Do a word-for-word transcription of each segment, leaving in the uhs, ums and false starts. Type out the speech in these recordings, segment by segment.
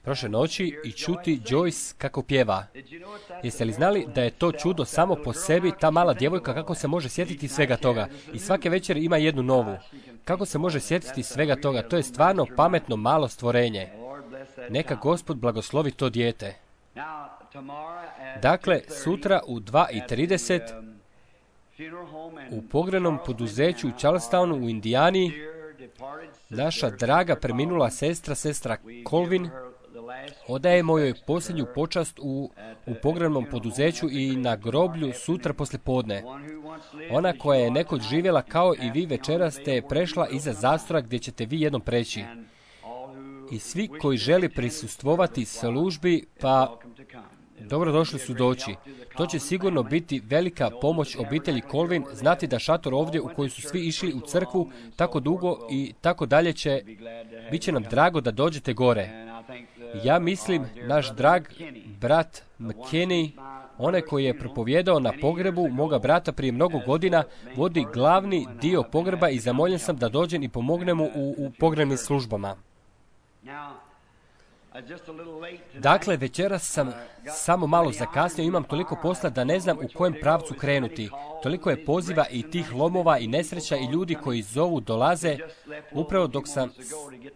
prošle noći i čuti Joyce kako pjeva. Jeste li znali da je to čudo samo po sebi, ta mala djevojka kako se može sjetiti svega toga? I svake večeri ima jednu novu. Kako se može sjetiti svega toga? To je stvarno pametno malo stvorenje. Neka Gospod blagoslovi to dijete. Dakle, sutra u dva i trideset u pogrebnom poduzeću u Charlestonu u Indijani naša draga preminula sestra, sestra Colvin, odajemo joj posljednju počast u, u pogrebnom poduzeću i na groblju sutra poslijepodne. Ona koja je nekoć živjela kao i vi večeras te je prešla iza zastora gdje ćete vi jednom preći. I svi koji žele prisustvovati službi, pa dobrodošli su doći. To će sigurno biti velika pomoć obitelji Colvin, znati da šator ovdje u koji su svi išli u crkvu tako dugo i tako dalje će, bit će nam drago da dođete gore. Ja mislim, naš drag brat McKinney, onaj koji je propovjedao na pogrebu moga brata prije mnogo godina, vodi glavni dio pogreba i zamoljen sam da dođem i pomognem mu u, u pogrebnim službama. Dakle, večeras sam samo malo zakasnio, imam toliko posla da ne znam u kojem pravcu krenuti. Toliko je poziva i tih lomova i nesreća i ljudi koji zovu dolaze. Upravo dok sam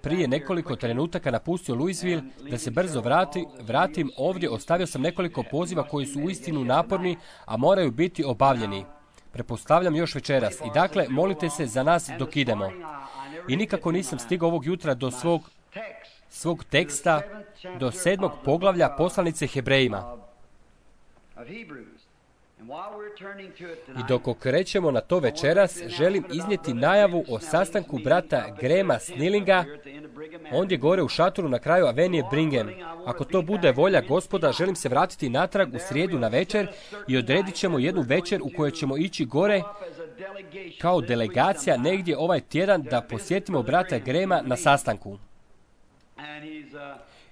prije nekoliko trenutaka napustio Louisville da se brzo vrati, vratim ovdje, ostavio sam nekoliko poziva koji su uistinu naporni, a moraju biti obavljeni. Pretpostavljam još večeras. I dakle, molite se za nas dok idemo. I nikako nisam stigao ovog jutra do svog svog teksta do sedmog poglavlja poslanice Hebrejima. I dok okrećemo na to večeras, želim iznijeti najavu o sastanku brata Grahama Snellinga, ondje gore u šatoru na kraju Avenije Brigham. Ako to bude volja Gospoda, želim se vratiti natrag u srijedu na večer i odredit ćemo jednu večer u kojoj ćemo ići gore kao delegacija negdje ovaj tjedan da posjetimo brata Grahama na sastanku.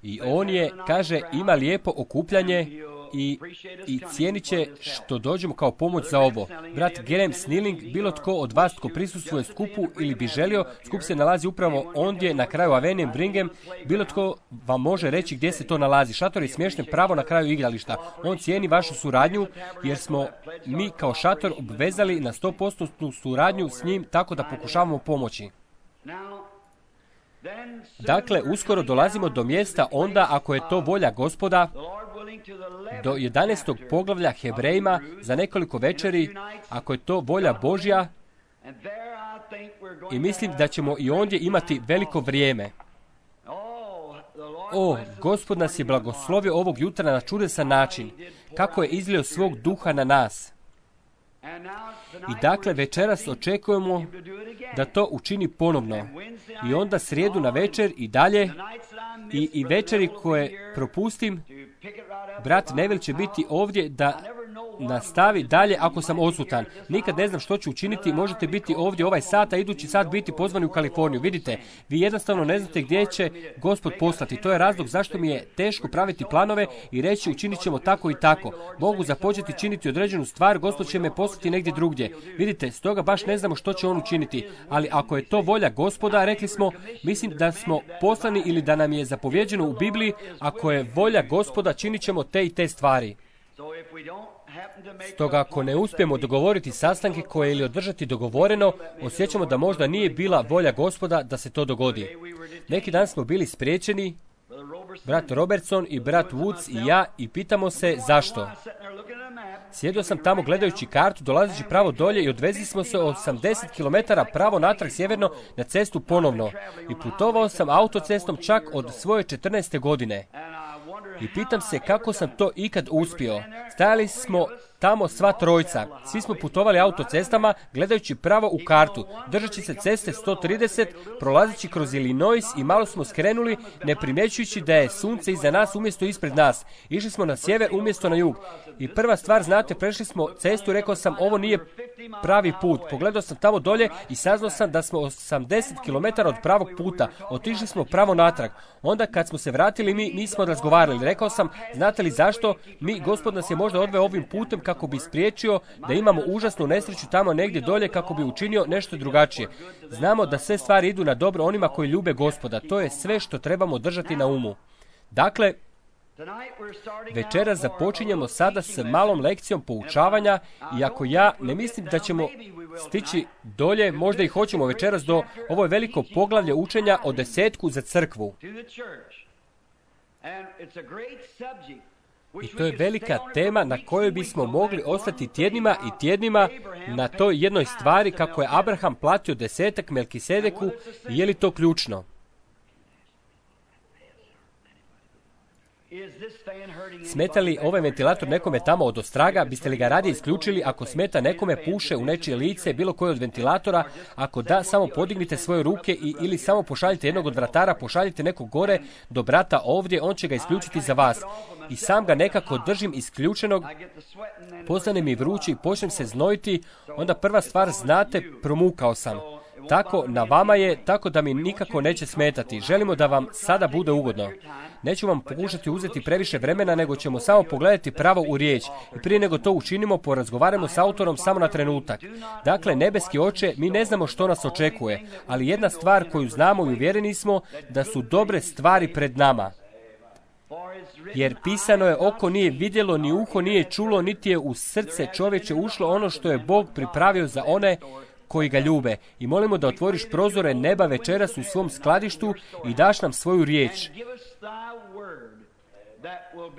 I on je, kaže, ima lijepo okupljanje i, i cijenit će što dođemo kao pomoć za ovo. Brat Graham Snelling, bilo tko od vas tko prisustvuje skupu ili bi želio, skup se nalazi upravo ondje na kraju Avenije Brigham, bilo tko vam može reći gdje se to nalazi. Šator je smješten pravo na kraju igrališta. On cijeni vašu suradnju jer smo mi kao šator obvezali na sto posto suradnju s njim tako da pokušavamo pomoći. Dakle, uskoro dolazimo do mjesta onda, ako je to volja Gospoda, do jedanaestog poglavlja Hebrejima za nekoliko večeri, ako je to volja Božja, i mislim da ćemo i ondje imati veliko vrijeme. O, Gospod nas je blagoslovio ovog jutra na čudesan način, kako je izlio svog duha na nas. I dakle, večeras očekujemo da to učini ponovno. I onda srijedu na večer i dalje, i, i večeri koje propustim, brat Neville će biti ovdje da nastavi dalje ako sam odsutan. Nikad ne znam što ću učiniti, možete biti ovdje ovaj sat, a idući sat biti pozvani u Kaliforniju. Vidite, vi jednostavno ne znate gdje će Gospod poslati. To je razlog zašto mi je teško praviti planove i reći učinit ćemo tako i tako. Mogu započeti činiti određenu stvar, Gospod će me poslati negdje drugdje. Vidite, stoga baš ne znamo što će on učiniti. Ali ako je to volja Gospoda, rekli smo, mislim da smo poslani ili da nam je zapovjeđeno u Bibliji, ako je volja Gospoda, činit ćemo te i te stvari. Stoga ako ne uspijemo dogovoriti sastanke koje ili održati dogovoreno, osjećamo da možda nije bila volja Gospoda da se to dogodi. Neki dan smo bili spriječeni, brat Robertson i brat Woods i ja, i pitamo se zašto. Sjedio sam tamo gledajući kartu, dolazeći pravo dolje i odvezli smo se osamdeset kilometara pravo natrag sjeverno na cestu ponovno. I putovao sam autocestom čak od svoje četrnaeste godine. I pitam se kako sam to ikad uspio. Stajali smo tamo sva trojca. Svi smo putovali autocestama, gledajući pravo u kartu, držeći se ceste sto trideset, prolazeći kroz Illinois i malo smo skrenuli, ne primjećujući da je sunce iza nas umjesto ispred nas. Išli smo na sjever umjesto na jug. I prva stvar, znate, prešli smo cestu, rekao sam, ovo nije pravi put. Pogledao sam tamo dolje i saznao sam da smo osamdeset kilometara od pravog puta. Otišli smo pravo natrag. Onda kad smo se vratili, mi nismo razgovarali. Rekao sam, znate li zašto? Mi, Gospod nas je možda odveo ovim putem kako bi spriječio da imamo užasnu nesreću tamo negdje dolje kako bi učinio nešto drugačije. Znamo da sve stvari idu na dobro onima koji ljube Gospoda. To je sve što trebamo držati na umu. Dakle, večeras započinjemo sada s malom lekcijom poučavanja, iako ja ne mislim da ćemo stići dolje, možda i hoćemo večeras do ovo je veliko poglavlje učenja o desetku za crkvu. I to je velika tema na kojoj bismo mogli ostati tjednima i tjednima na toj jednoj stvari kako je Abraham platio desetak Melkisedeku i je li to ključno. Smeta li ovaj ventilator nekome tamo od ostraga? Biste li ga radije isključili ako smeta nekome puše u nečije lice, bilo koje od ventilatora? Ako da, samo podignite svoje ruke i, ili samo pošaljite jednog od vratara, pošaljite nekog gore do brata ovdje, on će ga isključiti za vas. I sam ga nekako držim isključenog, postane mi vrući, počnem se znojiti, onda prva stvar, znate, promukao sam. Tako na vama je, tako da mi nikako neće smetati. Želimo da vam sada bude ugodno. Neću vam pokušati uzeti previše vremena, nego ćemo samo pogledati pravo u riječ. I prije nego to učinimo, porazgovaramo s autorom samo na trenutak. Dakle, nebeski oče, mi ne znamo što nas očekuje, ali jedna stvar koju znamo i uvjereni smo, da su dobre stvari pred nama. Jer pisano je, oko nije vidjelo, ni uho nije čulo, niti je u srce čovječe ušlo ono što je Bog pripravio za one koji ga ljube. I molimo da otvoriš prozore neba večeras u svom skladištu i daš nam svoju riječ.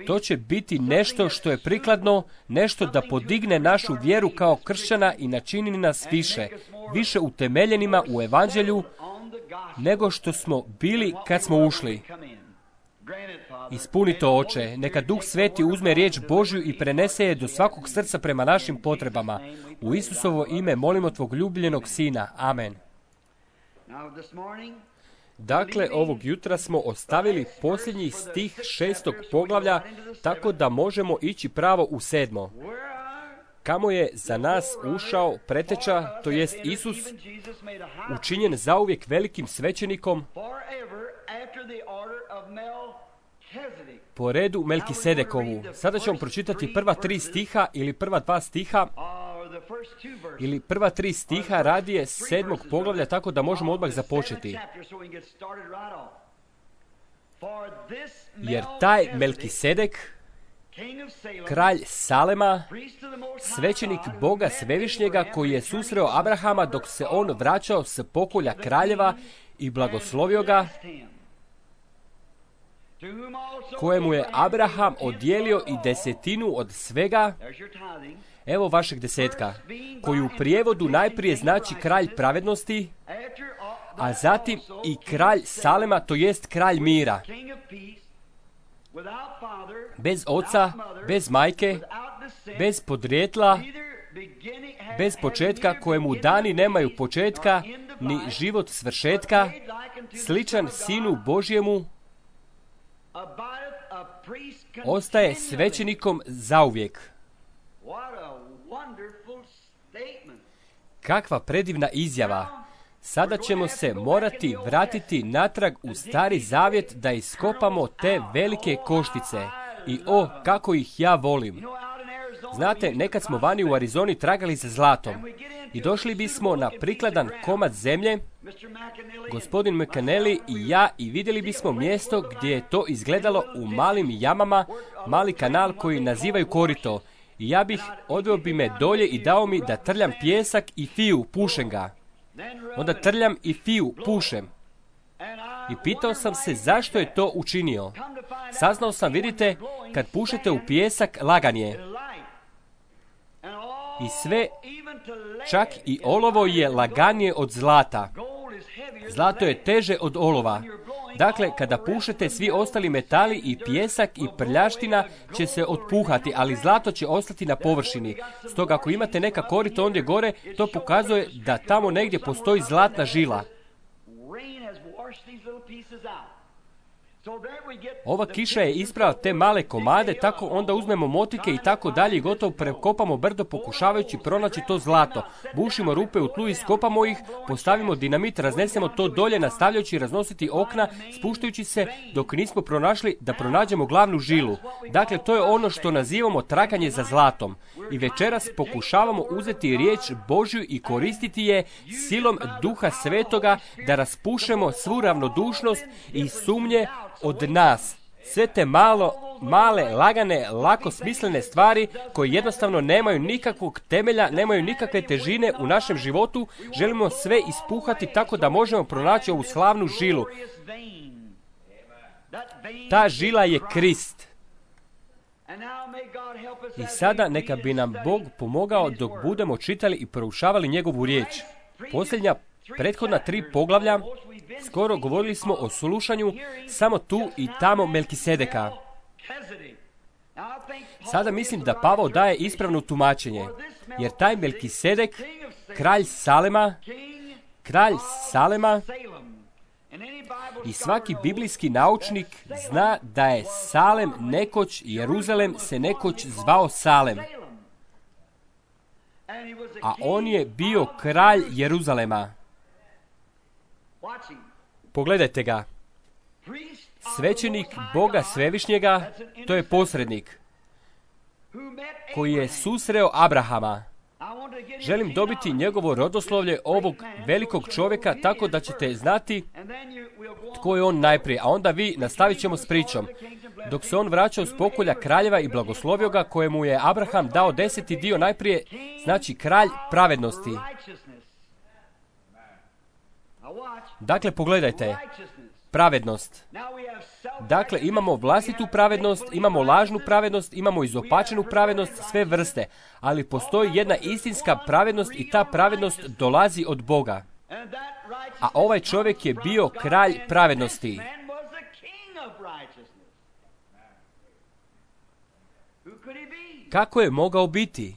To će biti nešto što je prikladno, nešto da podigne našu vjeru kao kršćana i načini nas više, više utemeljenima u evanđelju nego što smo bili kad smo ušli. Ispuni to, oče. Neka Duh Sveti uzme riječ Božju i prenese je do svakog srca prema našim potrebama. U Isusovo ime molimo tvog ljubljenog Sina. Amen. Dakle, ovog jutra smo ostavili posljednji stih šestog poglavlja, tako da možemo ići pravo u sedmo. Kamo je za nas ušao preteča, to jest Isus, učinjen zauvijek velikim svećenikom po redu Melkisedekovu. Sada ćemo pročitati prva tri stiha ili prva dva stiha ili prva tri stiha radije sedmog poglavlja, tako da možemo odmah započeti. Jer taj Melkisedek, kralj Salema, svećenik Boga Svevišnjega, koji je susreo Abrahama dok se on vraćao s pokolja kraljeva i blagoslovio ga, kojemu je Abraham odijelio i desetinu od svega, evo vašeg desetka, koji u prijevodu najprije znači kralj pravednosti, a zatim i kralj Salema, to jest kralj mira. Bez oca, bez majke, bez podrijetla, bez početka, kojemu dani nemaju početka, ni život svršetka, sličan Sinu Božjemu, ostaje svećenikom zauvijek. Kakva predivna izjava! Sada ćemo se morati vratiti natrag u Stari Zavjet da iskopamo te velike koštice. I o, kako ih ja volim! Znate, nekad smo vani u Arizoni tragali za zlatom i došli bismo na prikladan komad zemlje, gospodin McAnally i ja, i vidjeli bismo mjesto gdje je to izgledalo u malim jamama, mali kanal koji nazivaju korito. I ja bih, odveo bi me dolje i dao mi da trljam pijesak i fiju, pušem ga. Onda trljam i fiju, pušem. I pitao sam se zašto je to učinio. Saznao sam, vidite, kad pušete u pijesak, lagan je. I sve, čak i olovo je laganije od zlata. Zlato je teže od olova. Dakle, kada pušete, svi ostali metali i pijesak i prljaština će se otpuhati, ali zlato će ostati na površini. Stoga, ako imate neka korita ondje gore, to pokazuje da tamo negdje postoji zlatna žila. Ova kiša je isprala te male komade, tako onda uzmemo motike i tako dalje i gotovo prekopamo brdo pokušavajući pronaći to zlato. Bušimo rupe u tlu, iskopamo ih, postavimo dinamit, raznesemo to dolje, nastavljajući raznositi okna, spuštajući se dok nismo pronašli da pronađemo glavnu žilu. Dakle, to je ono što nazivamo traganje za zlatom. I večeras pokušavamo uzeti riječ Božju i koristiti je silom Duha Svetoga da raspušemo svu ravnodušnost i sumnje od nas. Sve te malo, male, lagane, lako smislene stvari koje jednostavno nemaju nikakvog temelja, nemaju nikakve težine u našem životu, želimo sve ispuhati tako da možemo pronaći ovu slavnu žilu. Ta žila je Krist. I sada neka bi nam Bog pomogao dok budemo čitali i proučavali njegovu riječ. Posljednja prethodna tri poglavlja, skoro govorili smo o slušanju samo tu i tamo Melkisedeka. Sada mislim da Pavao daje ispravno tumačenje, jer taj Melkisedek, kralj Salema, kralj Salema, i svaki biblijski naučnik zna da je Salem nekoć, Jeruzalem se nekoć zvao Salem. A on je bio kralj Jeruzalema. Pogledajte ga. Svećenik Boga Svevišnjega, to je posrednik, koji je susreo Abrahama. Želim dobiti njegovo rodoslovlje ovog velikog čovjeka tako da ćete znati tko je on najprije, a onda vi nastavit ćemo s pričom. Dok se on vraćao s pokolja kraljeva i blagoslovio ga, kojemu je Abraham dao deseti dio najprije, znači kralj pravednosti. Dakle, pogledajte, pravednost. Dakle, imamo vlastitu pravednost, imamo lažnu pravednost, imamo izopačenu pravednost, sve vrste, ali postoji jedna istinska pravednost i ta pravednost dolazi od Boga. A ovaj čovjek je bio kralj pravednosti. Kako je mogao biti?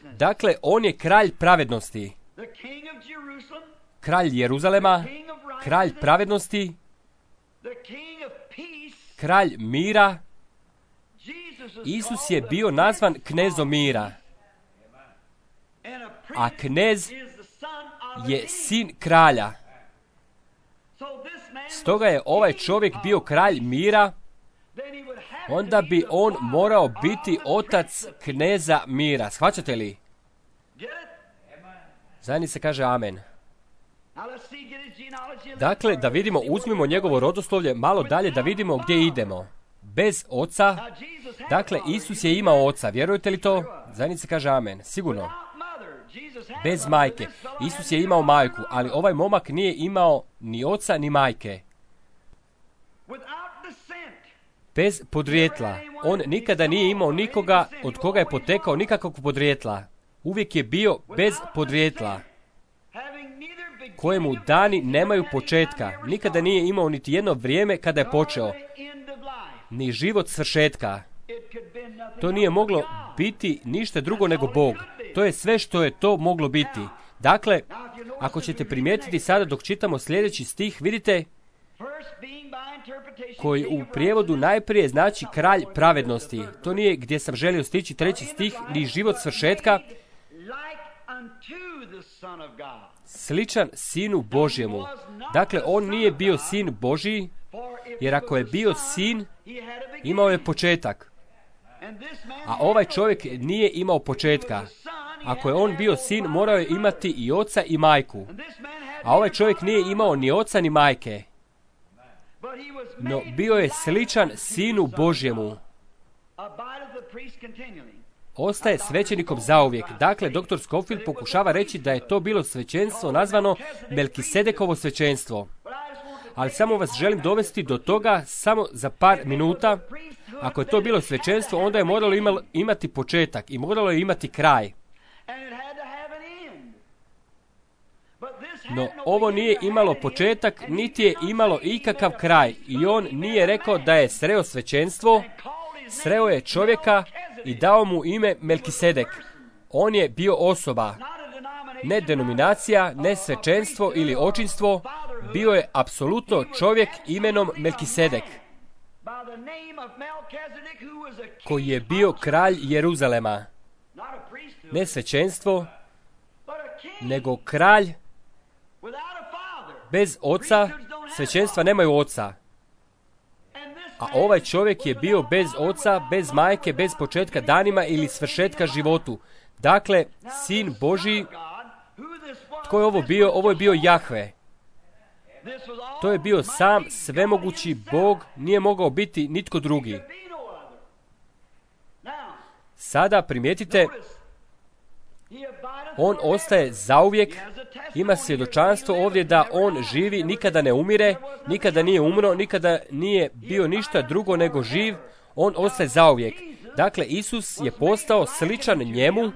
Dakle, on je kralj pravednosti. Kralj Jeruzalema, kralj pravednosti, kralj mira. Isus je bio nazvan knezom mira. A knez je sin kralja. Stoga je ovaj čovjek bio kralj mira, onda bi on morao biti otac kneza mira. Shvaćate li? Zajednice kaže amen. Dakle, da vidimo, uzmimo njegovo rodoslovlje malo dalje da vidimo gdje idemo. Bez oca, dakle, Isus je imao oca, vjerujete li to? Zajednice kaže amen, sigurno. Bez majke. Isus je imao majku, ali ovaj momak nije imao ni oca ni majke. Bez podrijetla. On nikada nije imao nikoga od koga je potekao nikakvog podrijetla. Uvijek je bio bez podrijetla, kojemu dani nemaju početka. Nikada nije imao niti jedno vrijeme kada je počeo, ni život svršetka. To nije moglo biti ništa drugo nego Bog. To je sve što je to moglo biti. Dakle, ako ćete primijetiti sada dok čitamo sljedeći stih, vidite, koji u prijevodu najprije znači kralj pravednosti. To nije gdje sam želio stići treći stih, ni život svršetka, sličan sinu Božjemu. Dakle, on nije bio sin Božji, jer ako je bio sin, imao je početak. A ovaj čovjek nije imao početka. Ako je on bio sin, morao je imati i oca i majku. A ovaj čovjek nije imao ni oca ni majke. No, bio je sličan sinu Božjemu. Ostaje svećenikom zauvijek. Dakle, doktor Scofield pokušava reći da je to bilo svećenstvo nazvano Melkisedekovo svećenstvo. Ali samo vas želim dovesti do toga samo za par minuta. Ako je to bilo svećenstvo, onda je moralo imati početak i moralo je imati kraj. No, ovo nije imalo početak, niti je imalo ikakav kraj. I on nije rekao da je sreo svećenstvo, sreo je čovjeka i dao mu ime Melkisedek. On je bio osoba. ne denominacija, ne svečenstvo ili očinstvo, bio je apsolutno čovjek imenom Melkisedek, koji je bio kralj Jeruzalema. Ne svečenstvo, nego kralj bez oca. Svećenstva nemaju oca. A ovaj čovjek je bio bez oca, bez majke, bez početka danima ili svršetka životu. Dakle, sin Božji. Tko je ovo bio? Ovo je bio Jahve. To je bio sam svemogući Bog, nije mogao biti nitko drugi. Sada primijetite, on ostaje zauvijek, ima svjedočanstvo ovdje da on živi, nikada ne umire, nikada nije umro, nikada nije bio ništa drugo nego živ, on ostaje zauvijek. Dakle, Isus je postao sličan njemu.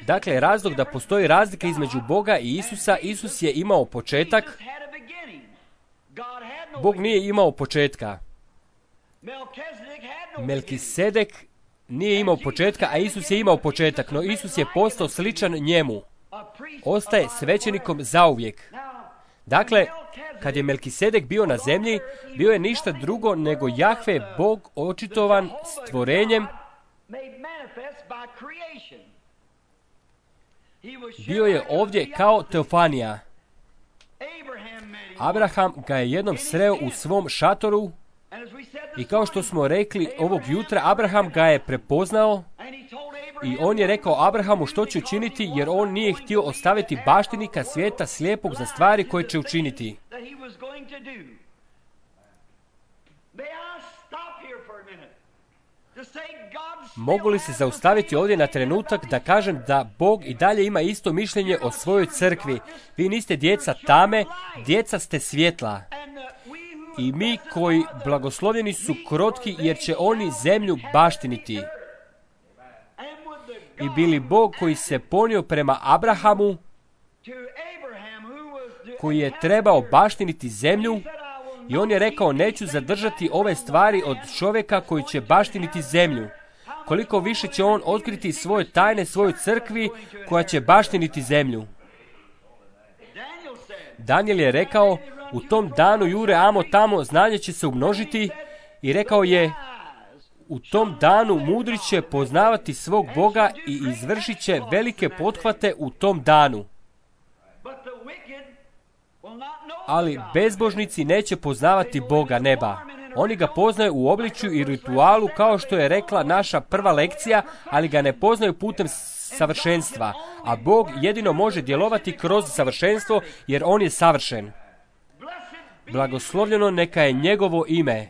Dakle, razlog da postoji razlika između Boga i Isusa, Isus je imao početak, Bog nije imao početka. Melkisedek nije imao početka, a Isus je imao početak, no Isus je postao sličan njemu. Ostaje svećenikom zauvijek. Dakle, kad je Melkisedek bio na zemlji, bio je ništa drugo nego Jahve, Bog očitovan stvorenjem. Bio je ovdje kao teofanija. Abraham ga je jednom sreo u svom šatoru i kao što smo rekli ovog jutra, Abraham ga je prepoznao i on je rekao Abrahamu što će učiniti, jer on nije htio ostaviti baštinika svijeta slijepog za stvari koje će učiniti. Mogu li se zaustaviti ovdje na trenutak da kažem da Bog i dalje ima isto mišljenje o svojoj crkvi? Vi niste djeca tame, djeca ste svjetla. I mi koji blagoslovljeni su krotki, jer će oni zemlju baštiniti. I bili Bog koji se ponio prema Abrahamu, koji je trebao baštiniti zemlju, i on je rekao, neću zadržati ove stvari od čovjeka koji će baštiniti zemlju. Koliko više će on otkriti svoje tajne svojoj crkvi koja će baštiniti zemlju. Daniel je rekao, u tom danu jure amo tamo, znanje će se umnožiti, i rekao je, u tom danu mudri će poznavati svog Boga i izvršit će velike pothvate u tom danu. Ali bezbožnici neće poznavati Boga neba. Oni ga poznaju u obličju i ritualu, kao što je rekla naša prva lekcija, ali ga ne poznaju putem savršenstva. A Bog jedino može djelovati kroz savršenstvo, jer on je savršen. Blagoslovljeno neka je njegovo ime.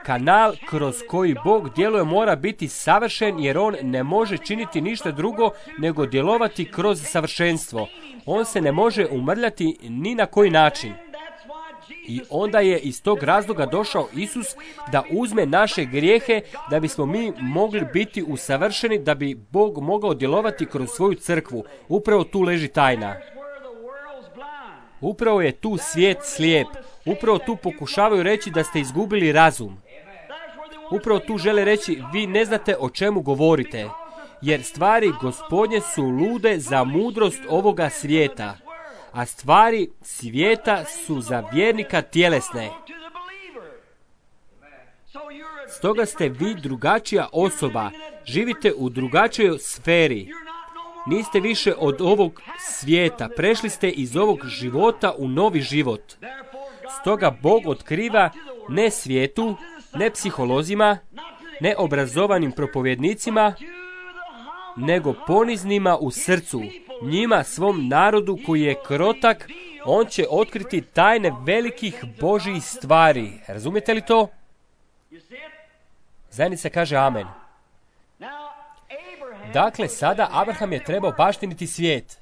Kanal kroz koji Bog djeluje mora biti savršen, jer on ne može činiti ništa drugo nego djelovati kroz savršenstvo. On se ne može umrljati ni na koji način. I onda je iz tog razloga došao Isus da uzme naše grijehe, da bismo mi mogli biti usavršeni, da bi Bog mogao djelovati kroz svoju crkvu. Upravo tu leži tajna. Upravo je tu svijet slijep. Upravo tu pokušavaju reći da ste izgubili razum. Upravo tu žele reći, vi ne znate o čemu govorite, jer stvari Gospodnje su lude za mudrost ovoga svijeta, a stvari svijeta su za vjernika tjelesne. Stoga ste vi drugačija osoba, živite u drugačijoj sferi. Niste više od ovog svijeta, prešli ste iz ovog života u novi život. Stoga Bog otkriva ne svijetu, ne psiholozima, ne obrazovanim propovjednicima, nego poniznima u srcu, njima svom narodu koji je krotak, on će otkriti tajne velikih Božjih stvari. Razumijete li to? Zajednica kaže amen. Dakle, sada Abraham je trebao baštiniti svijet.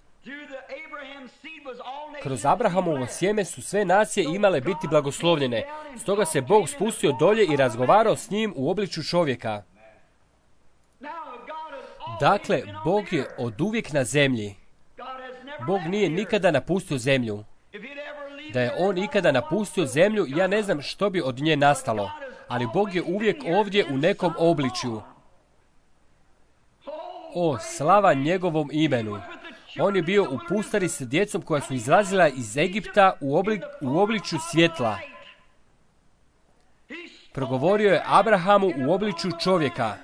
Kroz Abrahamovo sjeme su sve nacije imale biti blagoslovljene. Stoga se Bog spustio dolje i razgovarao s njim u obličju čovjeka. Dakle, Bog je oduvijek na zemlji. Bog nije nikada napustio zemlju. Da je on ikada napustio zemlju, ja ne znam što bi od nje nastalo. Ali Bog je uvijek ovdje u nekom obličju. O, slava njegovom imenu. On je bio u pustari sa djecom koja su izlazila iz Egipta u, oblik, u obličju svjetla. Progovorio je Abrahamu u obličju čovjeka.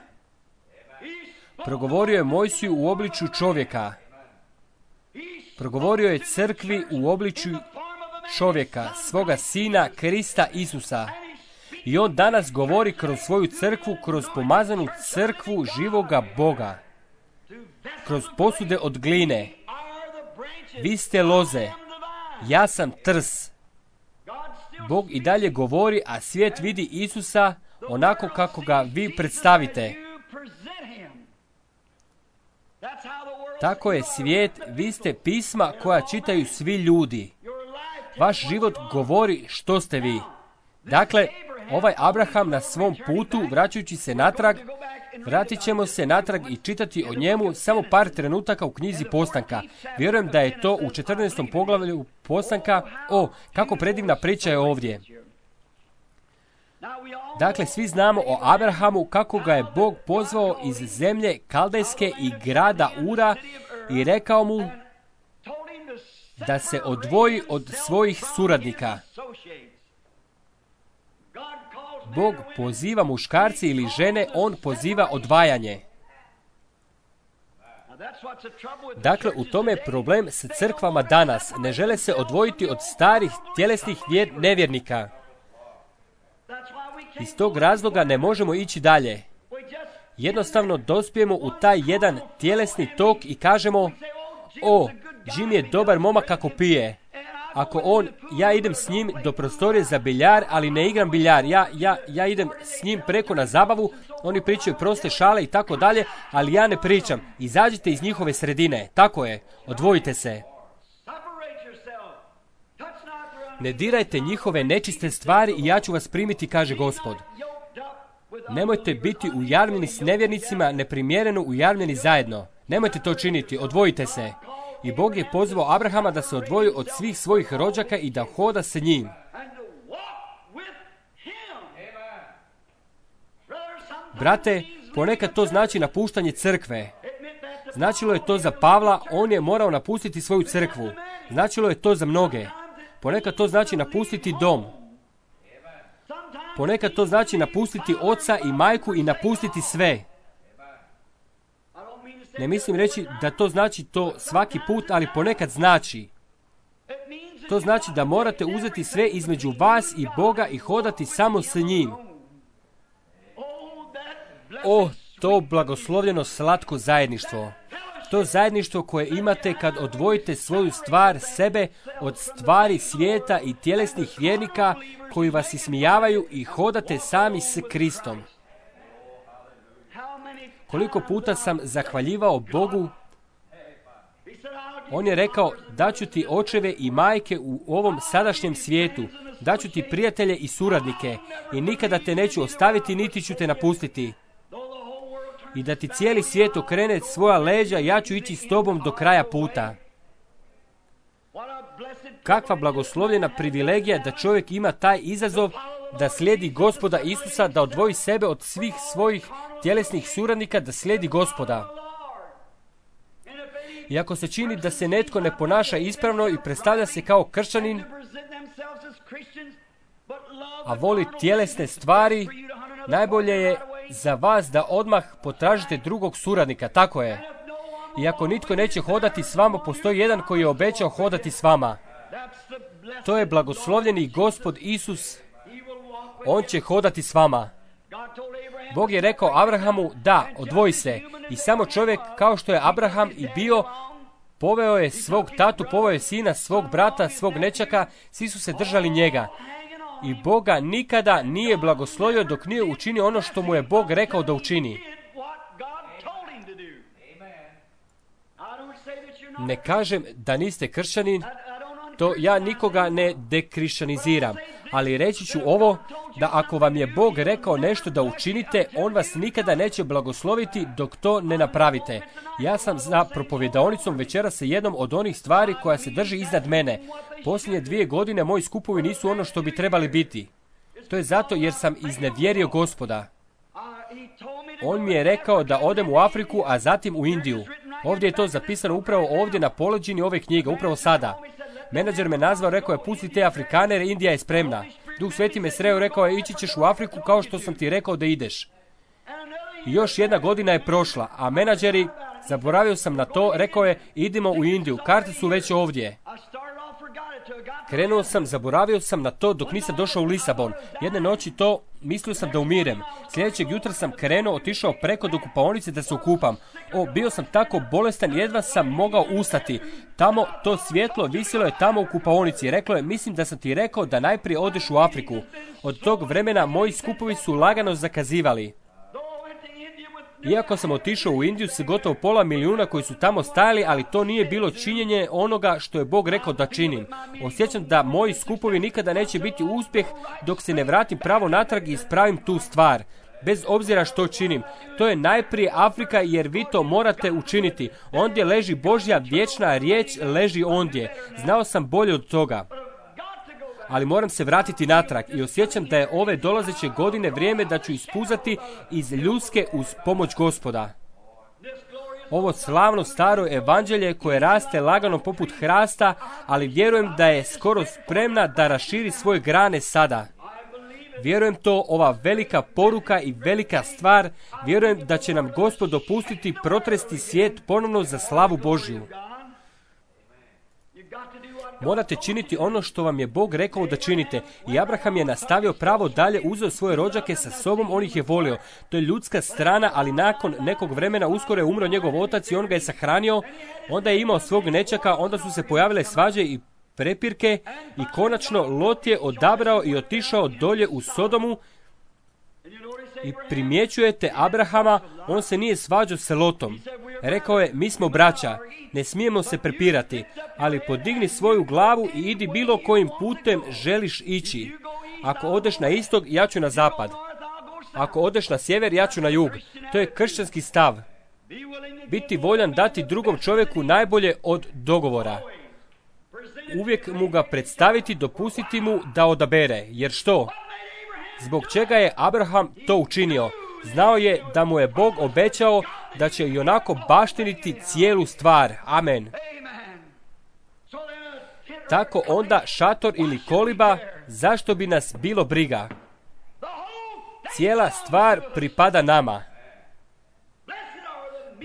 Progovorio je Mojsiju u obličju čovjeka. Progovorio je crkvi u obličju čovjeka, svoga sina Krista Isusa. I on danas govori kroz svoju crkvu, kroz pomazanu crkvu živoga Boga. Kroz posude od gline. Vi ste loze, ja sam trs. Bog i dalje govori, a svijet vidi Isusa onako kako ga vi predstavite. Tako je svijet, vi ste pisma koja čitaju svi ljudi. Vaš život govori što ste vi. Dakle, ovaj Abraham na svom putu, vraćajući se natrag, vratit ćemo se natrag i čitati o njemu samo par trenutaka u knjizi Postanka. Vjerujem da je to u četrnaestom poglavlju Postanka. O, kako predivna priča je ovdje. Dakle, svi znamo o Abrahamu kako ga je Bog pozvao iz zemlje Kaldejske i grada Ura i rekao mu da se odvoji od svojih suradnika. Bog poziva muškarci ili žene, on poziva odvajanje. Dakle, u tome je problem sa crkvama danas. Ne žele se odvojiti od starih tjelesnih vjer, nevjernika. Iz tog razloga ne možemo ići dalje. Jednostavno dospijemo u taj jedan tjelesni tok i kažemo, o, Jim je dobar momak kako pije. Ako on, ja idem s njim do prostorije za biljar, ali ne igram biljar. Ja, ja, ja idem s njim preko na zabavu, oni pričaju proste šale i tako dalje, ali ja ne pričam. Izađite iz njihove sredine. Tako je. Odvojite se. Ne dirajte njihove nečiste stvari i ja ću vas primiti, kaže Gospod. Nemojte biti ujavljeni s nevjernicima, neprimjereno ujavljeni zajedno. Nemojte to činiti, odvojite se. I Bog je pozvao Abrahama da se odvoji od svih svojih rođaka i da hoda sa njim. Brate, ponekad to znači napuštanje crkve. Značilo je to za Pavla, on je morao napustiti svoju crkvu. Značilo je to za mnoge. Ponekad to znači napustiti dom. Ponekad to znači napustiti oca i majku i napustiti sve. Ne mislim reći da to znači to svaki put, ali ponekad znači. To znači da morate uzeti sve između vas i Boga i hodati samo s njim. O, to blagoslovljeno slatko zajedništvo. To zajedništvo koje imate kad odvojite svoju stvar, sebe, od stvari svijeta i tjelesnih vjernika koji vas ismijavaju i hodate sami s Kristom. Koliko puta sam zahvaljivao Bogu, on je rekao, daću ti očeve i majke u ovom sadašnjem svijetu, daću ti prijatelje i suradnike i nikada te neću ostaviti niti ću te napustiti. I da ti cijeli svijet okrene svoja leđa, ja ću ići s tobom do kraja puta. Kakva blagoslovljena privilegija da čovjek ima taj izazov da slijedi Gospoda Isusa, da odvoji sebe od svih svojih tjelesnih suradnika, da slijedi Gospoda. I ako se čini da se netko ne ponaša ispravno i predstavlja se kao kršćanin, a voli tjelesne stvari, najbolje je za vas da odmah potražite drugog suradnika, tako je. I ako nitko neće hodati s vama, postoji jedan koji je obećao hodati s vama. To je blagoslovljeni Gospod Isus. On će hodati s vama. Bog je rekao Abrahamu, da, odvoji se. I samo čovjek, kao što je Abraham i bio, poveo je svog tatu, poveo je sina, svog brata, svog nečaka, svi su se držali njega. I Boga nikada nije blagoslovio dok nije učinio ono što mu je Bog rekao da učini. Ne kažem da niste kršćanin, to ja nikoga ne dekrišćaniziram, ali reći ću ovo, da ako vam je Bog rekao nešto da učinite, on vas nikada neće blagosloviti dok to ne napravite. Ja sam za propovjedaonicom večera sa jednom od onih stvari koja se drži iznad mene. Posljednje dvije godine moji skupovi nisu ono što bi trebali biti. To je zato jer sam iznevjerio Gospoda. On mi je rekao da odem u Afriku, a zatim u Indiju. Ovdje je to zapisano upravo ovdje na poleđini ove knjige, upravo sada. Menadžer me nazvao, rekao je pusti te Afrikane jer Indija je spremna. Duh Sveti me sreo, rekao je ići ćeš u Afriku kao što sam ti rekao da ideš. I još jedna godina je prošla, a menadžeri, zaboravio sam na to, rekao je idimo u Indiju, karte su već ovdje. Krenuo sam, zaboravio sam na to dok nisam došao u Lisabon. Jedne noći to, mislio sam da umirem. Sljedećeg jutra sam krenuo, otišao preko do kupaonice da se okupam. O, bio sam tako bolestan, jedva sam mogao ustati. Tamo, to svjetlo visilo je tamo u kupaonici. Reklo je, mislim da sam ti rekao da najprije odeš u Afriku. Od tog vremena moji skupovi su lagano zakazivali. Iako sam otišao u Indiju s gotovo pola milijuna koji su tamo stajali, ali to nije bilo činjenje onoga što je Bog rekao da činim. Osjećam da moji skupovi nikada neće biti uspjeh dok se ne vratim pravo natrag i ispravim tu stvar. Bez obzira što činim. To je najprije Afrika jer vi to morate učiniti. Ondje leži Božja vječna riječ, leži ondje. Znao sam bolje od toga. Ali moram se vratiti natrag i osjećam da je ove dolazeće godine vrijeme da ću ispuzati iz ljudske uz pomoć Gospoda. Ovo slavno staro evanđelje koje raste lagano poput hrasta, ali vjerujem da je skoro spremna da raširi svoje grane sada. Vjerujem to, ova velika poruka i velika stvar, vjerujem da će nam Gospod dopustiti protresti svijet ponovno za slavu Božju. Morate činiti ono što vam je Bog rekao da činite. I Abraham je nastavio pravo dalje, uzeo svoje rođake sa sobom, on ih je volio. To je ljudska strana, ali nakon nekog vremena uskoro je umro njegov otac i on ga je sahranio. Onda je imao svog nećaka, onda su se pojavile svađe i prepirke i konačno Lot je odabrao i otišao dolje u Sodomu. I primjećujete Abrahama, on se nije svađao s Lotom. Rekao je, mi smo braća, ne smijemo se prepirati, ali podigni svoju glavu i idi bilo kojim putem želiš ići. Ako odeš na istok, ja ću na zapad. Ako odeš na sjever, ja ću na jug. To je kršćanski stav. Biti voljan dati drugom čovjeku najbolje od dogovora. Uvijek mu ga predstaviti, dopustiti mu da odabere. Jer što? Zbog čega je Abraham to učinio? Znao je da mu je Bog obećao da će i onako baštiniti cijelu stvar. Amen. Tako onda šator ili koliba, zašto bi nas bilo briga? Cijela stvar pripada nama.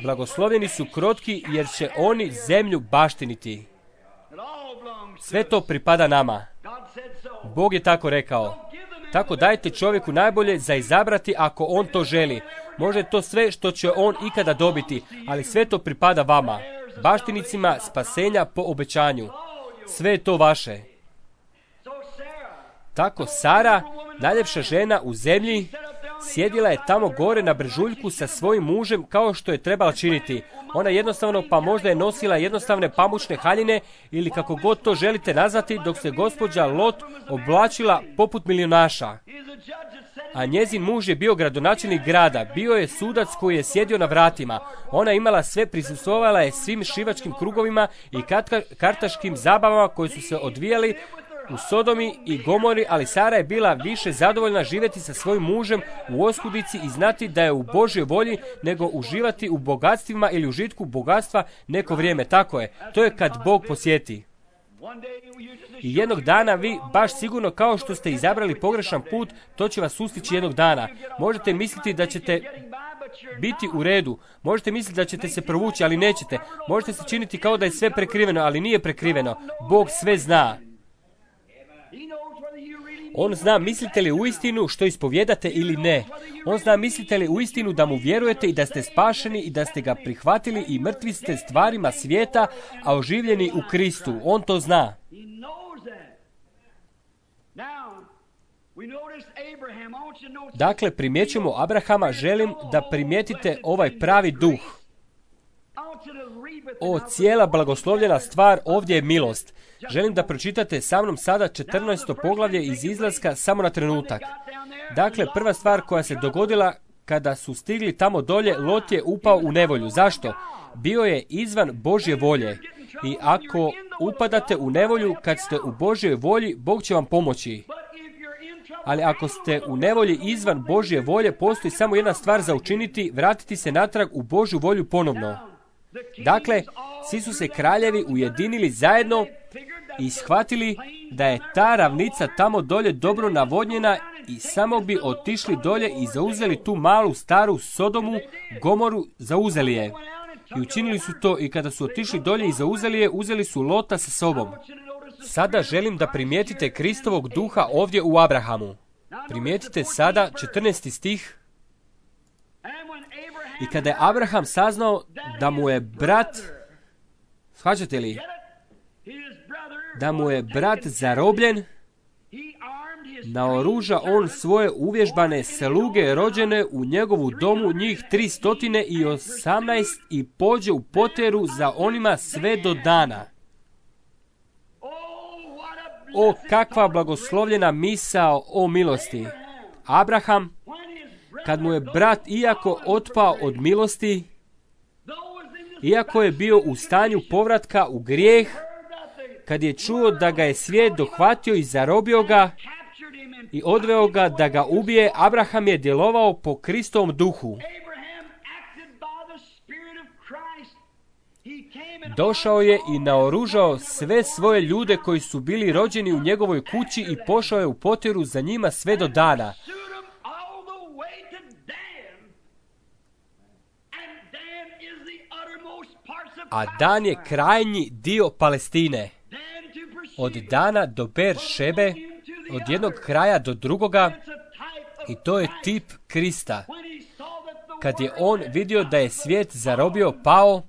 Blagoslovljeni su krotki jer će oni zemlju baštiniti. Sve to pripada nama. Bog je tako rekao. Tako dajte čovjeku najbolje za izabrati ako on to želi. Možda je to sve što će on ikada dobiti, ali sve to pripada vama, baštinicima spasenja po obećanju. Sve je to vaše. Tako Sara, najljepša žena u zemlji, sjedila je tamo gore na brežuljku sa svojim mužem kao što je trebala činiti. Ona jednostavno, pa možda je nosila jednostavne pamučne haljine ili kako god to želite nazvati, dok se gospođa Lot oblačila poput milijunaša. A njezin muž je bio gradonačelnik grada, bio je sudac koji je sjedio na vratima. Ona je imala sve, prisustvovala je svim šivačkim krugovima i kartaškim zabavama koji su se odvijali u Sodomi i Gomori, ali Sara je bila više zadovoljna živjeti sa svojim mužem u oskudici i znati da je u Božjoj volji nego uživati u bogatstvima ili užitku bogatstva neko vrijeme. Tako je. To je kad Bog posjeti. I jednog dana vi, baš sigurno kao što ste izabrali pogrešan put, to će vas sustići jednog dana. Možete misliti da ćete biti u redu. Možete misliti da ćete se provući, ali nećete. Možete se činiti kao da je sve prekriveno, ali nije prekriveno. Bog sve zna. On zna mislite li uistinu što ispovjedate ili ne. On zna mislite li uistinu da mu vjerujete i da ste spašeni i da ste ga prihvatili i mrtvi ste stvarima svijeta, a oživljeni u Kristu. On to zna. Dakle, primjećujemo Abrahama, želim da primijetite ovaj pravi duh. O, cijela blagoslovljena stvar, ovdje je milost. Želim da pročitate sa mnom sada četrnaesto poglavlje iz Izlaska samo na trenutak. Dakle, prva stvar koja se dogodila kada su stigli tamo dolje, Lot je upao u nevolju. Zašto? Bio je izvan Božje volje. I ako upadate u nevolju kad ste u Božjoj volji, Bog će vam pomoći. Ali ako ste u nevolji izvan Božje volje, postoji samo jedna stvar za učiniti, vratiti se natrag u Božju volju ponovno. Dakle, svi su se kraljevi ujedinili zajedno i shvatili da je ta ravnica tamo dolje dobro navodnjena i samo bi otišli dolje i zauzeli tu malu staru Sodomu, Gomoru, zauzeli je. I učinili su to i kada su otišli dolje i zauzeli je, uzeli su Lota sa sobom. Sada želim da primijetite Kristovog duha ovdje u Abrahamu. Primijetite sada četrnaesti stih. I kada je Abraham saznao da mu je brat, shvaćate li, da mu je brat zarobljen, naoruža on svoje uvježbane sluge rođene u njegovu domu, njih tri stotine i osamnaest, i pođe u poteru za onima sve do dana. O, kakva blagoslovljena misao o milosti! Abraham, kad mu je brat iako otpao od milosti, iako je bio u stanju povratka u grijeh, kad je čuo da ga je svijet dohvatio i zarobio ga i odveo ga da ga ubije, Abraham je djelovao po Kristovom duhu. Došao je i naoružao sve svoje ljude koji su bili rođeni u njegovoj kući i pošao je u poteru za njima sve do dana. A Dan je krajnji dio Palestine. Od Dana do Ber Šebe, od jednog kraja do drugoga, i to je tip Krista. Kad je on vidio da je svijet zarobio, pao,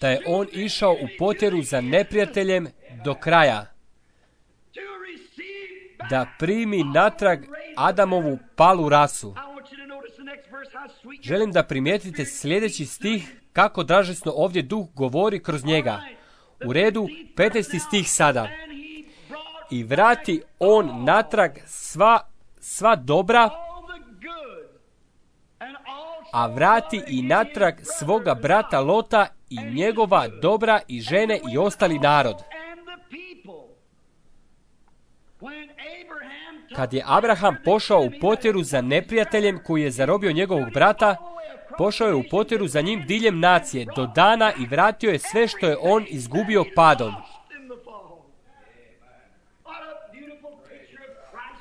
da je on išao u poteru za neprijateljem do kraja, da primi natrag Adamovu palu rasu. Želim da primijetite sljedeći stih, kako dražesno ovdje duh govori kroz njega. U redu, petnaesti stih sada. I vrati on natrag sva, sva dobra, a vrati i natrag svoga brata Lota i njegova dobra i žene i ostali narod. Kad je Abraham pošao u poteru za neprijateljem koji je zarobio njegovog brata, pošao je u poteru za njim diljem nacije do dana i vratio je sve što je on izgubio padom.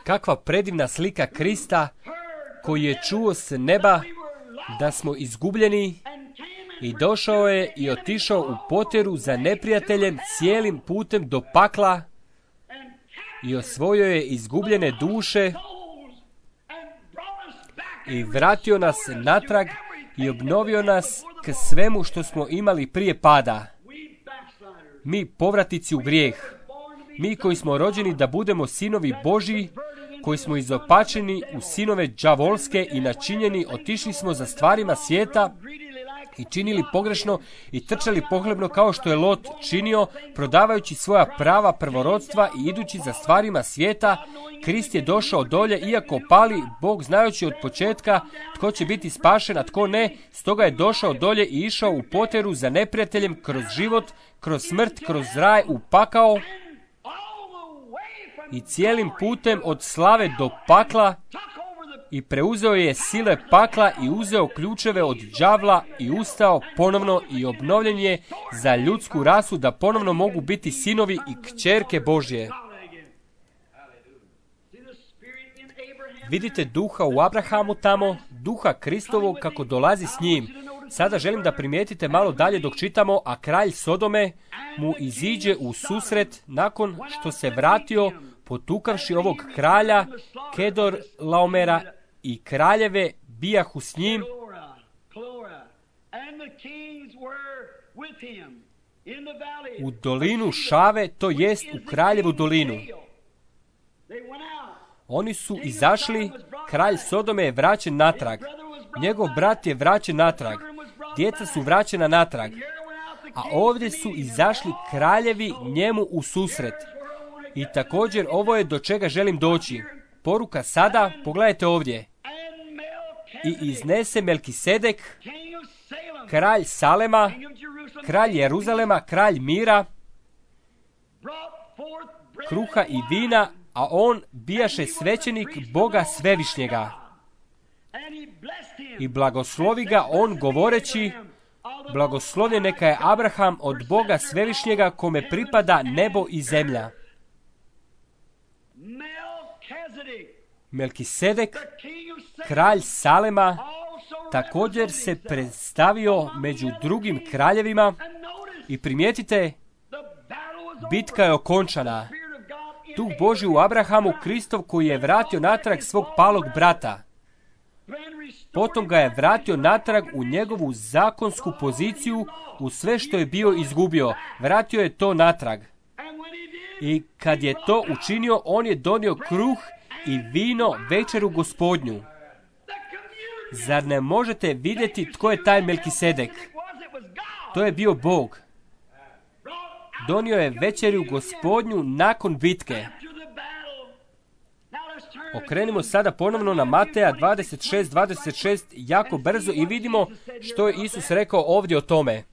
Kakva predivna slika Krista koji je čuo s neba da smo izgubljeni i došao je i otišao u poteru za neprijateljem cijelim putem do pakla i osvojio je izgubljene duše i vratio nas natrag i obnovio nas k svemu što smo imali prije pada. Mi povratnici u grijeh, mi koji smo rođeni da budemo sinovi Božji, koji smo izopačeni u sinove đavolske i načinjeni, otišli smo za stvarima svijeta i činili pogrešno i trčali pohlebno kao što je Lot činio, prodavajući svoja prava prvorodstva i idući za stvarima svijeta. Krist je došao dolje, iako pali, Bog znajući od početka tko će biti spašen, a tko ne, stoga je došao dolje i išao u poteru za neprijateljem kroz život, kroz smrt, kroz raj, u pakao i cijelim putem od slave do pakla i preuzeo je sile pakla i uzeo ključeve od đavla i ustao ponovno i obnovljen je za ljudsku rasu da ponovno mogu biti sinovi i kćerke Božje. Vidite duha u Abrahamu tamo, duha Kristovog kako dolazi s njim. Sada želim da primijetite malo dalje dok čitamo, a kralj Sodome mu iziđe u susret nakon što se vratio potukavši ovog kralja Kedor Laomera i kraljeve bijahu s njim. U dolinu Šave, to jest u kraljevu dolinu. Oni su izašli, kralj Sodome je vraćen natrag, njegov brat je vraćen natrag, djeca su vraćena natrag, a ovdje su izašli kraljevi njemu u susret. I također ovo je do čega želim doći. Poruka sada, pogledajte ovdje. I iznese Melkisedek, kralj Salema, kralj Jeruzalema, kralj mira, kruha i vina, a on bijaše svećenik Boga Svevišnjega. I blagoslovi ga on govoreći, blagoslovljen neka je Abraham od Boga Svevišnjega, kome pripada nebo i zemlja. Melkisedek, kralj Salema, također se predstavio među drugim kraljevima i primijetite, bitka je okončana. Duh Božji u Abrahamu, Kristov, koji je vratio natrag svog palog brata. Potom ga je vratio natrag u njegovu zakonsku poziciju, u sve što je bio izgubio. Vratio je to natrag. I kad je to učinio, on je donio kruh i vino večeru Gospodnju. Zar ne možete vidjeti tko je taj Melkisedek? To je bio Bog. Donio je večeru Gospodnju nakon bitke. Okrenimo sada ponovno na Mateja dvadeset šest dvadeset šest jako brzo i vidimo što je Isus rekao ovdje o tome.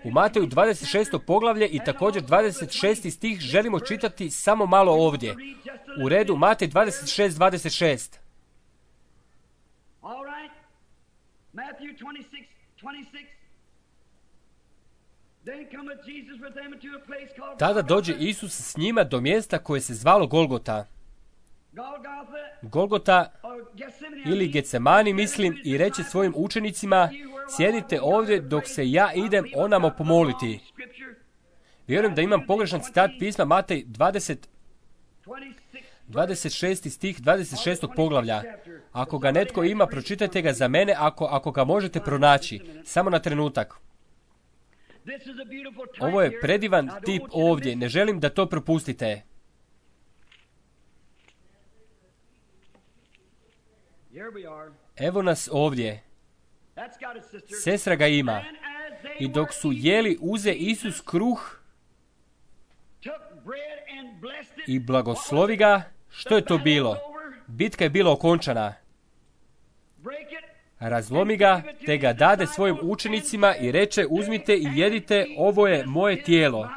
U Mateju dvadeset šesto poglavlje i također dvadeset šesti stih želimo čitati samo malo ovdje. U redu, Matej dvadeset šest dvadeset šest. Tada dođe Isus s njima do mjesta koje se zvalo Golgota. Golgota ili Getsemani, mislim, i reče svojim učenicima, sjedite ovdje dok se ja idem onamo pomoliti. Vjerujem da imam pogrešan citat pisma, Matej dvadeset, dvadeset šesti stih dvadeset šestog poglavlja. Ako ga netko ima, pročitajte ga za mene, ako, ako ga možete pronaći. Samo na trenutak. Ovo je predivan tip ovdje, ne želim da to propustite. Evo nas ovdje. Sestra ga ima. I dok su jeli, uze Isus kruh i blagoslovi ga. Što je to bilo? Bitka je bila okončana. Razlomi ga, te ga dade svojim učenicima i reče, uzmite i jedite, ovo je moje tijelo.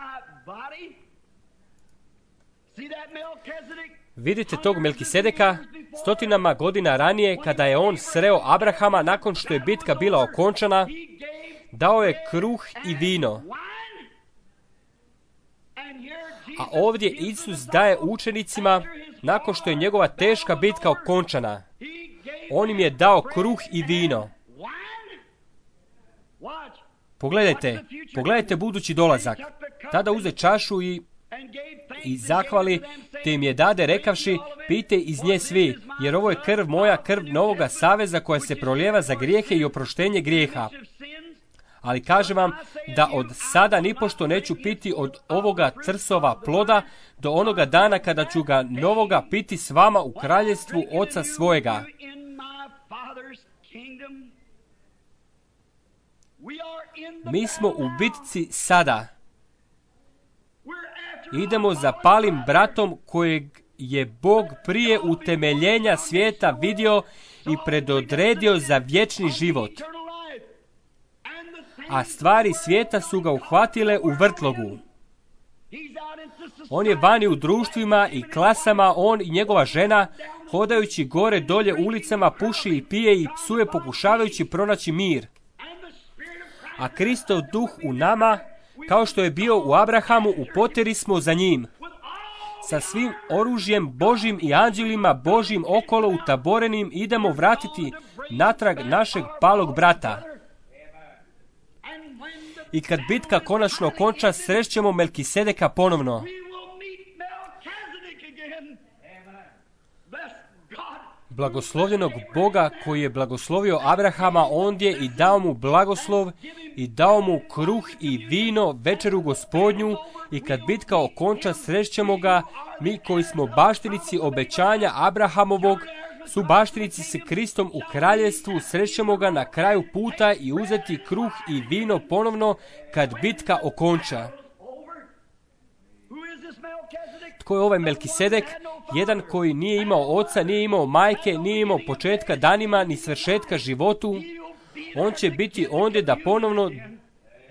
Vidite tog Melkisedeka, stotinama godina ranije, kada je on sreo Abrahama nakon što je bitka bila okončana, dao je kruh i vino. A ovdje Isus daje učenicima, nakon što je njegova teška bitka okončana, on im je dao kruh i vino. Pogledajte, pogledajte budući dolazak. Tada uze čašu i, i zahvali, te im je dade rekavši, pijte iz nje svi, jer ovo je krv moja, krv novoga saveza koja se prolijeva za grijehe i oproštenje grijeha. Ali kažem vam da od sada nipošto neću piti od ovoga trsova ploda do onoga dana kada ću ga novoga piti s vama u kraljevstvu Oca svojega. Mi smo u bitci sada. Idemo za palim bratom kojeg je Bog prije utemeljenja svijeta vidio i predodredio za vječni život. A stvari svijeta su ga uhvatile u vrtlogu. On je vani u društvima i klasama, on i njegova žena, hodajući gore dolje ulicama, puši i pije i psuje, pokušavajući pronaći mir. A Kristov duh u nama, kao što je bio u Abrahamu, u poteri smo za njim. Sa svim oružjem Božim i anđelima Božim okolo utaborenim idemo vratiti natrag našeg palog brata. I kad bitka konačno konča, srećemo Melkisedeka ponovno. Blagoslovljenog Boga koji je blagoslovio Abrahama ondje i dao mu blagoslov i dao mu kruh i vino večeru Gospodnju, i kad bitka okonča, srećemo ga, mi koji smo baštinici obećanja Abrahamovog, su baštinici s Kristom u kraljevstvu, srećemo ga na kraju puta i uzeti kruh i vino ponovno kad bitka okonča. Tko je ovaj Melkisedek? Jedan koji nije imao oca, nije imao majke, nije imao početka danima, ni svršetka životu. On će biti ondje da ponovno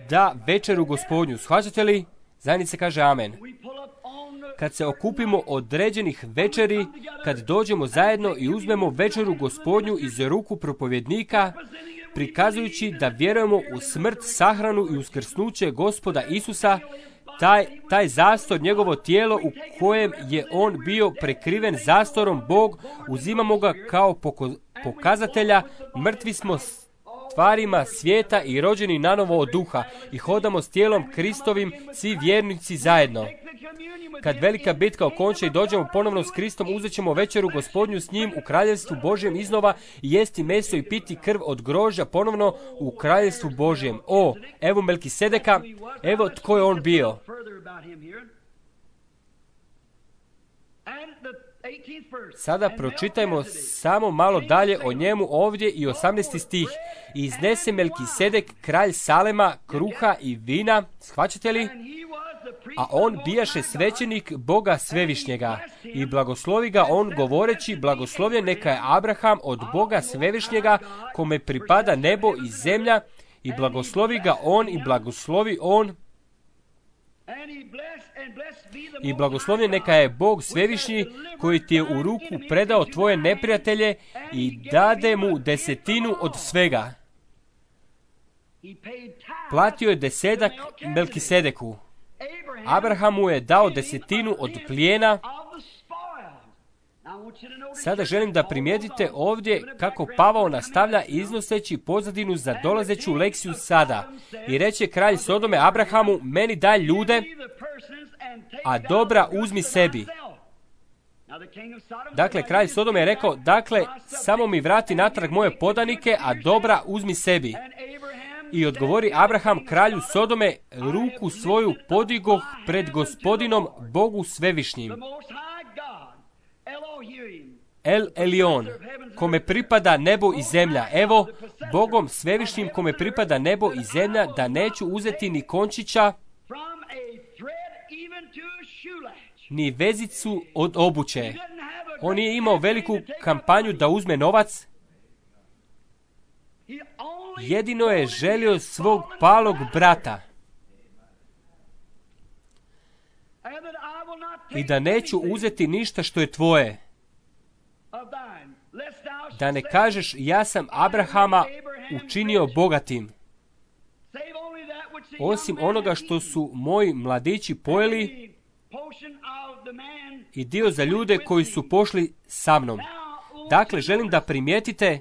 da večeru Gospodnju. Shvaćate li? Zajednice kaže amen. kad se okupimo određenih večeri, kad dođemo zajedno i uzmemo večeru Gospodnju iz ruku propovjednika, prikazujući da vjerujemo u smrt, sahranu i uskrsnuće Gospoda Isusa, taj, taj zastor, njegovo tijelo u kojem je on bio prekriven zastorom, Bog, uzimamo ga kao poko- pokazatelja, mrtvi smo stvarima svijeta i rođeni nanovo od duha i hodamo s tijelom Kristovim, svi vjernici zajedno. Kad velika bitka okonča i dođemo ponovno s Kristom, uzet ćemo večeru Gospodnju s njim u kraljevstvu Božjem iznova i jesti meso i piti krv od grožđa ponovno u kraljevstvu Božjem. O, evo Melkisedeka, evo tko je on bio. Sada pročitajmo samo malo dalje o njemu ovdje i osamnaesti stih. I iznese Melkisedek, kralj Salema, kruha i vina, shvaćate li? A on bijaše svećenik Boga Svevišnjega i blagoslovi ga on govoreći, blagoslovljen neka je Abraham od Boga Svevišnjega, kome pripada nebo i zemlja, i blagoslovi ga on i blagoslovi on i blagoslovljen neka je Bog Svevišnji, koji ti je u ruku predao tvoje neprijatelje i dade mu desetinu od svega. Platio je desetak Melkisedeku. Abraham mu je dao desetinu od plijena. Sada želim da primijetite ovdje kako Pavao nastavlja iznoseći pozadinu za dolazeću lekciju sada. I reče kralj Sodome Abrahamu, meni daj ljude, a dobra uzmi sebi. Dakle, kralj Sodome je rekao, dakle, samo mi vrati natrag moje podanike, a dobra uzmi sebi. I odgovori Abraham kralju Sodome, ruku svoju podigoh pred Gospodinom Bogu Svevišnjim. El Elion, kome pripada nebo i zemlja. Evo, Bogom Svevišnjim kome pripada nebo i zemlja, da neću uzeti ni končića, ni vezicu od obuće. On nije imao veliku kampanju da uzme novac. Jedino je želio svog palog brata. I da neću uzeti ništa što je tvoje. Da ne kažeš, ja sam Abrahama učinio bogatim. Osim onoga što su moji mladići pojeli i dio za ljude koji su pošli sa mnom. Dakle, želim da primijetite,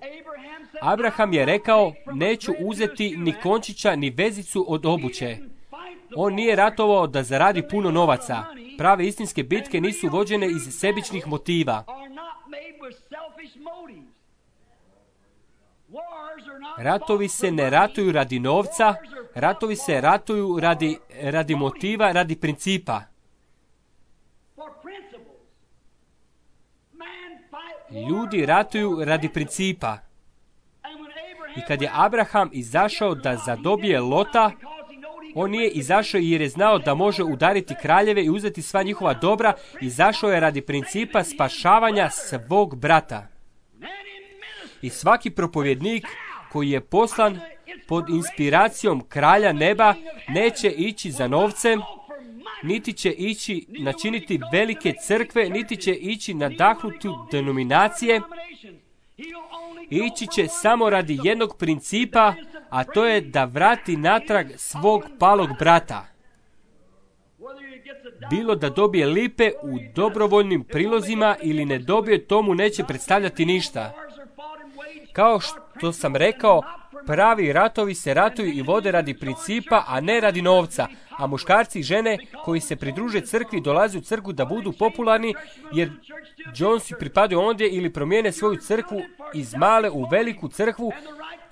Abraham je rekao, neću uzeti ni končića, ni vezicu od obuće. On nije ratovao da zaradi puno novaca. Prave istinske bitke nisu vođene iz sebičnih motiva. Ratovi se ne ratuju radi novca, ratovi se ratuju radi, radi motiva, radi principa. Ljudi ratuju radi principa. I kad je Abraham izašao da zadobije Lota, on nije izašao jer je znao da može udariti kraljeve i uzeti sva njihova dobra, izašao je radi principa spašavanja svog brata. I svaki propovjednik koji je poslan pod inspiracijom kralja neba neće ići za novcem, niti će ići načiniti velike crkve, niti će ići nadahnuti denominacije. Ići će samo radi jednog principa, a to je da vrati natrag svog palog brata. Bilo da dobije lipe u dobrovoljnim prilozima ili ne dobije, tomu neće predstavljati ništa. Kao što sam rekao, pravi ratovi se ratuju i vode radi principa, a ne radi novca. A muškarci i žene koji se pridruže crkvi dolaze u crkvu da budu popularni, jer Jonesi pripadaju ondje ili promijene svoju crkvu iz male u veliku crkvu.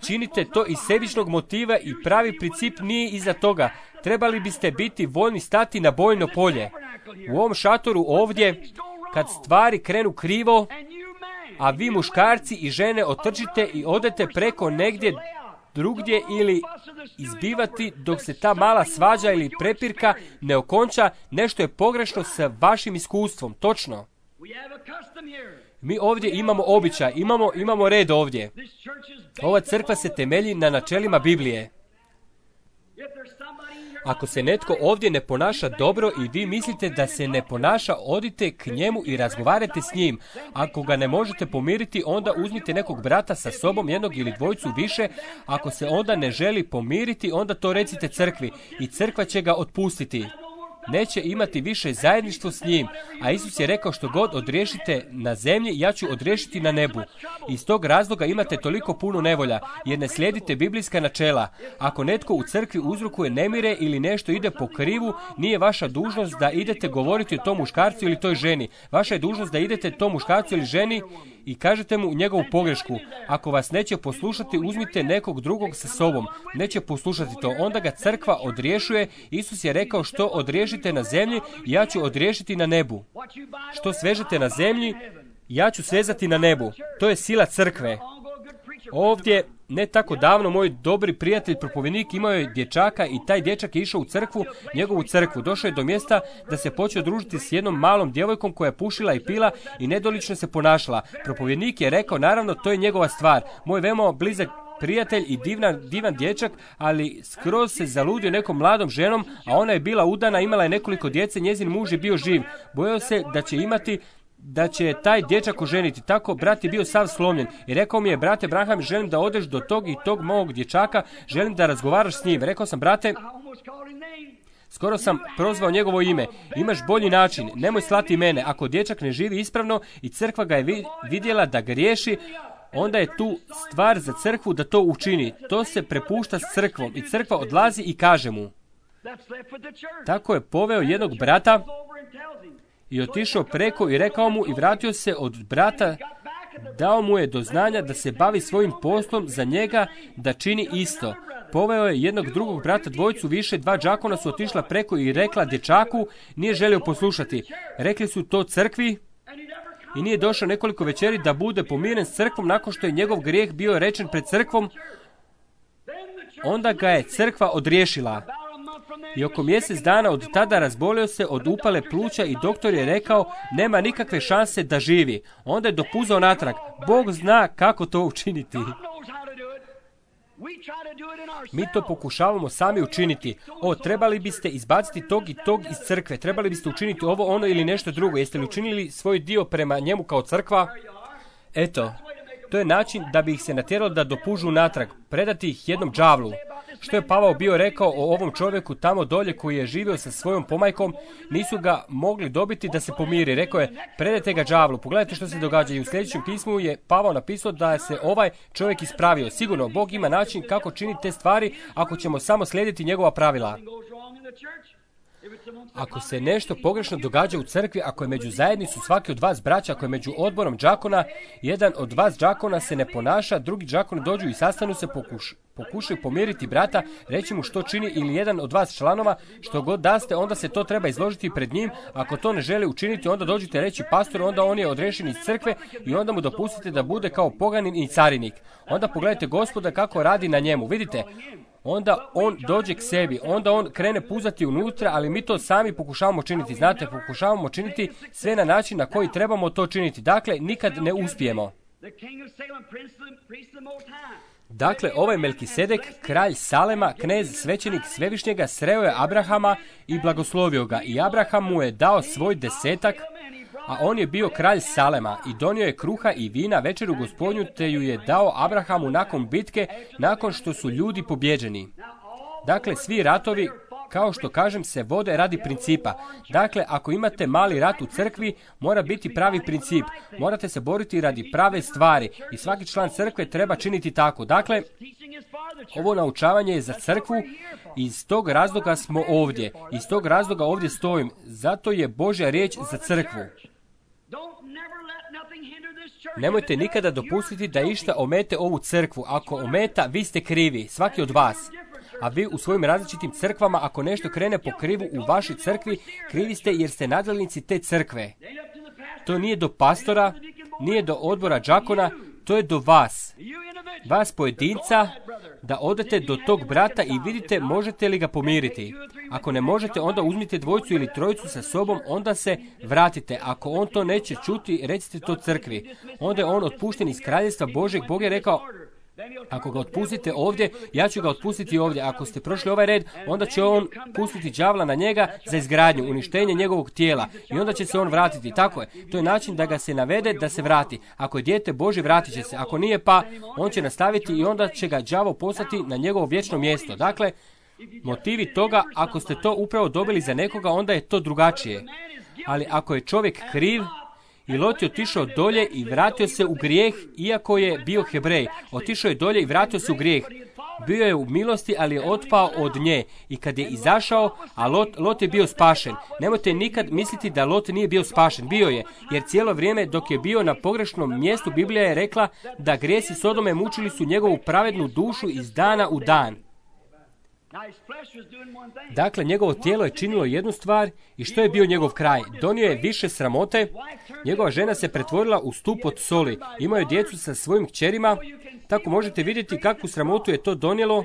Činite to iz sebičnog motiva i pravi princip nije iza toga. Trebali biste biti voljni stati na bojno polje. U ovom šatoru ovdje, kad stvari krenu krivo, a vi muškarci i žene otrčite i odete preko negdje drugdje ili izbivati dok se ta mala svađa ili prepirka ne okonča, nešto je pogrešno sa vašim iskustvom. Točno. Mi ovdje imamo običaj, imamo, imamo red ovdje. Ova crkva se temelji na načelima Biblije. Ako se netko ovdje ne ponaša dobro i vi mislite da se ne ponaša, odite k njemu i razgovarajte s njim. Ako ga ne možete pomiriti, onda uzmite nekog brata sa sobom, jednog ili dvojicu više. Ako se onda ne želi pomiriti, onda to recite crkvi i crkva će ga otpustiti. Neće imati više zajedništvo s njim, a Isus je rekao što god odriješite na zemlji, ja ću odriješiti na nebu. Iz tog razloga imate toliko puno nevolja, jer ne slijedite biblijska načela. Ako netko u crkvi uzrokuje nemire ili nešto ide po krivu, nije vaša dužnost da idete govoriti o tom muškarcu ili toj ženi. Vaša je dužnost da idete tom muškarcu ili ženi i kažete mu njegovu pogrešku. Ako vas neće poslušati, uzmite nekog drugog sa sobom. Neće poslušati to. Onda ga crkva odriješuje. Isus je rekao što odriješite na zemlji, ja ću odriješiti na nebu. Što svežete na zemlji, ja ću svezati na nebu. To je sila crkve. Ovdje, ne tako davno, moj dobri prijatelj propovjednik imao je dječaka i taj dječak je išao u crkvu, njegovu crkvu. Došao je do mjesta da se počeo družiti s jednom malom djevojkom koja je pušila i pila i nedolično se ponašala. Propovjednik je rekao, naravno, to je njegova stvar. Moj veoma blizak prijatelj i divan, divan dječak, ali skroz se zaludio nekom mladom ženom, a ona je bila udana, imala je nekoliko djece, njezin muž je bio živ. Bojao se da će imati da će taj dječak oženiti. Tako brat je bio sav slomljen i rekao mi je, brate Branham, želim da odeš do tog i tog mog dječaka, želim da razgovaraš s njim. Rekao sam, brate, skoro sam prozvao njegovo ime. Imaš bolji način, nemoj slati mene. Ako dječak ne živi ispravno i crkva ga je vidjela da griješi, onda je tu stvar za crkvu da to učini. To se prepušta s crkvom i crkva odlazi i kaže mu. Tako je poveo jednog brata i otišao preko i rekao mu i vratio se od brata, dao mu je do znanja da se bavi svojim poslom za njega, da čini isto. Poveo je jednog drugog brata, dvojicu više, dva džakona su otišla preko i rekla dječaku, nije želio poslušati. Rekli su to crkvi i nije došao nekoliko večeri da bude pomiren s crkvom nakon što je njegov grijeh bio rečen pred crkvom. Onda ga je crkva odriješila. I oko mjesec dana od tada razbolio se od upale pluća i doktor je rekao nema nikakve šanse da živi. Onda je dopuzao natrag. Bog zna kako to učiniti. Mi to pokušavamo sami učiniti. O, trebali biste izbaciti tog i tog iz crkve. Trebali biste učiniti ovo, ono ili nešto drugo. Jeste li učinili svoj dio prema njemu kao crkva? Eto, to je način da bi ih se natjeralo da dopužu natrag. Predati ih jednom đavlu. Što je Pavao bio rekao o ovom čovjeku tamo dolje koji je živio sa svojom pomajkom, nisu ga mogli dobiti da se pomiri. Rekao je, predajte ga đavlu. Pogledajte što se događa. I u sljedećem pismu je Pavao napisao da se ovaj čovjek ispravio. Sigurno, Bog ima način kako činiti te stvari ako ćemo samo slijediti njegova pravila. Ako se nešto pogrešno događa u crkvi, ako je među zajednicu svaki od vas braća, ako je među odborom džakona, jedan od vas džakona se ne ponaša, drugi džakoni dođu i sastanu se, pokuš, pokušaju pomiriti brata, reći mu što čini ili jedan od vas članova, što god daste, onda se to treba izložiti pred njim. Ako to ne želi učiniti, onda dođite reći pastoru, onda on je odrešen iz crkve i onda mu dopustite da bude kao poganin i carinik. Onda pogledajte Gospoda kako radi na njemu. Vidite, onda on dođe k sebi, onda on krene puzati unutra, ali mi to sami pokušavamo činiti. Znate, pokušavamo činiti sve na način na koji trebamo to činiti. Dakle, nikad ne uspijemo. Dakle, ovaj Melkisedek, kralj Salema, knez svećenik Svevišnjega, sreo je Abrahama i blagoslovio ga. I Abraham mu je dao svoj desetak, a on je bio kralj Salema i donio je kruha i vina večeru Gospodnju, te ju je dao Abrahamu nakon bitke, nakon što su ljudi pobjeđeni. Dakle, svi ratovi, kao što kažem, se vode radi principa. Dakle, ako imate mali rat u crkvi, mora biti pravi princip. Morate se boriti radi prave stvari i svaki član crkve treba činiti tako. Dakle, ovo naučavanje je za crkvu i iz tog razloga smo ovdje. Iz tog razloga ovdje stojim. Zato je Božja riječ za crkvu. Nemojte nikada dopustiti da išta omete ovu crkvu. Ako ometa, vi ste krivi, svaki od vas. A vi u svojim različitim crkvama, ako nešto krene po krivu u vašoj crkvi, krivi ste jer ste nadjelnici te crkve. To nije do pastora, nije do odbora džakona, to je do vas. Vas pojedinca, da odete do tog brata i vidite možete li ga pomiriti. Ako ne možete, onda uzmite dvojicu ili trojicu sa sobom, onda se vratite. Ako on to neće čuti, recite to crkvi. Onda je on otpušten iz kraljestva Božeg. Bog je rekao, Ako ga otpustite ovdje, ja ću ga otpustiti ovdje. Ako ste prošli ovaj red, onda će on pustiti đavla na njega za izgradnju, uništenje njegovog tijela. I onda će se on vratiti. Tako je. To je način da ga se navede da se vrati. Ako je dijete Božje, vratit će se. Ako nije, pa on će nastaviti i onda će ga đavo poslati na njegovo vječno mjesto. Dakle, motivi toga, ako ste to upravo dobili za nekoga, onda je to drugačije. Ali ako je čovjek kriv, i Lot je otišao dolje i vratio se u grijeh, iako je bio Hebrej. Otišao je dolje i vratio se u grijeh. Bio je u milosti, ali je otpao od nje. I kad je izašao, a Lot, Lot je bio spašen. Nemojte nikad misliti da Lot nije bio spašen. Bio je, jer cijelo vrijeme dok je bio na pogrešnom mjestu, Biblija je rekla da grijesi Sodome mučili su njegovu pravednu dušu iz dana u dan. Dakle, njegovo tijelo je činilo jednu stvar i što je bio njegov kraj? Donio je više sramote, njegova žena se pretvorila u stup od soli, imao je djecu sa svojim kćerima, tako možete vidjeti kakvu sramotu je to donijelo,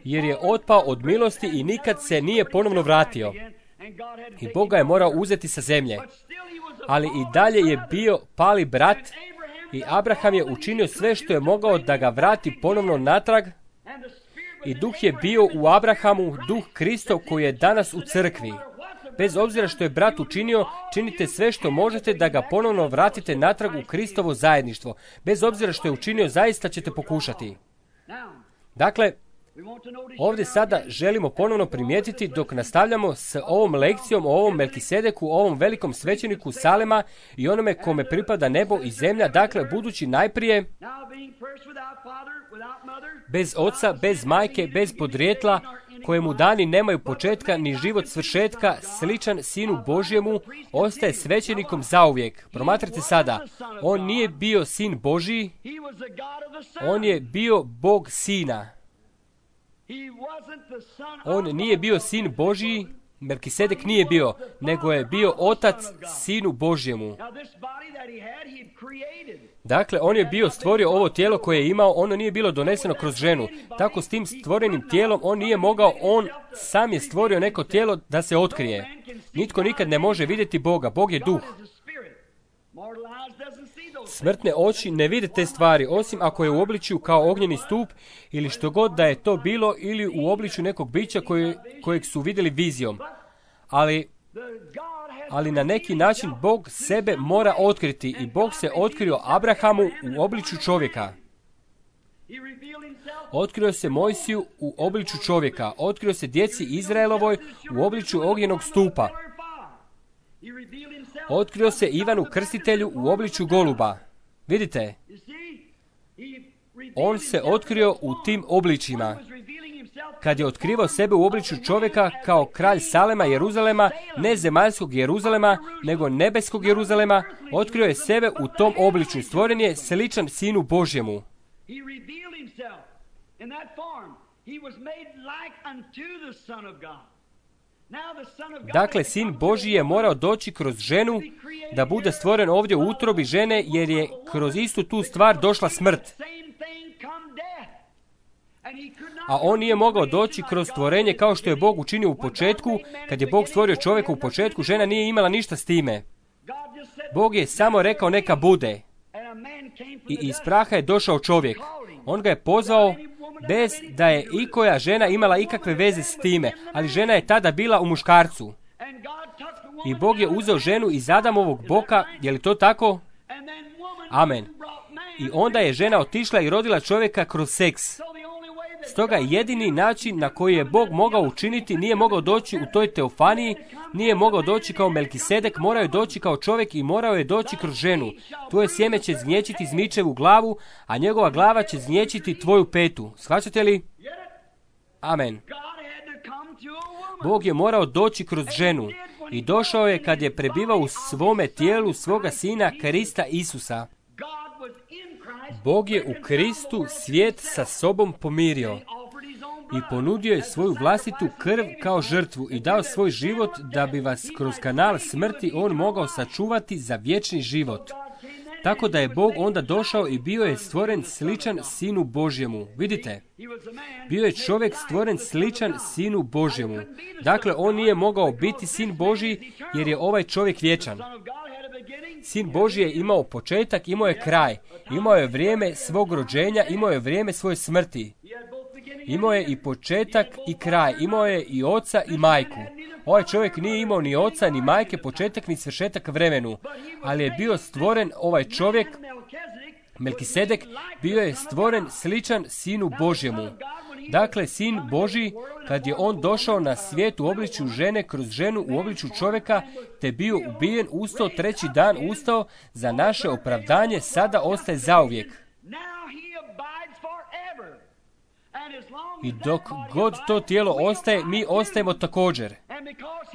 jer je otpao od milosti i nikad se nije ponovno vratio. I Bog ga je morao uzeti sa zemlje. Ali i dalje je bio pali brat i Abraham je učinio sve što je mogao da ga vrati ponovno natrag. I duh je bio u Abrahamu, duh Kristov koji je danas u crkvi. Bez obzira što je brat učinio, činite sve što možete da ga ponovno vratite natrag u Kristovo zajedništvo. Bez obzira što je učinio, zaista ćete pokušati. Dakle, ovdje sada želimo ponovno primijetiti dok nastavljamo s ovom lekcijom o ovom Melkisedeku, o ovom velikom svećeniku Salema i onome kome pripada nebo i zemlja, dakle, budući najprije bez oca, bez majke, bez podrijetla, kojemu dani nemaju početka ni život svršetka, sličan Sinu Božjemu, ostaje svećenikom zauvijek. Promatrajte sada, on nije bio Sin Božji, on je bio Bog Sina. On nije bio Sin Božji, Melkisedek nije bio, nego je bio Otac Sinu Božjemu. Dakle, on je bio stvorio ovo tijelo koje je imao, ono nije bilo doneseno kroz ženu. Tako s tim stvorenim tijelom on nije mogao, on sam je stvorio neko tijelo da se otkrije. Nitko nikad ne može vidjeti Boga, Bog je duh. Smrtne oči ne vide te stvari, osim ako je u obličju kao ognjeni stup ili što god da je to bilo, ili u obličju nekog bića koje, kojeg su vidjeli vizijom. Ali, ali na neki način Bog sebe mora otkriti i Bog se otkrio Abrahamu u obličju čovjeka. Otkrio se Mojsiju u obličju čovjeka, otkrio se djeci Izraelovoj u obličju ognjenog stupa. Otkrio se Ivanu Krstitelju u obličju goluba. Vidite, on se otkrio u tim obličjima. Kad je otkrivao sebe u obličju čovjeka kao kralj Salema, Jeruzalema, ne zemaljskog Jeruzalema, nego nebeskog Jeruzalema, otkrio je sebe u tom obličju. Stvoren je sličan Sinu Božjemu. Dakle, Sin Božji je morao doći kroz ženu da bude stvoren ovdje u utrobi žene, jer je kroz istu tu stvar došla smrt. A on nije mogao doći kroz stvorenje kao što je Bog učinio u početku. Kad je Bog stvorio čovjeka u početku, žena nije imala ništa s time. Bog je samo rekao neka bude. I iz praha je došao čovjek. On ga je pozvao bez da je ikoja žena imala ikakve veze s time, ali žena je tada bila u muškarcu. I Bog je uzeo ženu iz Adamovog boka, je li to tako? Amen. I onda je žena otišla i rodila čovjeka kroz seks. Stoga jedini način na koji je Bog mogao učiniti, nije mogao doći u toj teofaniji, nije mogao doći kao Melkisedek, morao je doći kao čovjek i morao je doći kroz ženu. Tvoje sjeme će zgnječiti zmičevu glavu, a njegova glava će zgnječiti tvoju petu. Shvaćate li? Amen. Bog je morao doći kroz ženu i došao je kad je prebivao u svome tijelu svoga Sina Krista Isusa. Bog je u Kristu svijet sa sobom pomirio i ponudio je svoju vlastitu krv kao žrtvu i dao svoj život da bi vas kroz kanal smrti on mogao sačuvati za vječni život. Tako da je Bog onda došao i bio je stvoren sličan Sinu Božjemu. Vidite, bio je čovjek stvoren sličan Sinu Božjemu. Dakle, on nije mogao biti Sin Božji jer je ovaj čovjek vječan. Sin Božji je imao početak, imao je kraj. Imao je vrijeme svog rođenja, imao je vrijeme svoje smrti. Imao je i početak i kraj. Imao je i oca i majku. Ovaj čovjek nije imao ni oca, ni majke, početak, ni svršetak vremenu. Ali je bio stvoren ovaj čovjek, Melkisedek, bio je stvoren sličan Sinu Božjemu. Dakle, Sin Božji, kad je on došao na svijet u obličju žene kroz ženu u obličju čovjeka, te bio ubijen, ustao, treći dan ustao, za naše opravdanje sada ostaje zauvijek. I dok god to tijelo ostaje, mi ostajemo također.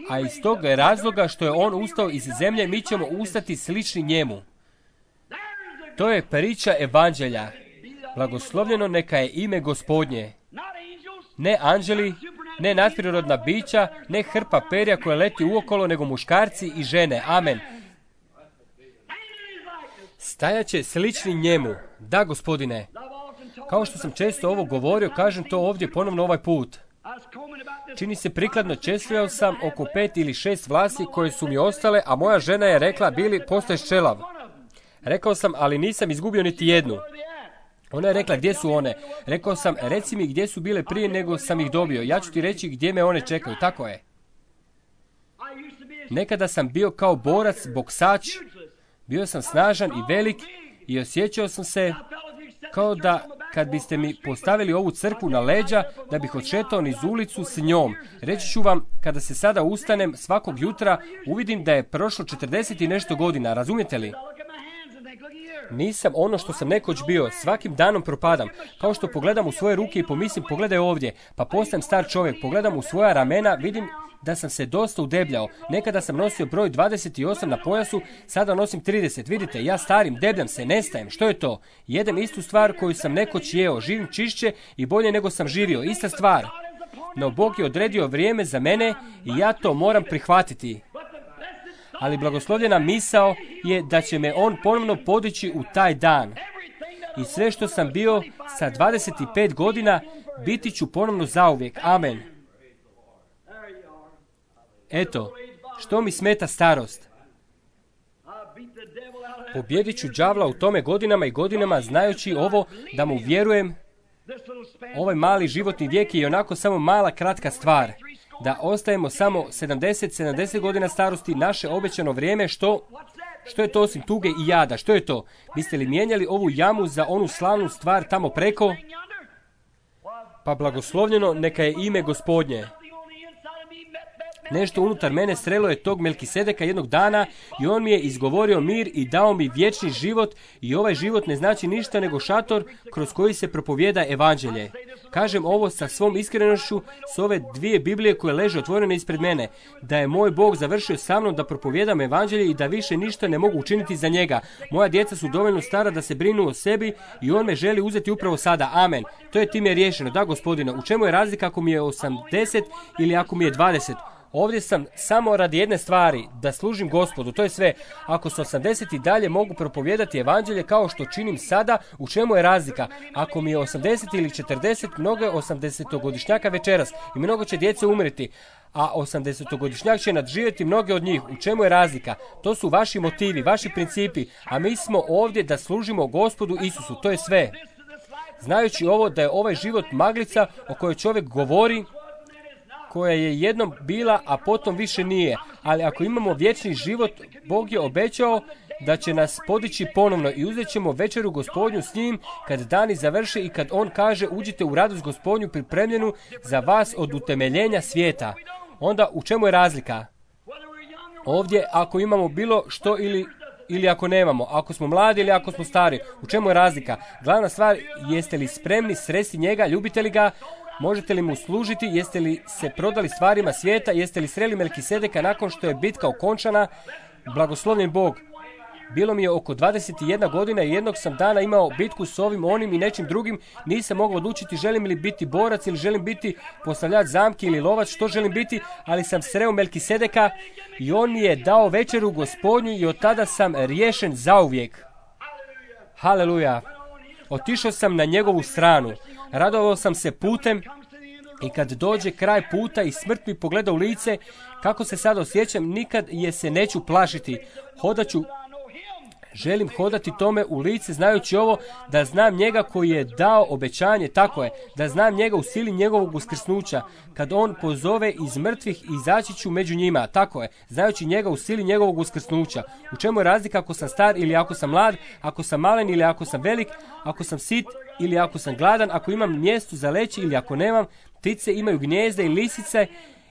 A iz tog razloga što je on ustao iz zemlje, mi ćemo ustati slični njemu. To je priča evanđelja. Blagoslovljeno neka je ime Gospodnje. Ne anđeli, ne nadprirodna bića, ne hrpa perja koja leti uokolo, nego muškarci i žene. Amen. Stajaće slični njemu. Da, Gospodine. Kao što sam često ovo govorio, kažem to ovdje ponovno ovaj put. Čini se prikladno, čestvljao sam oko pet ili šest vlasi koje su mi ostale, a moja žena je rekla, Bili, postaješ čelav. Rekao sam, ali nisam izgubio niti jednu. Ona je rekla, gdje su one? Rekao sam, reci mi gdje su bile prije nego sam ih dobio. Ja ću ti reći gdje me one čekaju. Tako je. Nekada sam bio kao borac, boksač. Bio sam snažan i velik i osjećao sam se kao da kad biste mi postavili ovu crkvu na leđa, da bih odšetao niz ulicu s njom. Reći ću vam, kada se sada ustanem svakog jutra, uvidim da je prošlo četrdeset i nešto godina. Razumijete li? Nisam ono što sam nekoć bio, svakim danom propadam, kao što pogledam u svoje ruke i pomislim, pogledaj ovdje, pa postajem star čovjek, pogledam u svoja ramena, vidim da sam se dosta udebljao. Nekada sam nosio broj dvadeset osam na pojasu, sada nosim trideset. Vidite, ja starim, debljam se, nestajem. Što je to? Jedem istu stvar koju sam nekoć jeo, živim čišće i bolje nego sam živio, ista stvar. No Bog je odredio vrijeme za mene i ja to moram prihvatiti. Ali blagoslovljena misao je da će me on ponovno podići u taj dan. I sve što sam bio sa dvadeset pet godina, biti ću ponovno zauvijek. Amen. Eto, što mi smeta starost? Pobjedit ću đavla u tome godinama i godinama, znajući ovo da mu vjerujem. Ovaj mali životni vijek je onako samo mala kratka stvar. Da ostajemo samo sedamdeset sedamdeset godina starosti, naše obećano vrijeme, što, što je to osim tuge i jada? Što je to? Biste li mijenjali ovu jamu za onu slavnu stvar tamo preko? Pa blagoslovljeno neka je ime Gospodnje. Nešto unutar mene srelo je tog Melkisedeka jednog dana i on mi je izgovorio mir i dao mi vječni život i ovaj život ne znači ništa nego šator kroz koji se propovijeda evanđelje. Kažem ovo sa svom iskrenošću s ove dvije Biblije koje leže otvorene ispred mene, da je moj Bog završio sa mnom da propovijedam evanđelje i da više ništa ne mogu učiniti za njega. Moja djeca su dovoljno stara da se brinu o sebi i on me želi uzeti upravo sada. Amen. To je time riješeno. Da, Gospodine, u čemu je razlika ako mi je osamdeset ili ako mi je dvadeset? Ovdje sam samo radi jedne stvari, da služim Gospodu, to je sve. Ako sam osamdeset i dalje mogu propovijedati evanđelje kao što činim sada, u čemu je razlika? Ako mi je osamdeset ili četrdeset, mnogo je osamdesetogodišnjaka večeras i mnogo će djece umreti, a osamdesetogodišnjak će nadživjeti mnoge od njih. U čemu je razlika? To su vaši motivi, vaši principi, a mi smo ovdje da služimo Gospodu Isusu, to je sve. Znajući ovo da je ovaj život maglica o kojoj čovjek govori, koja je jednom bila, a potom više nije. Ali ako imamo vječni život, Bog je obećao da će nas podići ponovno i uzet ćemo večeru Gospodnju s njim kad dani završe i kad on kaže uđite u radost Gospodnju pripremljenu za vas od utemeljenja svijeta. Onda u čemu je razlika? Ovdje ako imamo bilo što ili ili ako nemamo, ako smo mladi ili ako smo stari, u čemu je razlika? Glavna stvar, jeste li spremni sresti njega, ljubite li ga, možete li mu služiti, jeste li se prodali stvarima svijeta, jeste li sreli Melkisedeka nakon što je bitka okončana? Blagoslovljen Bog. Bilo mi je oko dvadeset jedna godina i jednog sam dana imao bitku s ovim, onim i nečim drugim. Nisam mogao odlučiti želim li biti borac ili želim biti postavljač zamki ili lovac, što želim biti, ali sam sreo Melkisedeka i on mi je dao večeru Gospodnju i od tada sam riješen zauvijek. Haleluja. Otišao sam na njegovu stranu. Radovao sam se putem i kad dođe kraj puta i smrt mi pogleda u lice, kako se sad osjećam, nikad je se neću plašiti. Hodat ću Želim hodati tome u lice znajući ovo, da znam njega koji je dao obećanje, tako je, da znam njega u sili njegovog uskrsnuća. Kad on pozove iz mrtvih, izaći ću među njima, tako je, znajući njega u sili njegovog uskrsnuća. U čemu je razlika ako sam star ili ako sam mlad, ako sam malen ili ako sam velik, ako sam sit ili ako sam gladan, ako imam mjesto za leći ili ako nemam. Ptice imaju gnijezde i lisice,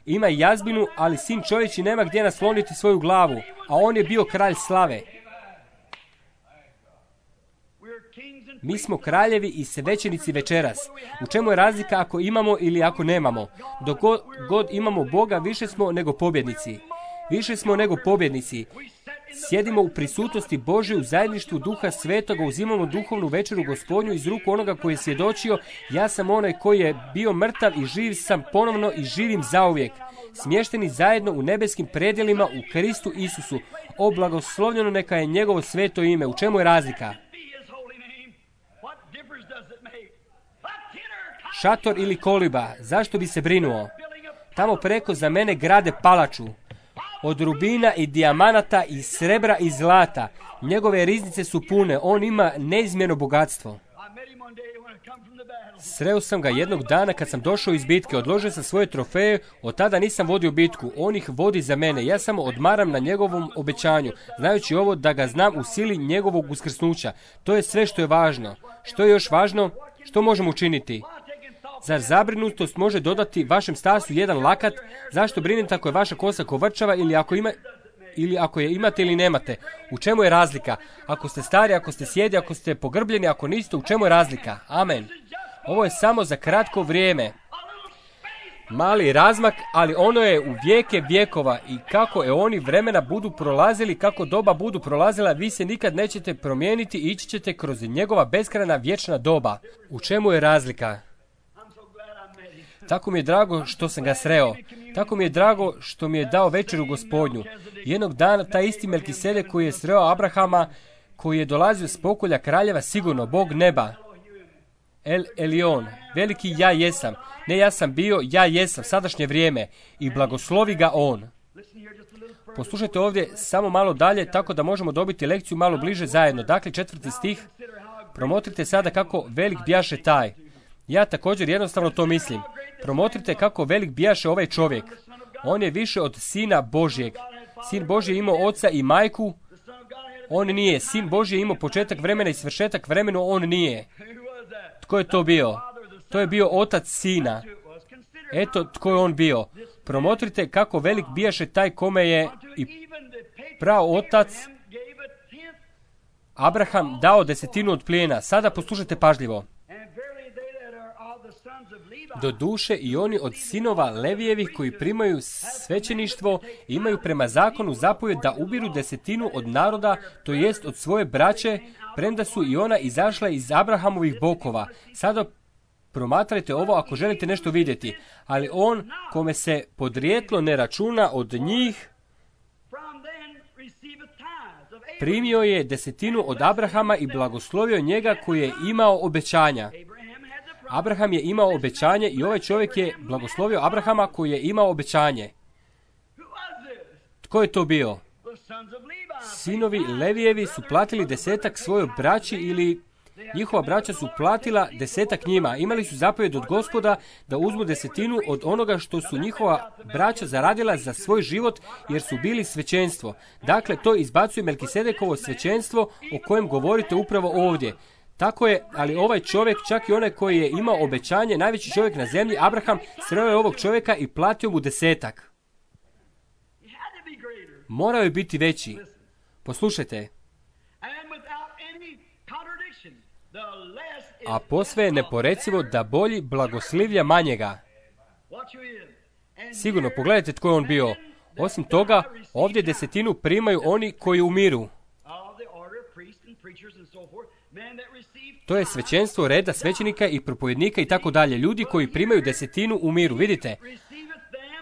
ima i jazbinu, ali sin čovječji nema gdje nasloniti svoju glavu, a on je bio kralj slave. Mi smo kraljevi i svećenici večeras. U čemu je razlika ako imamo ili ako nemamo? Dok god, god imamo Boga, više smo nego pobjednici. Više smo nego pobjednici. Sjedimo u prisutnosti Božje u zajedništvu Duha Svetoga, uzimamo duhovnu večeru Gospodnju iz ruku onoga koji je svjedočio, ja sam onaj koji je bio mrtav i živ sam ponovno i živim zauvijek. Smješteni zajedno u nebeskim predjelima u Kristu Isusu. O, blagoslovljeno neka je njegovo sveto ime. U čemu je razlika? Šator ili koliba, zašto bi se brinuo? Tamo preko za mene grade palaču. Od rubina i dijamanata i srebra i zlata. Njegove riznice su pune, on ima neizmjerno bogatstvo. Sreo sam ga jednog dana kad sam došao iz bitke, odložio sam svoje trofeje, od tada nisam vodio bitku, on ih vodi za mene, ja samo odmaram na njegovom obećanju, znajući ovo da ga znam u sili njegovog uskrsnuća. To je sve što je važno. Što je još važno? Što možemo učiniti? Zar zabrinutost može dodati vašem stasu jedan lakat? Zašto brinete ako je vaša kosa kovrčava ili ako ima... ili ako je imate ili nemate? U čemu je razlika? Ako ste stari, ako ste sjedi, ako ste pogrbljeni, ako niste, u čemu je razlika? Amen. Ovo je samo za kratko vrijeme. Mali razmak, ali ono je u vijeke vjekova i kako je oni vremena budu prolazili, kako doba budu prolazila, vi se nikad nećete promijeniti i ići ćete kroz njegova beskrajna vječna doba. U čemu je razlika? Tako mi je drago što sam ga sreo. Tako mi je drago što mi je dao večeru Gospodnju. Jednog dana taj isti Melkisedek koji je sreo Abrahama, koji je dolazio s pokolja kraljeva, sigurno, Bog neba. El Elion, veliki ja jesam. Ne ja sam bio, ja jesam, sadašnje vrijeme. I blagoslovi ga on. Poslušajte ovdje samo malo dalje, tako da možemo dobiti lekciju malo bliže zajedno. Dakle, četvrti stih. Promotrite sada kako velik bjaše taj. Ja također jednostavno to mislim. Promotrite kako velik bijaše ovaj čovjek. On je više od Sina Božjeg. Sin Božji je imao oca i majku. On nije. Sin Božji je imao početak vremena i svršetak vremenu. On nije. Tko je to bio? To je bio otac Sina. Eto tko je on bio. Promotrite kako velik bijaše taj kome je i pravo otac Abraham dao desetinu od plijena. Sada poslušajte pažljivo. Do duše i oni od sinova Levijevih koji primaju svećeništvo imaju prema zakonu zapovjed da ubiru desetinu od naroda, to jest od svoje braće, premda su i ona izašla iz Abrahamovih bokova. Sada promatrajte ovo ako želite nešto vidjeti. Ali on, kome se podrijetlo ne računa od njih, primio je desetinu od Abrahama i blagoslovio njega koji je imao obećanja. Abraham je imao obećanje i ovaj čovjek je blagoslovio Abrahama koji je imao obećanje. Tko je to bio? Sinovi Levijevi su platili desetak svojoj braći ili njihova braća su platila desetak njima. Imali su zapovjed od Gospoda da uzmu desetinu od onoga što su njihova braća zaradila za svoj život jer su bili svećenstvo. Dakle, to izbacuje Melkisedekovo svećenstvo o kojem govorite upravo ovdje. Tako je, ali ovaj čovjek, čak i onaj koji je imao obećanje, najveći čovjek na zemlji, Abraham, sreo je ovog čovjeka i platio mu desetak. Morao je biti veći. Poslušajte. A posve je neporecivo da bolji blagoslivlja manjega. Sigurno, pogledajte tko je on bio. Osim toga, ovdje desetinu primaju oni koji umiru. To je svećenstvo reda svećenika i propovednika i tako dalje. Ljudi koji primaju desetinu u miru, vidite.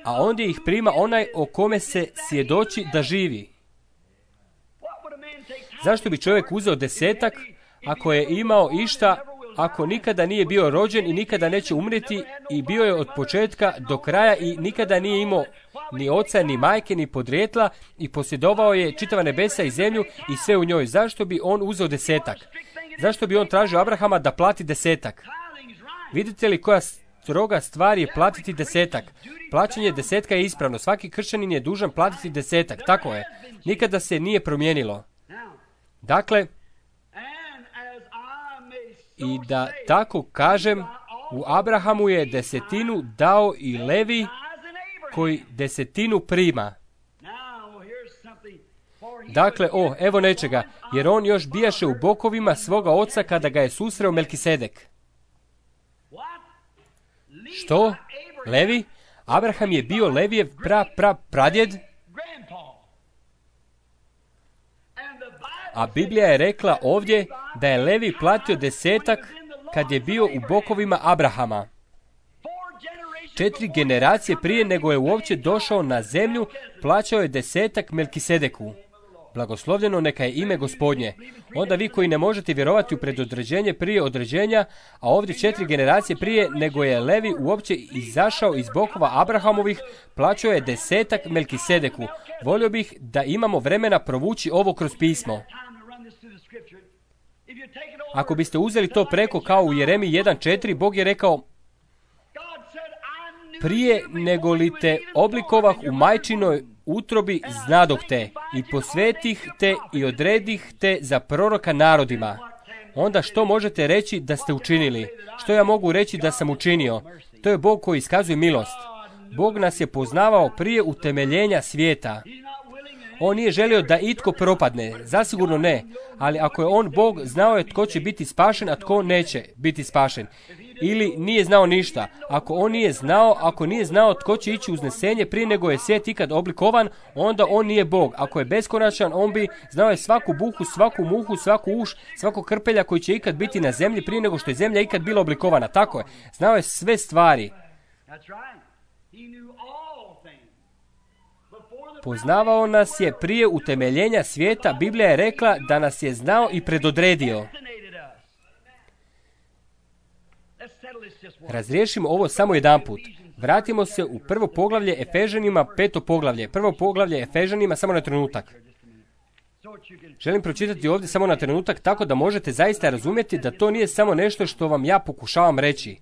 A ondje ih prima onaj o kome se svjedoči da živi. Zašto bi čovjek uzeo desetak ako je imao išta, ako nikada nije bio rođen i nikada neće umreti i bio je od početka do kraja i nikada nije imao ni oca, ni majke, ni podrijetla i posjedovao je čitava nebesa i zemlju i sve u njoj. Zašto bi on uzeo desetak? Zašto bi on tražio Abrahama da plati desetak? Vidite li koja stroga stvar je platiti desetak? Plaćanje desetka je ispravno. Svaki kršćanin je dužan platiti desetak. Tako je. Nikada se nije promijenilo. Dakle, i da tako kažem, u Abrahamu je desetinu dao i Levi koji desetinu prima. Dakle, o, evo nečega, jer on još bijaše u bokovima svoga oca kada ga je susreo Melkisedek. Što? Levi? Abraham je bio Levijev pra, pra, pradjed? A Biblija je rekla ovdje da je Levi platio desetak kad je bio u bokovima Abrahama. Četiri generacije prije nego je uopće došao na zemlju, plaćao je desetak Melkisedeku. Blagoslovljeno neka je ime Gospodnje. Onda vi koji ne možete vjerovati u predodređenje prije određenja, a ovdje četiri generacije prije nego je Levi uopće izašao iz bokova Abrahamovih, plaćao je desetak Melkisedeku. Volio bih da imamo vremena provući ovo kroz pismo. Ako biste uzeli to preko kao u Jeremiji jedan četiri, Bog je rekao: prije nego li te oblikovah u majčinoj utrobi znadoh te i posvetih te i odredih te za proroka narodima. Onda što možete reći da ste učinili? Što ja mogu reći da sam učinio? To je Bog koji iskazuje milost. Bog nas je poznavao prije utemeljenja svijeta. On nije želio da itko propadne, zasigurno ne, ali ako je on Bog, znao je tko će biti spašen, a tko neće biti spašen. Ili nije znao ništa. Ako on nije znao, ako nije znao tko će ići uznesenje prije nego je svijet ikad oblikovan, onda on nije Bog. Ako je beskonačan, on bi znao je svaku buhu, svaku muhu, svaku uš, svako krpelja koji će ikad biti na zemlji prije nego što je zemlja ikad bila oblikovana. Tako je. Znao je sve stvari. Poznavao nas je prije utemeljenja svijeta. Biblija je rekla da nas je znao i predodredio. Razriješimo ovo samo jedanput. Vratimo se u prvo poglavlje Efežanima, peto poglavlje. Prvo poglavlje Efežanima, samo na trenutak. Želim pročitati ovdje samo na trenutak, tako da možete zaista razumjeti da to nije samo nešto što vam ja pokušavam reći.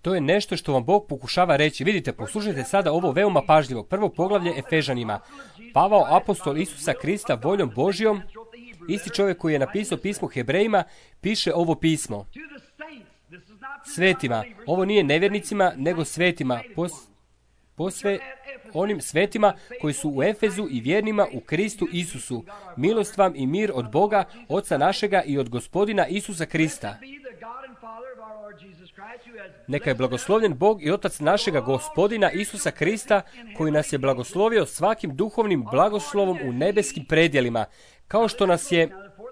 To je nešto što vam Bog pokušava reći. Vidite, poslušajte sada ovo veoma pažljivo. Prvo poglavlje Efežanima. Pavao, apostol Isusa Krista, voljom Božjom, isti čovjek koji je napisao pismo Hebrejima, piše ovo pismo. Svetima. Ovo nije nevjernicima, nego svetima. Pos, posve onim svetima koji su u Efezu i vjernima u Kristu Isusu. Milost vam i mir od Boga, Oca našega i od Gospodina Isusa Krista. Neka je blagoslovljen Bog i Otac našega Gospodina Isusa Krista, koji nas je blagoslovio svakim duhovnim blagoslovom u nebeskim predjelima, kao što nas je,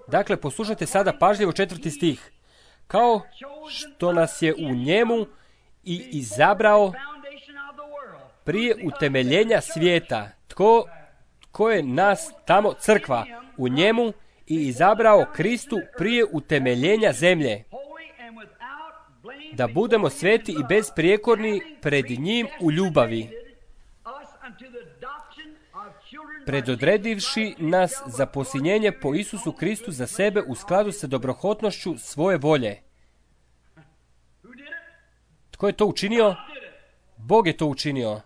dakle poslušajte sada pažljivo četvrti stih, kao što nas je u njemu i izabrao prije utemeljenja svijeta. Tko, tko je nas tamo? Crkva. U njemu i izabrao Kristu prije utemeljenja zemlje, da budemo sveti i bezprijekorni pred njim u ljubavi, predodredivši nas za posinjenje po Isusu Kristu za sebe u skladu sa dobrohotnošću svoje volje. Tko je to učinio? Bog je to učinio.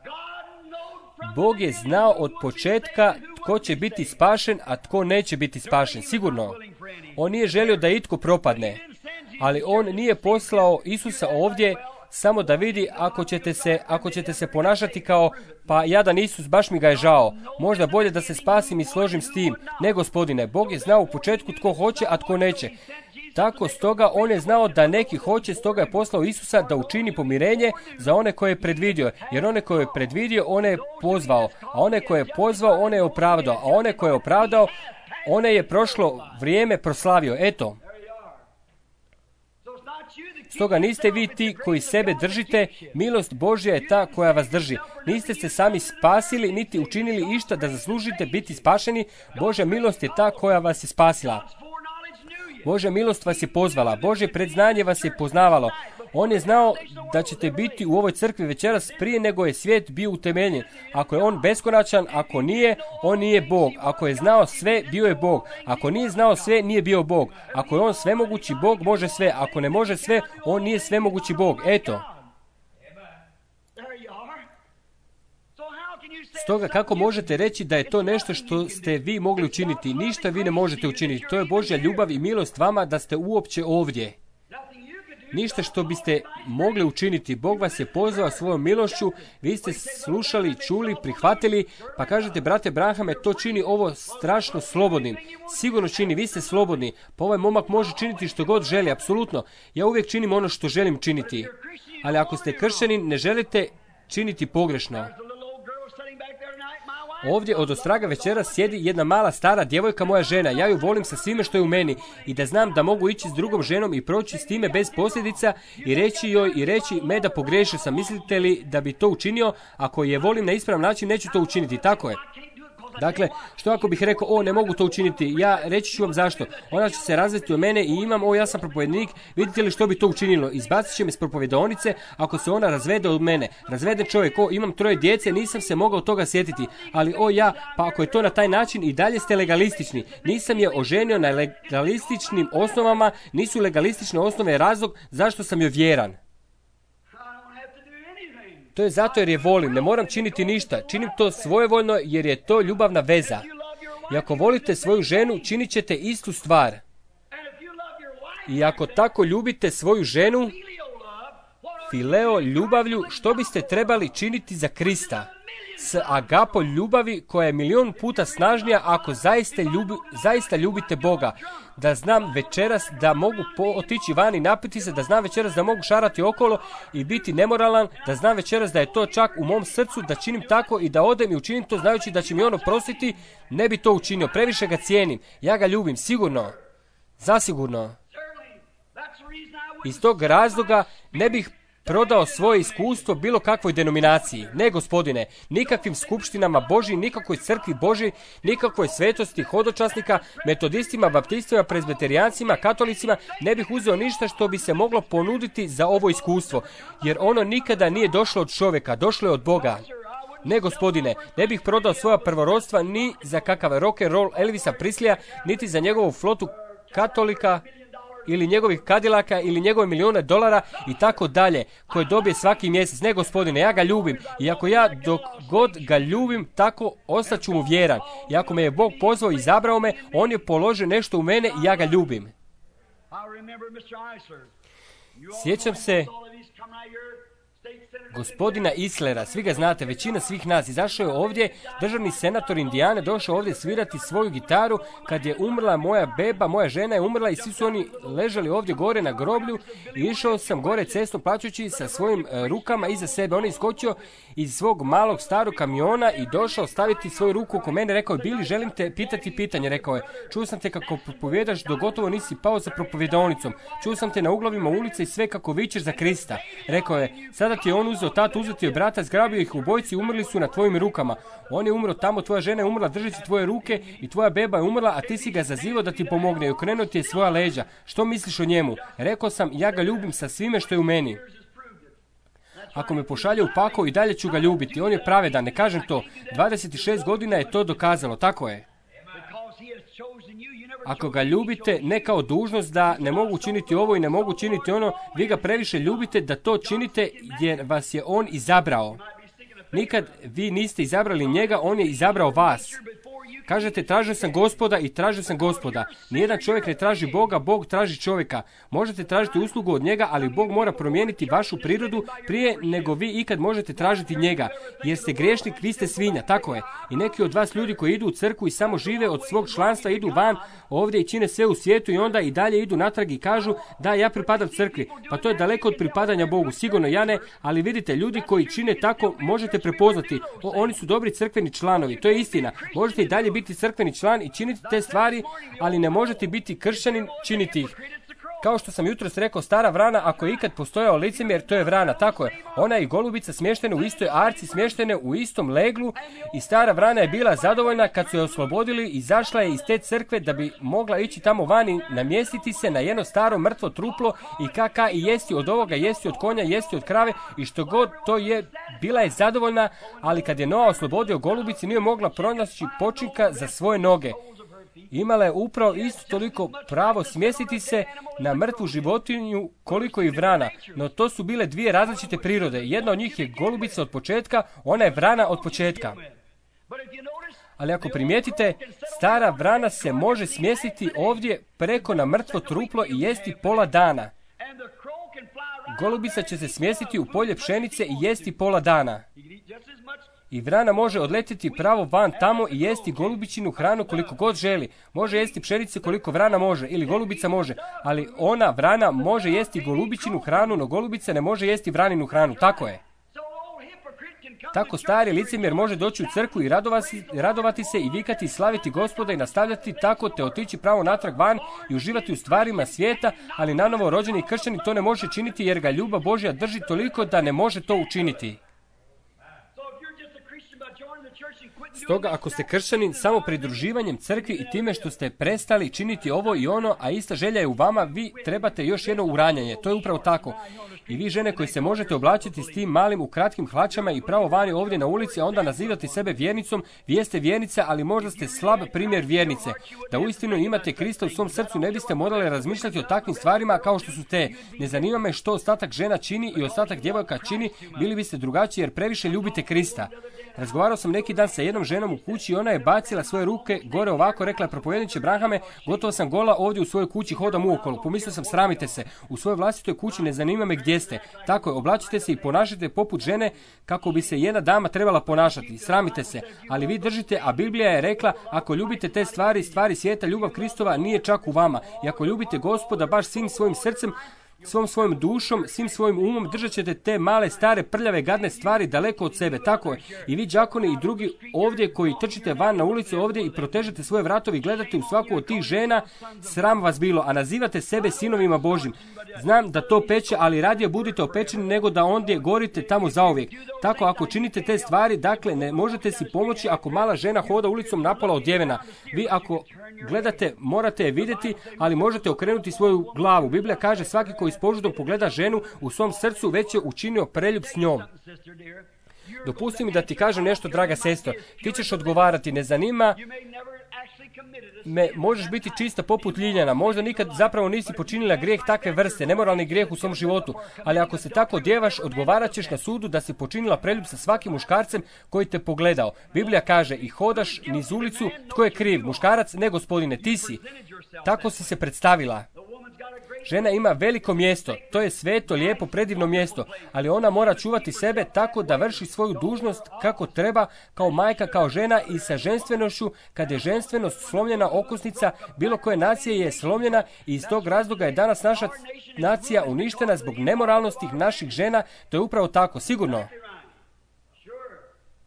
Bog je znao od početka tko će biti spašen, a tko neće biti spašen. Sigurno. On nije želio da itko propadne. Ali on nije poslao Isusa ovdje samo da vidi ako ćete se, ako ćete se ponašati kao, pa jadan Isus, baš mi ga je žao. Možda bolje da se spasim i složim s tim. Ne, Gospodine, Bog je znao u početku tko hoće, a tko neće. Tako stoga on je znao da neki hoće, stoga je poslao Isusa da učini pomirenje za one koje je predvidio. Jer one koje je predvidio, one je pozvao. A one koje je pozvao, one je opravdao. A one koje je opravdao, one je prošlo vrijeme proslavio. Eto. Stoga niste vi ti koji sebe držite, milost Božja je ta koja vas drži. Niste se sami spasili, niti učinili išta da zaslužite biti spašeni. Božja milost je ta koja vas je spasila. Božja milost vas je pozvala. Božje predznanje vas je poznavalo. On je znao da ćete biti u ovoj crkvi večeras prije nego je svijet bio utemeljen. Ako je on beskonačan, ako nije, on nije Bog. Ako je znao sve, bio je Bog. Ako nije znao sve, nije bio Bog. Ako je on svemogući Bog, može sve. Ako ne može sve, on nije svemogući Bog. Eto. Stoga kako možete reći da je to nešto što ste vi mogli učiniti? Ništa vi ne možete učiniti. To je Božja ljubav i milost vama da ste uopće ovdje. Ništa što biste mogli učiniti. Bog vas je pozvao svojom milošću, vi ste slušali, čuli, prihvatili, pa kažete, brate Branhame, to čini ovo strašno slobodnim. Sigurno čini, vi ste slobodni, pa ovaj momak može činiti što god želi, apsolutno. Ja uvijek činim ono što želim činiti. Ali ako ste kršćanin, ne želite činiti pogrešno. Ovdje od ostraga večera sjedi jedna mala stara djevojka, moja žena. Ja ju volim sa svime što je u meni i da znam da mogu ići s drugom ženom i proći s time bez posljedica i reći joj i reći me da pogrešio sam. Mislite li da bi to učinio? Ako je volim na ispravan način, neću to učiniti. Tako je. Dakle, što ako bih rekao, o, ne mogu to učiniti, ja reći ću vam zašto. Ona će se razvesti od mene i imam, o, ja sam propovjednik, vidite li što bi to učinilo? Izbacit će me s propovjedaonice ako se ona razvede od mene. Razveden čovjek, o, imam troje djece, nisam se mogao toga sjetiti, ali o, ja, pa ako je to na taj način i dalje ste legalistični. Nisam je oženio na legalističnim osnovama, nisu legalistične osnove razlog zašto sam joj vjeran. To je zato jer je volim, ne moram činiti ništa, činim to svojevoljno jer je to ljubavna veza. I ako volite svoju ženu, činit ćete istu stvar. I ako tako ljubite svoju ženu, fileo ljubavlju, što biste trebali činiti za Krista? S agapo ljubavi koja je milion puta snažnija ako zaista, ljubi, zaista ljubite Boga. Da znam večeras da mogu po, otići van i napiti se, da znam večeras da mogu šarati okolo i biti nemoralan, da znam večeras da je to čak u mom srcu, da činim tako i da odem i učinim to znajući da će mi on oprostiti, ne bi to učinio. Previše ga cijenim. Ja ga ljubim, sigurno. Zasigurno. Iz tog razloga ne bih prodao svoje iskustvo bilo kakvoj denominaciji. Ne, gospodine, nikakvim skupštinama Božji, nikakvoj crkvi Božji, nikakvoj svetosti hodočasnika, metodistima, baptistima, prezbeterijancima, katolicima, ne bih uzeo ništa što bi se moglo ponuditi za ovo iskustvo, jer ono nikada nije došlo od čovjeka, došlo je od Boga. Ne, gospodine, ne bih prodao svoja prvorodstva ni za kakav rock and roll Elvisa Preslija, niti za njegovu flotu katolika, ili njegovih kadilaka, ili njegove milijune dolara i tako dalje, koje dobije svaki mjesec. Ne, gospodine, ja ga ljubim. I ako ja dok god ga ljubim, tako ostaću mu vjeran. I ako me je Bog pozvao i izabrao me, on je položio nešto u mene i ja ga ljubim. Sjećam se gospodina Islera, svi ga znate, većina svih nas. Izašao je ovdje, državni senator Indijane, došao ovdje svirati svoju gitaru kad je umrla moja beba, moja žena je umrla i svi su oni ležali ovdje gore na groblju i išao sam gore cestom plaćući sa svojim e, rukama iza sebe. On je iskočio iz svog malog starog kamiona i došao staviti svoju ruku oko mene. Rekao je, Bili, želim te pitati pitanje. Rekao je, čuo sam te kako propovjedaš dok gotovo nisi pao za propovjedaonicom. Čuo sam te na uglovima ulice i sve kako vičeš za Krista. Rekao je, sada ti je on uzeo tatu, uzeti je brata, zgrabio ih obojci, umrli su na tvojim rukama. On je umro tamo, tvoja žena je umrla držeći tvoje ruke i tvoja beba je umrla, a ti si ga zazivao da ti pomogne i okrenuo ti je svoja leđa. Što misliš o njemu? Rekao sam, ja ga ljubim sa svime što je u meni. Ako me pošalje u pakao i dalje ću ga ljubiti. On je pravedan, ne kažem to. dvadeset šest godina je to dokazalo, tako je. Ako ga ljubite, ne kao dužnost da ne mogu činiti ovo i ne mogu činiti ono, vi ga previše ljubite da to činite jer vas je on izabrao. Nikad vi niste izabrali njega, on je izabrao vas. Kažete, tražio sam Gospoda i tražio sam Gospoda. Nijedan čovjek ne traži Boga, Bog traži čovjeka. Možete tražiti uslugu od njega, ali Bog mora promijeniti vašu prirodu prije nego vi ikad možete tražiti njega. Jer ste griješnik, vi ste svinja, tako je. I neki od vas ljudi koji idu u crkvu i samo žive od svog članstva, idu van ovdje i čine sve u svijetu i onda i dalje idu natrag i kažu da ja pripadam crkvi. Pa to je daleko od pripadanja Bogu. Sigurno ja ne, ali vidite, ljudi koji čine tako možete prepoznati. O, oni su dobri crkveni članovi, to je istina. Možete i dalje biti crkveni član i činiti te stvari, ali ne možete biti kršćanin, činiti ih. Kao što sam jutros rekao, stara vrana, ako je ikad postojao licemjer, to je vrana, tako je. Ona i golubica smještene u istoj arci, smještene u istom leglu, i stara vrana je bila zadovoljna kad su je oslobodili, izašla je iz te crkve da bi mogla ići tamo vani, namjestiti se na jedno staro mrtvo truplo i kaka i jesti od ovoga, jesti od konja, jesti od krave i što god to je, bila je zadovoljna, ali kad je Noa oslobodio golubici, nije mogla pronaći počinka za svoje noge. Imala je upravo isto toliko pravo smjestiti se na mrtvu životinju koliko i vrana, no to su bile dvije različite prirode. Jedna od njih je golubica od početka, ona je vrana od početka. Ali ako primijetite, stara vrana se može smjestiti ovdje preko na mrtvo truplo i jesti pola dana. Golubica će se smjestiti u polje pšenice i jesti pola dana. I vrana može odletjeti pravo van tamo i jesti golubičinu hranu koliko god želi. Može jesti pšenice koliko vrana može, ili golubica može, ali ona, vrana, može jesti golubičinu hranu, no golubica ne može jesti vraninu hranu, tako je. Tako stari licemjer može doći u crkvu i radovati, radovati se i vikati i slaviti Gospoda i nastavljati tako te otići pravo natrag van i uživati u stvarima svijeta, ali nanovo rođeni kršćani to ne može činiti jer ga ljubav Božja drži toliko da ne može to učiniti. Stoga ako ste kršćanin samo pridruživanjem crkvi i time što ste prestali činiti ovo i ono, a ista želja je u vama, vi trebate još jedno uranjanje. To je upravo tako. I vi žene koji se možete oblačiti s tim malim u kratkim hlačama i pravo vani ovdje na ulici, a onda nazivati sebe vjernicom, vi jeste vjernica, ali možda ste slab primjer vjernice. Da uistinu imate Krista u svom srcu, ne biste morali razmišljati o takvim stvarima kao što su te. Ne zanima me što ostatak žena čini i ostatak djevojka čini, bili biste drugačiji jer previše ljubite Krista. Razgovarao sam neki dan sa jednom ženom u kući i ona je bacila svoje ruke gore ovako, rekla je: propovjedniče Branhame, gotovo sam gola ovdje u svojoj kući, hodam uokolo. Pomislio sam, sramite se, u svojoj vlastitoj kući, ne zanima me gdje ste. Tako je, oblačite se i ponašajte poput žene kako bi se jedna dama trebala ponašati. Sramite se, ali vi držite, a Biblija je rekla, ako ljubite te stvari, stvari svijeta, ljubav Kristova nije čak u vama. I ako ljubite Gospoda baš svim svojim srcem, svom svojom dušom, svim svojim umom, držat ćete te male, stare, prljave, gadne stvari daleko od sebe. Tako je. I vi, đakoni i drugi ovdje koji trčite van na ulicu ovdje i protežete svoje vratovi i gledate u svaku od tih žena, sram vas bilo, a nazivate sebe sinovima Božjim. Znam da to peče, ali radije budite opečeni nego da ondje gorite tamo zauvijek. Tako, ako činite te stvari, dakle, ne možete si pomoći ako mala žena hoda ulicom napola odjevena. Vi ako gledate, morate je vidjeti, ali možete okrenuti svoju glavu. Biblija kaže, svaki koji s požudom pogleda ženu u svom srcu već je učinio preljub s njom. Dopusti mi da ti kažem nešto, draga sestro. Ti ćeš odgovarati, ne zanima me, možeš biti čista poput Ljiljana, možda nikad zapravo nisi počinila grijeh takve vrste, nemoralni grijeh u svom životu, ali ako se tako odjevaš, odgovarat ćeš na sudu da si počinila preljub sa svakim muškarcem koji te pogledao. Biblija kaže, i hodaš niz ulicu, tko je kriv, muškarac? Ne, gospodine, ti si. Tako si se predstavila. Žena ima veliko mjesto, to je sveto, lijepo, predivno mjesto, ali ona mora čuvati sebe tako da vrši svoju dužnost kako treba, kao majka, kao žena i sa ženstvenošću. Kad je ženstvenost slomljena okosnica, bilo koje nacije je slomljena i iz tog razloga je danas naša nacija uništena zbog nemoralnosti naših žena. To je upravo tako, sigurno.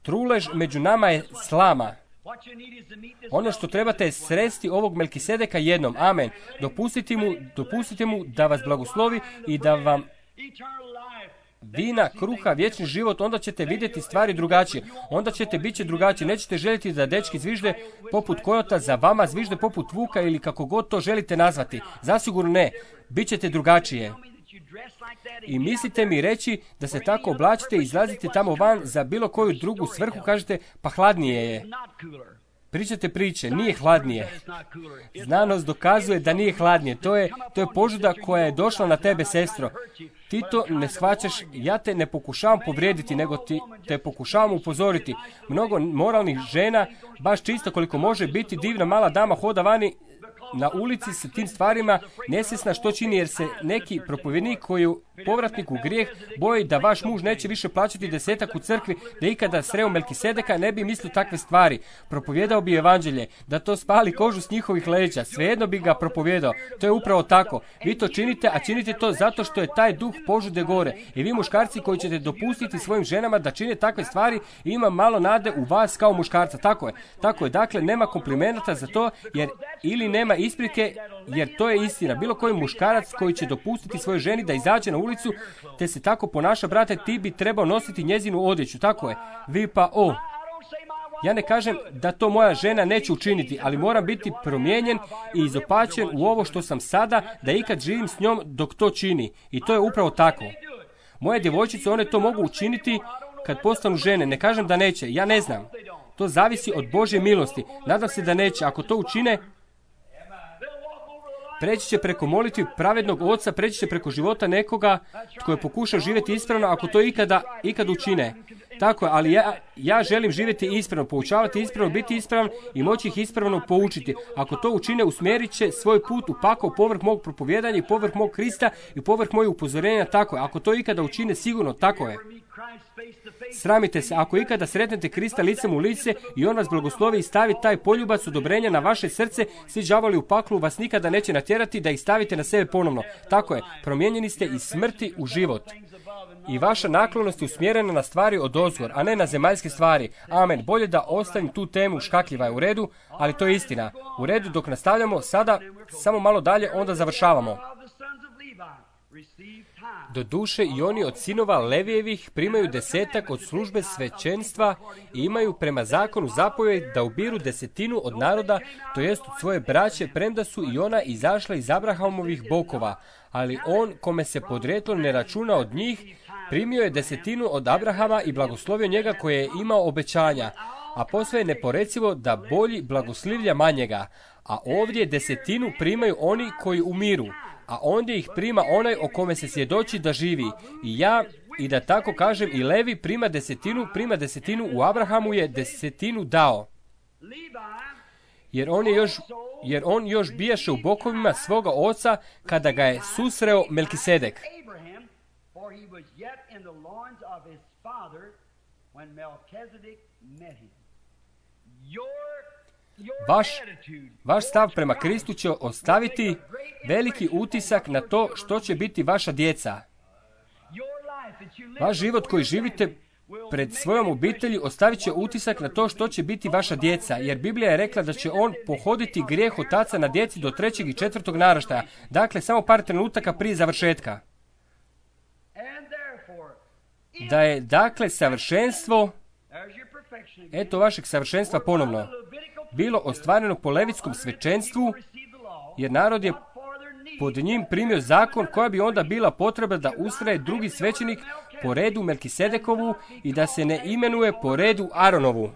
Trulež među nama je slama. Ono što trebate je sresti ovog Melkisedeka jednom. Amen. Dopustite mu, dopustite mu da vas blagoslovi i da vam vina, kruha, vječni život, onda ćete vidjeti stvari drugačije. Onda ćete biti drugačije. Nećete željeti da dečki zvižde poput kojota, za vama zvižde poput vuka ili kako god to želite nazvati. Zasigurno ne. Bićete drugačije. I mislite mi reći da se tako oblačite i izlazite tamo van za bilo koju drugu svrhu, kažete, pa hladnije je. Pričate priče, nije hladnije. Znanost dokazuje da nije hladnije. To je, to je požuda koja je došla na tebe, sestro. Ti to ne shvaćaš, ja te ne pokušavam povrijediti, nego ti te pokušavam upozoriti. Mnogo moralnih žena, baš čisto koliko može biti divna mala dama, hoda vani na ulici sa tim stvarima, nesvjesna što čini, jer se neki propovjednik koju povratnik u grijeh, boji da vaš muž neće više plaćati desetak u crkvi, da ikada sreo Melkisedeka, ne bi mislio takve stvari. Propovjedao bi evanđelje, da to spali kožu s njihovih leđa, svejedno bi ga propovjedao. To je upravo tako. Vi to činite, a činite to zato što je taj duh požude gore. I vi muškarci koji ćete dopustiti svojim ženama da čine takve stvari, ima malo nade u vas kao muškarca. Tako je. Tako je. Dakle, nema komplimenata za to, jer ili nema isprike, jer to je istina. Bilo koji muškarac koji će dopustiti svojoj ženi da izađe na ulicu, te se tako ponaša, brate, ti bi trebao nositi njezinu odjeću. Tako je. Vi pa, o, ja ne kažem da to moja žena neće učiniti, ali moram biti promijenjen i izopačen u ovo što sam sada, da ikad živim s njom dok to čini. I to je upravo tako. Moje djevojčice, one to mogu učiniti kad postanu žene. Ne kažem da neće, ja ne znam. To zavisi od Božje milosti. Nadam se da neće. Ako to učine, preći će preko molitvi pravednog oca, preći će preko života nekoga tko je pokušao živjeti ispravno, ako to ikada, ikada učine. Tako je, ali ja, ja želim živjeti ispravno, poučavati ispravno, biti ispravan i moći ih ispravno poučiti. Ako to učine, usmjerit će svoj put u pakao povrh mog propovjedanja i povrh mog Krista i povrh mojih upozorenja. Tako je, ako to ikada učine, sigurno tako je. Sramite se, ako ikada sretnete Krista licem u lice i on vas blagoslovi i stavi taj poljubac odobrenja na vaše srce, svi đavoli u paklu vas nikada neće natjerati da ih stavite na sebe ponovno. Tako je, promijenjeni ste iz smrti u život. I vaša naklonost je usmjerena na stvari odozgor, a ne na zemaljske stvari. Amen. Bolje da ostavim tu temu, škakljiva je u redu, ali to je istina. U redu, dok nastavljamo, sada samo malo dalje, onda završavamo. Do duše i oni od sinova Levijevih primaju desetak od službe svećenstva i imaju prema zakonu zapovjed da ubiru desetinu od naroda, to jest od svoje braće, premda su i ona izašla iz Abrahamovih bokova. Ali on, kome se podrijetlo ne računa od njih, primio je desetinu od Abrahama i blagoslovio njega koje je imao obećanja. A posve je neporecivo da bolji blagoslivlja manjega. A ovdje desetinu primaju oni koji umiru, a ondje ih prima onaj o kome se svjedoči da živi. I ja, i da tako kažem, i Levi prima desetinu, prima desetinu, u Abrahamu je desetinu dao. Jer on, je još, jer on još bijaše u bokovima svoga oca kada ga je susreo Melkisedek. Vaš, vaš stav prema Kristu će ostaviti veliki utisak na to što će biti vaša djeca. Vaš život koji živite pred svojom obitelji ostavit će utisak na to što će biti vaša djeca, jer Biblija je rekla da će on pohoditi grijeh otaca na djeci do trećeg i četvrtog naraštaja. Dakle, samo par trenutaka prije završetka. Da je, dakle, savršenstvo, eto vašeg savršenstva ponovno, bilo ostvareno po levitskom svećenstvu, jer narod je pod njim primio zakon koja bi onda bila potreba da ustraje drugi svećenik po redu Melkisedekovu i da se ne imenuje po redu Aronovu.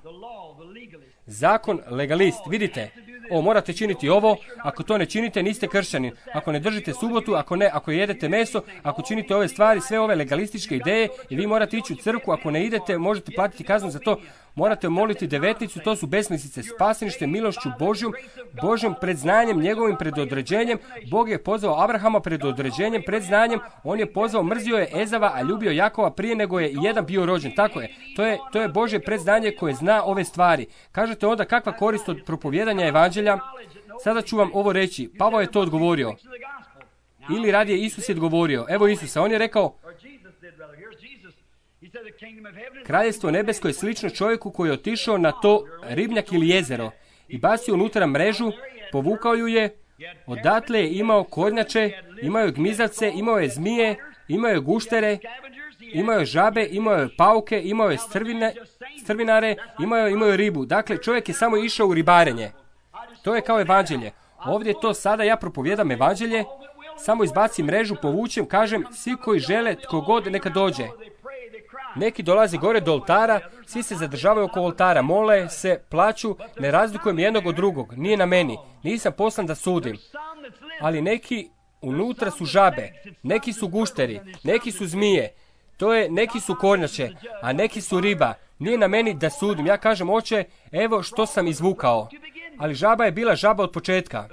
Zakon legalist, vidite, o, morate činiti ovo, ako to ne činite, niste kršćanin. Ako ne držite subotu, ako ne, ako jedete meso, ako činite ove stvari, sve ove legalističke ideje, i vi morate ići u crkvu, ako ne idete, možete platiti kaznu za to. Morate moliti devetnicu, to su besmislice. Spaseni ste milošću Božjom, Božjom predznanjem, njegovim predodređenjem. Bog je pozvao Abrahama predodređenjem, predznanjem. On je pozvao, mrzio je Ezava, a ljubio Jakova prije nego je jedan bio rođen. Tako je. To je, to je Božje predznanje koje zna ove stvari. Kažete onda kakva korist od propovijedanja evanđelja? Sada ću vam ovo reći. Pavao je to odgovorio. Ili radije Isus je odgovorio. Evo Isusa, on je rekao, Kraljestvo nebesko je slično čovjeku koji je otišao na to ribnjak ili jezero i bacio unutra mrežu, povukao ju je, odatle je imao kornjače, imao je gmizavce, imao je zmije, imao je guštere, imao je žabe, imao je pauke, imao je strvine, strvinare, imao je, imao je ribu. Dakle, čovjek je samo išao u ribarenje. To je kao evanđelje. Ovdje to sada ja propovijedam evanđelje, samo izbacim mrežu, povučem, kažem, svi koji žele, tko god, neka dođe. Neki dolaze gore do oltara, svi se zadržavaju oko oltara, mole se, plaću, ne razlikujem jednog od drugog, nije na meni, nisam poslan da sudim. Ali neki unutra su žabe, neki su gušteri, neki su zmije, to je, neki su kornjače, a neki su riba. Nije na meni da sudim, ja kažem, oče, evo što sam izvukao. Ali žaba je bila žaba od početka.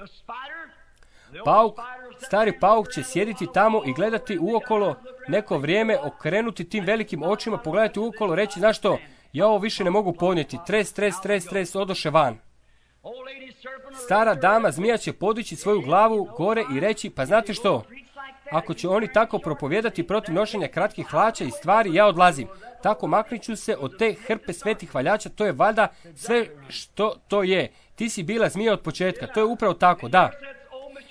Pauk, Stari pauk će sjediti tamo i gledati uokolo neko vrijeme, okrenuti tim velikim očima, pogledati uokolo, reći, znaš što, ja ovo više ne mogu podnijeti, tres, tres, tres, tres, odoše van. Stara dama zmija će podići svoju glavu gore i reći, pa znate što, ako će oni tako propovijedati protiv nošenja kratkih hlača i stvari, ja odlazim. Tako maknit ću se od te hrpe svetih hvaljača, to je valjda sve što to je. Ti si bila zmija od početka, to je upravo tako, da.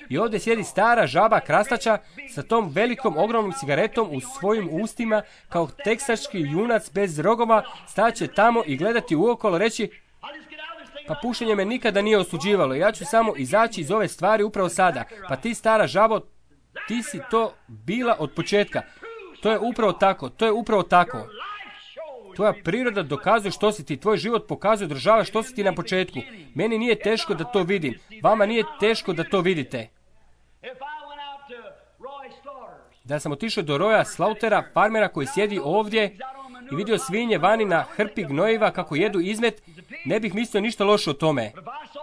I ovdje sjedi stara žaba krastača sa tom velikom ogromnom cigaretom u svojim ustima, kao teksaški junac bez rogova, staće tamo i gledati uokolo, reći, pa pušenje me nikada nije osuđivalo, ja ću samo izaći iz ove stvari upravo sada. Pa ti, stara žabo, ti si to bila od početka. To je upravo tako, to je upravo tako. Tvoja priroda dokazuje što si ti, tvoj život pokazuje, održava što si ti na početku. Meni nije teško da to vidim, vama nije teško da to vidite. Da sam otišao do Roya Slaughtera, farmera koji sjedi ovdje, i vidio svinje vani na hrpi gnojiva kako jedu izmet, ne bih mislio ništa loše o tome.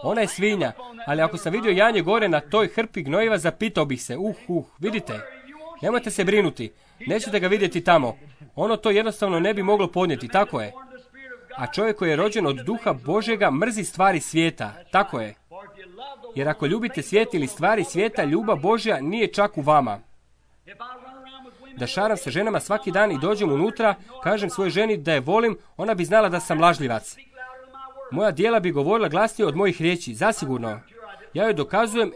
Ona je svinja, ali ako sam vidio janje gore na toj hrpi gnojiva, zapitao bih se, uh, uh, vidite, nemojte se brinuti, nećete ga vidjeti tamo. Ono to jednostavno ne bi moglo podnijeti, tako je. A čovjek koji je rođen od duha Božjega mrzi stvari svijeta, tako je. Jer ako ljubite svijet ili stvari svijeta, ljubav Božja nije čak u vama. Da šaram sa ženama svaki dan i dođem unutra, kažem svojoj ženi da je volim, ona bi znala da sam lažljivac. Moja djela bi govorila glasnije od mojih riječi, zasigurno. Ja joj dokazujem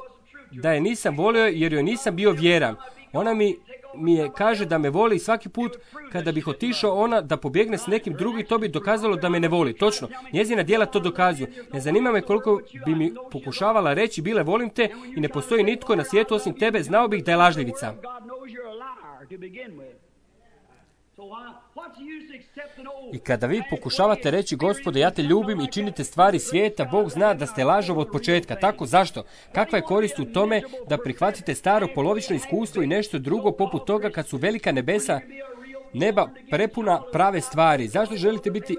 da je nisam volio jer joj nisam bio vjeran. Ona mi, mi je kaže da me voli i svaki put kada bih otišao ona da pobjegne s nekim drugim, to bi dokazalo da me ne voli. Točno, njezina djela to dokazuju. Ne zanima me koliko bi mi pokušavala reći bile volim te i ne postoji nitko na svijetu osim tebe, znao bih da je lažljivica. I kada vi pokušavate reći, Gospode, ja te ljubim i činite stvari svijeta, Bog zna da ste lažov od početka. Tako, zašto? Kakva je korist u tome da prihvatite staro polovično iskustvo i nešto drugo poput toga kad su velika nebesa, neba prepuna prave stvari? Zašto želite biti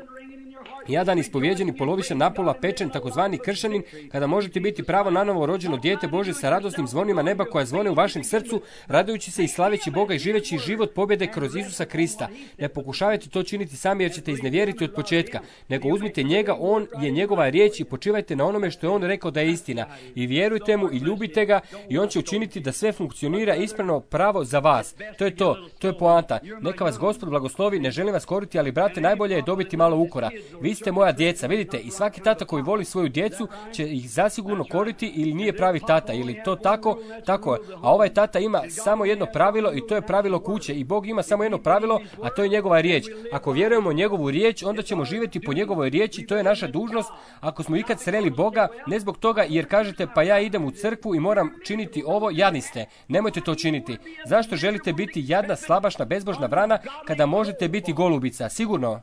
jadan, ispovjeđeni, polovičan, napola pečen, takozvani kršanin, kada možete biti pravo nanovo rođeno dijete Bože sa radosnim zvonima neba koja zvone u vašem srcu, radujući se i slaveći Boga i živeći život pobjede kroz Isusa Krista. Ne pokušavajte to činiti sami jer ćete iznevjeriti od početka, nego uzmite njega, on je njegova riječ i počivajte na onome što je on rekao da je istina. I vjerujte mu i ljubite ga i on će učiniti da sve funkcionira ispravno pravo za vas. To je to, to je poanta. Neka vas Gospod blagoslovi, ne želim vas koriti, ali brate, najbolje je dobiti malo ukora. Vi ste moja djeca, vidite, i svaki tata koji voli svoju djecu će ih zasigurno koriti ili nije pravi tata, ili to tako, tako je. A ovaj tata ima samo jedno pravilo i to je pravilo kuće i Bog ima samo jedno pravilo, a to je njegova riječ. Ako vjerujemo njegovu riječ, onda ćemo živjeti po njegovoj riječi, to je naša dužnost. Ako smo ikad sreli Boga, ne zbog toga jer kažete pa ja idem u crkvu i moram činiti ovo, jadni ste. Nemojte to činiti. Zašto želite biti jadna, slabašna, bezbožna vrana kada možete biti golubica? Sigurno.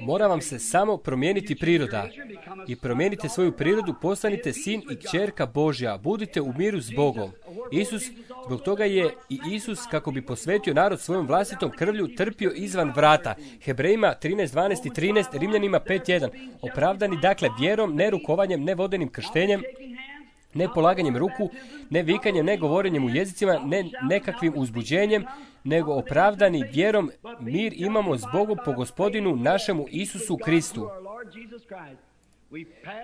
Mora vam se samo promijeniti priroda. I promijenite svoju prirodu, postanite sin i kćerka Božja. Budite u miru s Bogom. Isus, zbog toga je i Isus, kako bi posvetio narod svojom vlastitom krvlju, trpio izvan vrata. Hebrejima trinaest dvanaest i trinaest, Rimljanima pet jedan. Opravdani, dakle, vjerom, ne rukovanjem, ne vodenim krštenjem, ne polaganjem ruku, ne vikanjem, ne govorenjem u jezicima, ne nekakvim uzbuđenjem, nego opravdani vjerom mir imamo s Bogom po Gospodinu našemu Isusu Kristu.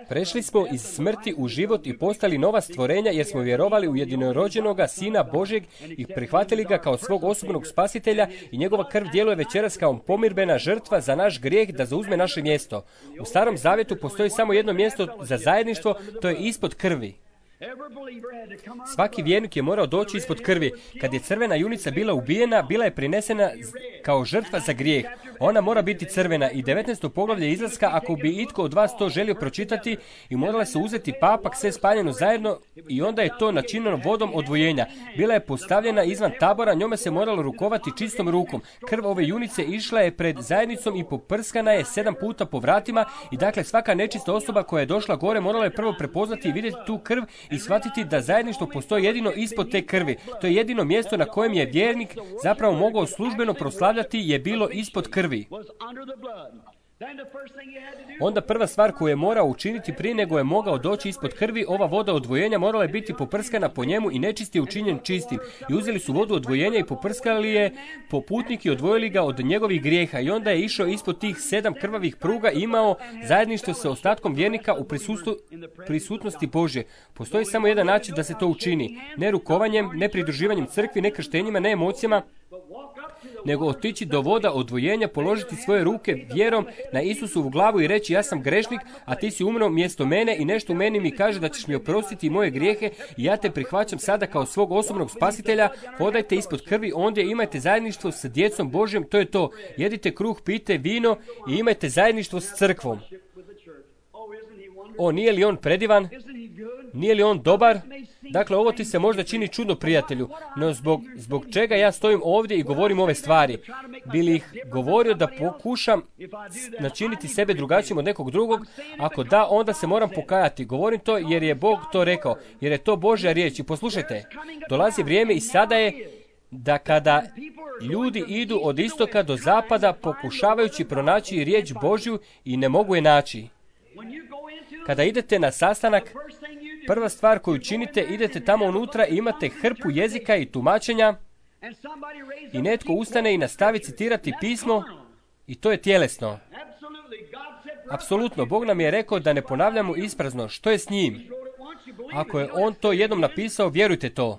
Prešli smo iz smrti u život i postali nova stvorenja jer smo vjerovali u jedinorođenoga Sina Božjeg i prihvatili ga kao svog osobnog spasitelja i njegova krv djeluje večeras kao pomirbena žrtva za naš grijeh da zauzme naše mjesto. U Starom Zavjetu postoji samo jedno mjesto za zajedništvo, to je ispod krvi. Svaki vjernik je morao doći ispod krvi. Kad je crvena junica bila ubijena, bila je prinesena kao žrtva za grijeh. Ona mora biti crvena i devetnaesto poglavlje izlaska, ako bi itko od vas to želio pročitati, i morala se uzeti papak, sve spaljeno zajedno i onda je to načinjeno vodom odvojenja. Bila je postavljena izvan tabora, njome se moralo rukovati čistom rukom. Krv ove junice išla je pred zajednicom i poprskana je sedam puta po vratima i dakle svaka nečista osoba koja je došla gore morala je prvo prepoznati i vidjeti tu krv i shvatiti da zajedništvo postoji jedino ispod te krvi. To je jedino mjesto na kojem je vjernik zapravo mogao službeno proslavljati je bilo ispod krvi. Onda prva stvar koju je morao učiniti prije nego je mogao doći ispod krvi, ova voda odvojenja morala je biti poprskana po njemu i nečist je učinjen čistim. I uzeli su vodu odvojenja i poprskali je po putnik i odvojili ga od njegovih grijeha. I onda je išao ispod tih sedam krvavih pruga i imao zajedništvo sa ostatkom vjernika u prisustvu, prisutnosti Božje. Postoji samo jedan način da se to učini. Ne rukovanjem, ne pridruživanjem crkvi, ne krštenjima, ne emocijama, nego otići do voda odvojenja, položiti svoje ruke vjerom na Isusovu glavu i reći ja sam grešnik, a ti si umro mjesto mene i nešto u meni mi kaže da ćeš mi oprostiti moje grijehe i ja te prihvaćam sada kao svog osobnog spasitelja. Hodajte ispod krvi, ondje imajte zajedništvo sa djecom Božjom, to je to. Jedite kruh, pijte vino i imajte zajedništvo s crkvom. O, nije li on predivan? Nije li on dobar? Dakle, ovo ti se možda čini čudno, prijatelju, no zbog, zbog čega ja stojim ovdje i govorim ove stvari? Bi li ih govorio da pokušam načiniti sebe drugačijim od nekog drugog? Ako da, onda se moram pokajati. Govorim to jer je Bog to rekao, jer je to Božja riječ. I poslušajte, dolazi vrijeme i sada je da kada ljudi idu od istoka do zapada pokušavajući pronaći riječ Božju i ne mogu je naći. Kada idete na sastanak, prva stvar koju činite, idete tamo unutra i imate hrpu jezika i tumačenja i netko ustane i nastavi citirati pismo i to je tjelesno. Apsolutno, Bog nam je rekao da ne ponavljamo isprazno. Što je s njim? Ako je on to jednom napisao, vjerujte to.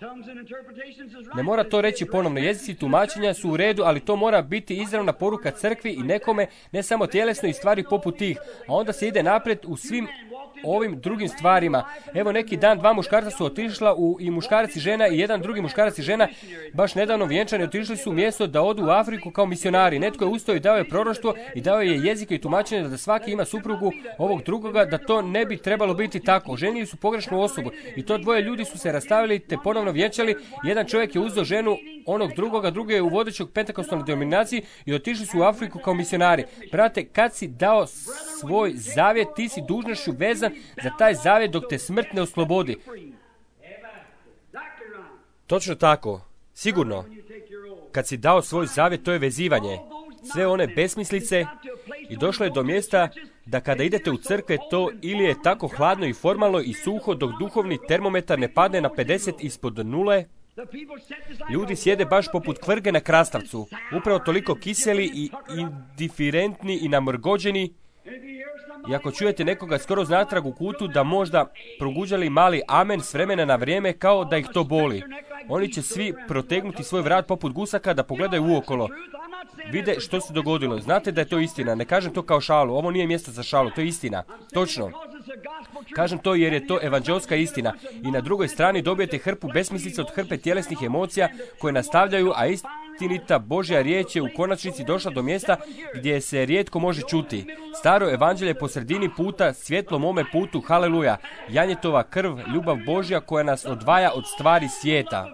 Ne mora to reći ponovno. Jezici tumačenja su u redu, ali to mora biti izravna poruka crkvi i nekome, ne samo tjelesno i stvari poput tih. A onda se ide naprijed u svim ovim drugim stvarima. Evo neki dan dva muškarca su otišla u, i muškarac i žena i jedan drugi muškarac i žena baš nedavno vjenčani otišli su u mjesto da odu u Afriku kao misionari. Netko je ustao i dao je proroštvo i dao je jezike i tumačenje da svaki ima suprugu ovog drugoga, da to ne bi trebalo biti tako. Ženili su pogrešnu osobu i to dvoje ljudi su se rastavili te ponovno vjenčali. Jedan čovjek je uzeo ženu onog drugoga, drugi je u vodećog pentekostalnoj denominaciji i otišli su u Afriku kao misionari. Brate, kad si dao svoj zavjet, ti si dužnošću vezan za taj zavjet dok te smrt ne oslobodi. Točno tako, sigurno. Kad si dao svoj zavjet, to je vezivanje. Sve one besmislice i došlo je do mjesta da kada idete u crkve, to ili je tako hladno i formalno i suho dok duhovni termometar ne padne na pedeset ispod nule. Ljudi sjede baš poput kvrge na krastavcu, upravo toliko kiseli i indiferentni i namrgođeni. I ako čujete nekoga skoro znatrag u kutu da možda proguđali mali amen s vremena na vrijeme kao da ih to boli, oni će svi protegnuti svoj vrat poput gusaka da pogledaju uokolo. Vide što se dogodilo. Znate da je to istina. Ne kažem to kao šalu. Ovo nije mjesto za šalu. To je istina. Točno. Kažem to jer je to evanđelska istina. I na drugoj strani dobijete hrpu besmislica od hrpe tjelesnih emocija koje nastavljaju, a istinita Božja riječ je u konačnici došla do mjesta gdje se rijetko može čuti. Staro evanđelje po sredini puta, svjetlo mome putu, haleluja. Janjetova krv, ljubav Božja koja nas odvaja od stvari svijeta.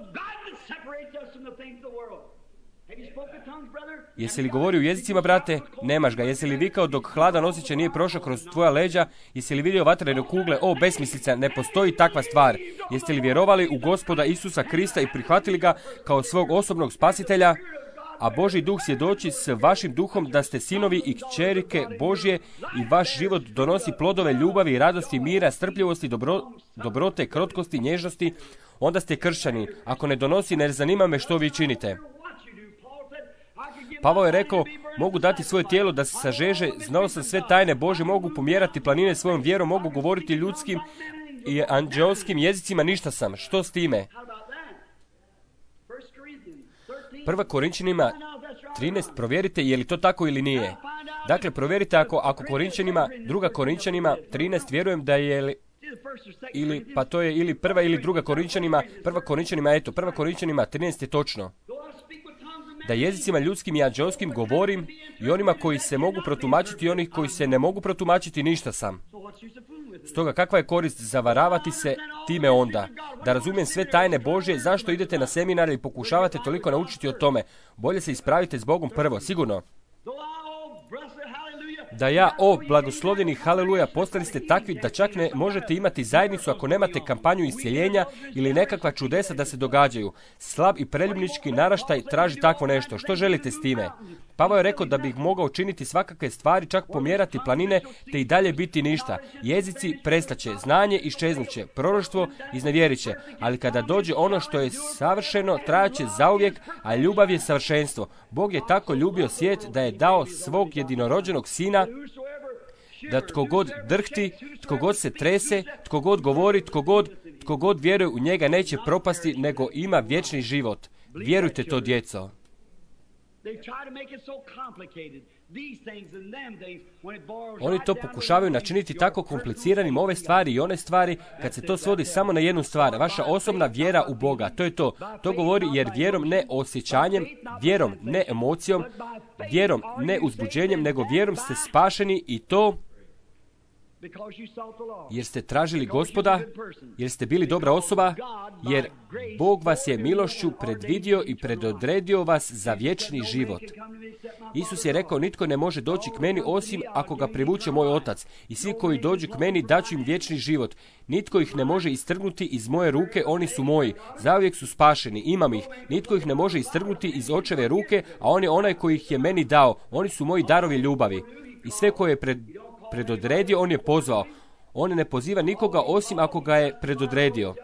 Jesi li govorio u jezicima, brate? Nemaš ga. Jesi li vikao dok hladan osjećaj nije prošao kroz tvoja leđa? Jesi li vidio vatrene kugle? O, besmislica, ne postoji takva stvar. Jeste li vjerovali u Gospoda Isusa Krista i prihvatili ga kao svog osobnog spasitelja? A Božji duh svjedoči s vašim duhom da ste sinovi i kćerike Božje i vaš život donosi plodove ljubavi, radosti, mira, strpljivosti, dobro, dobrote, krotkosti, nježnosti, onda ste kršćani. Ako ne donosi, ne zanima me što vi činite. Pavao je rekao, mogu dati svoje tijelo da se sažeže, znao sam sve tajne Božje, mogu pomjerati planine svojom vjerom, mogu govoriti ljudskim i anđelskim jezicima, ništa sam. Što s time? Prva Korinčanima trinaest, provjerite je li to tako ili nije. Dakle, provjerite ako, ako Korinčanima, druga Korinčanima trinaest, vjerujem da je ili, pa to je ili prva ili druga Korinčanima, prva Korinčanima, eto, prva Korinčanima trinaest je točno. Da jezicima ljudskim i anđelskim govorim i onima koji se mogu protumačiti i onih koji se ne mogu protumačiti, ništa sam. Stoga kakva je korist zavaravati se time onda? Da razumijem sve tajne Božje, zašto idete na seminare i pokušavate toliko naučiti o tome? Bolje se ispravite s Bogom prvo, sigurno. Da ja, o blagoslovljeni haleluja, postali ste takvi da čak ne možete imati zajednicu ako nemate kampanju iscjeljenja ili nekakva čudesa da se događaju. Slab i preljubnički naraštaj traži takvo nešto. Što želite s time? Pavao je rekao da bih mogao učiniti svakakve stvari, čak pomjerati planine, te i dalje biti ništa. Jezici prestaće, znanje iščeznuće, proroštvo iznevjeriće, ali kada dođe ono što je savršeno, trajaće zauvijek, a ljubav je savršenstvo. Bog je tako ljubio svijet da je dao svog jedinorođenog sina, da tko god drhti, tko god se trese, tko god govori, tko god, tko god vjeruje u njega neće propasti, nego ima vječni život. Vjerujte to, djeco. Oni to pokušavaju načiniti tako kompliciranim, ove stvari i one stvari, kad se to svodi samo na jednu stvar, vaša osobna vjera u Boga. To je to. To govori jer vjerom ne osjećanjem, vjerom ne emocijom, vjerom ne uzbuđenjem, nego vjerom ste spašeni i to jer ste tražili Gospoda, jer ste bili dobra osoba, jer Bog vas je milošću predvidio i predodredio vas za vječni život. Isus je rekao, nitko ne može doći k meni osim ako ga privuče moj Otac. I svi koji dođu k meni daću im vječni život. Nitko ih ne može istrgnuti iz moje ruke, oni su moji. Zauvijek su spašeni, imam ih. Nitko ih ne može istrgnuti iz Očeve ruke, a on je onaj koji ih je meni dao. Oni su moji darovi ljubavi. I sve koje je pred predodredio, on je pozvao. On ne poziva nikoga osim ako ga je predodredio.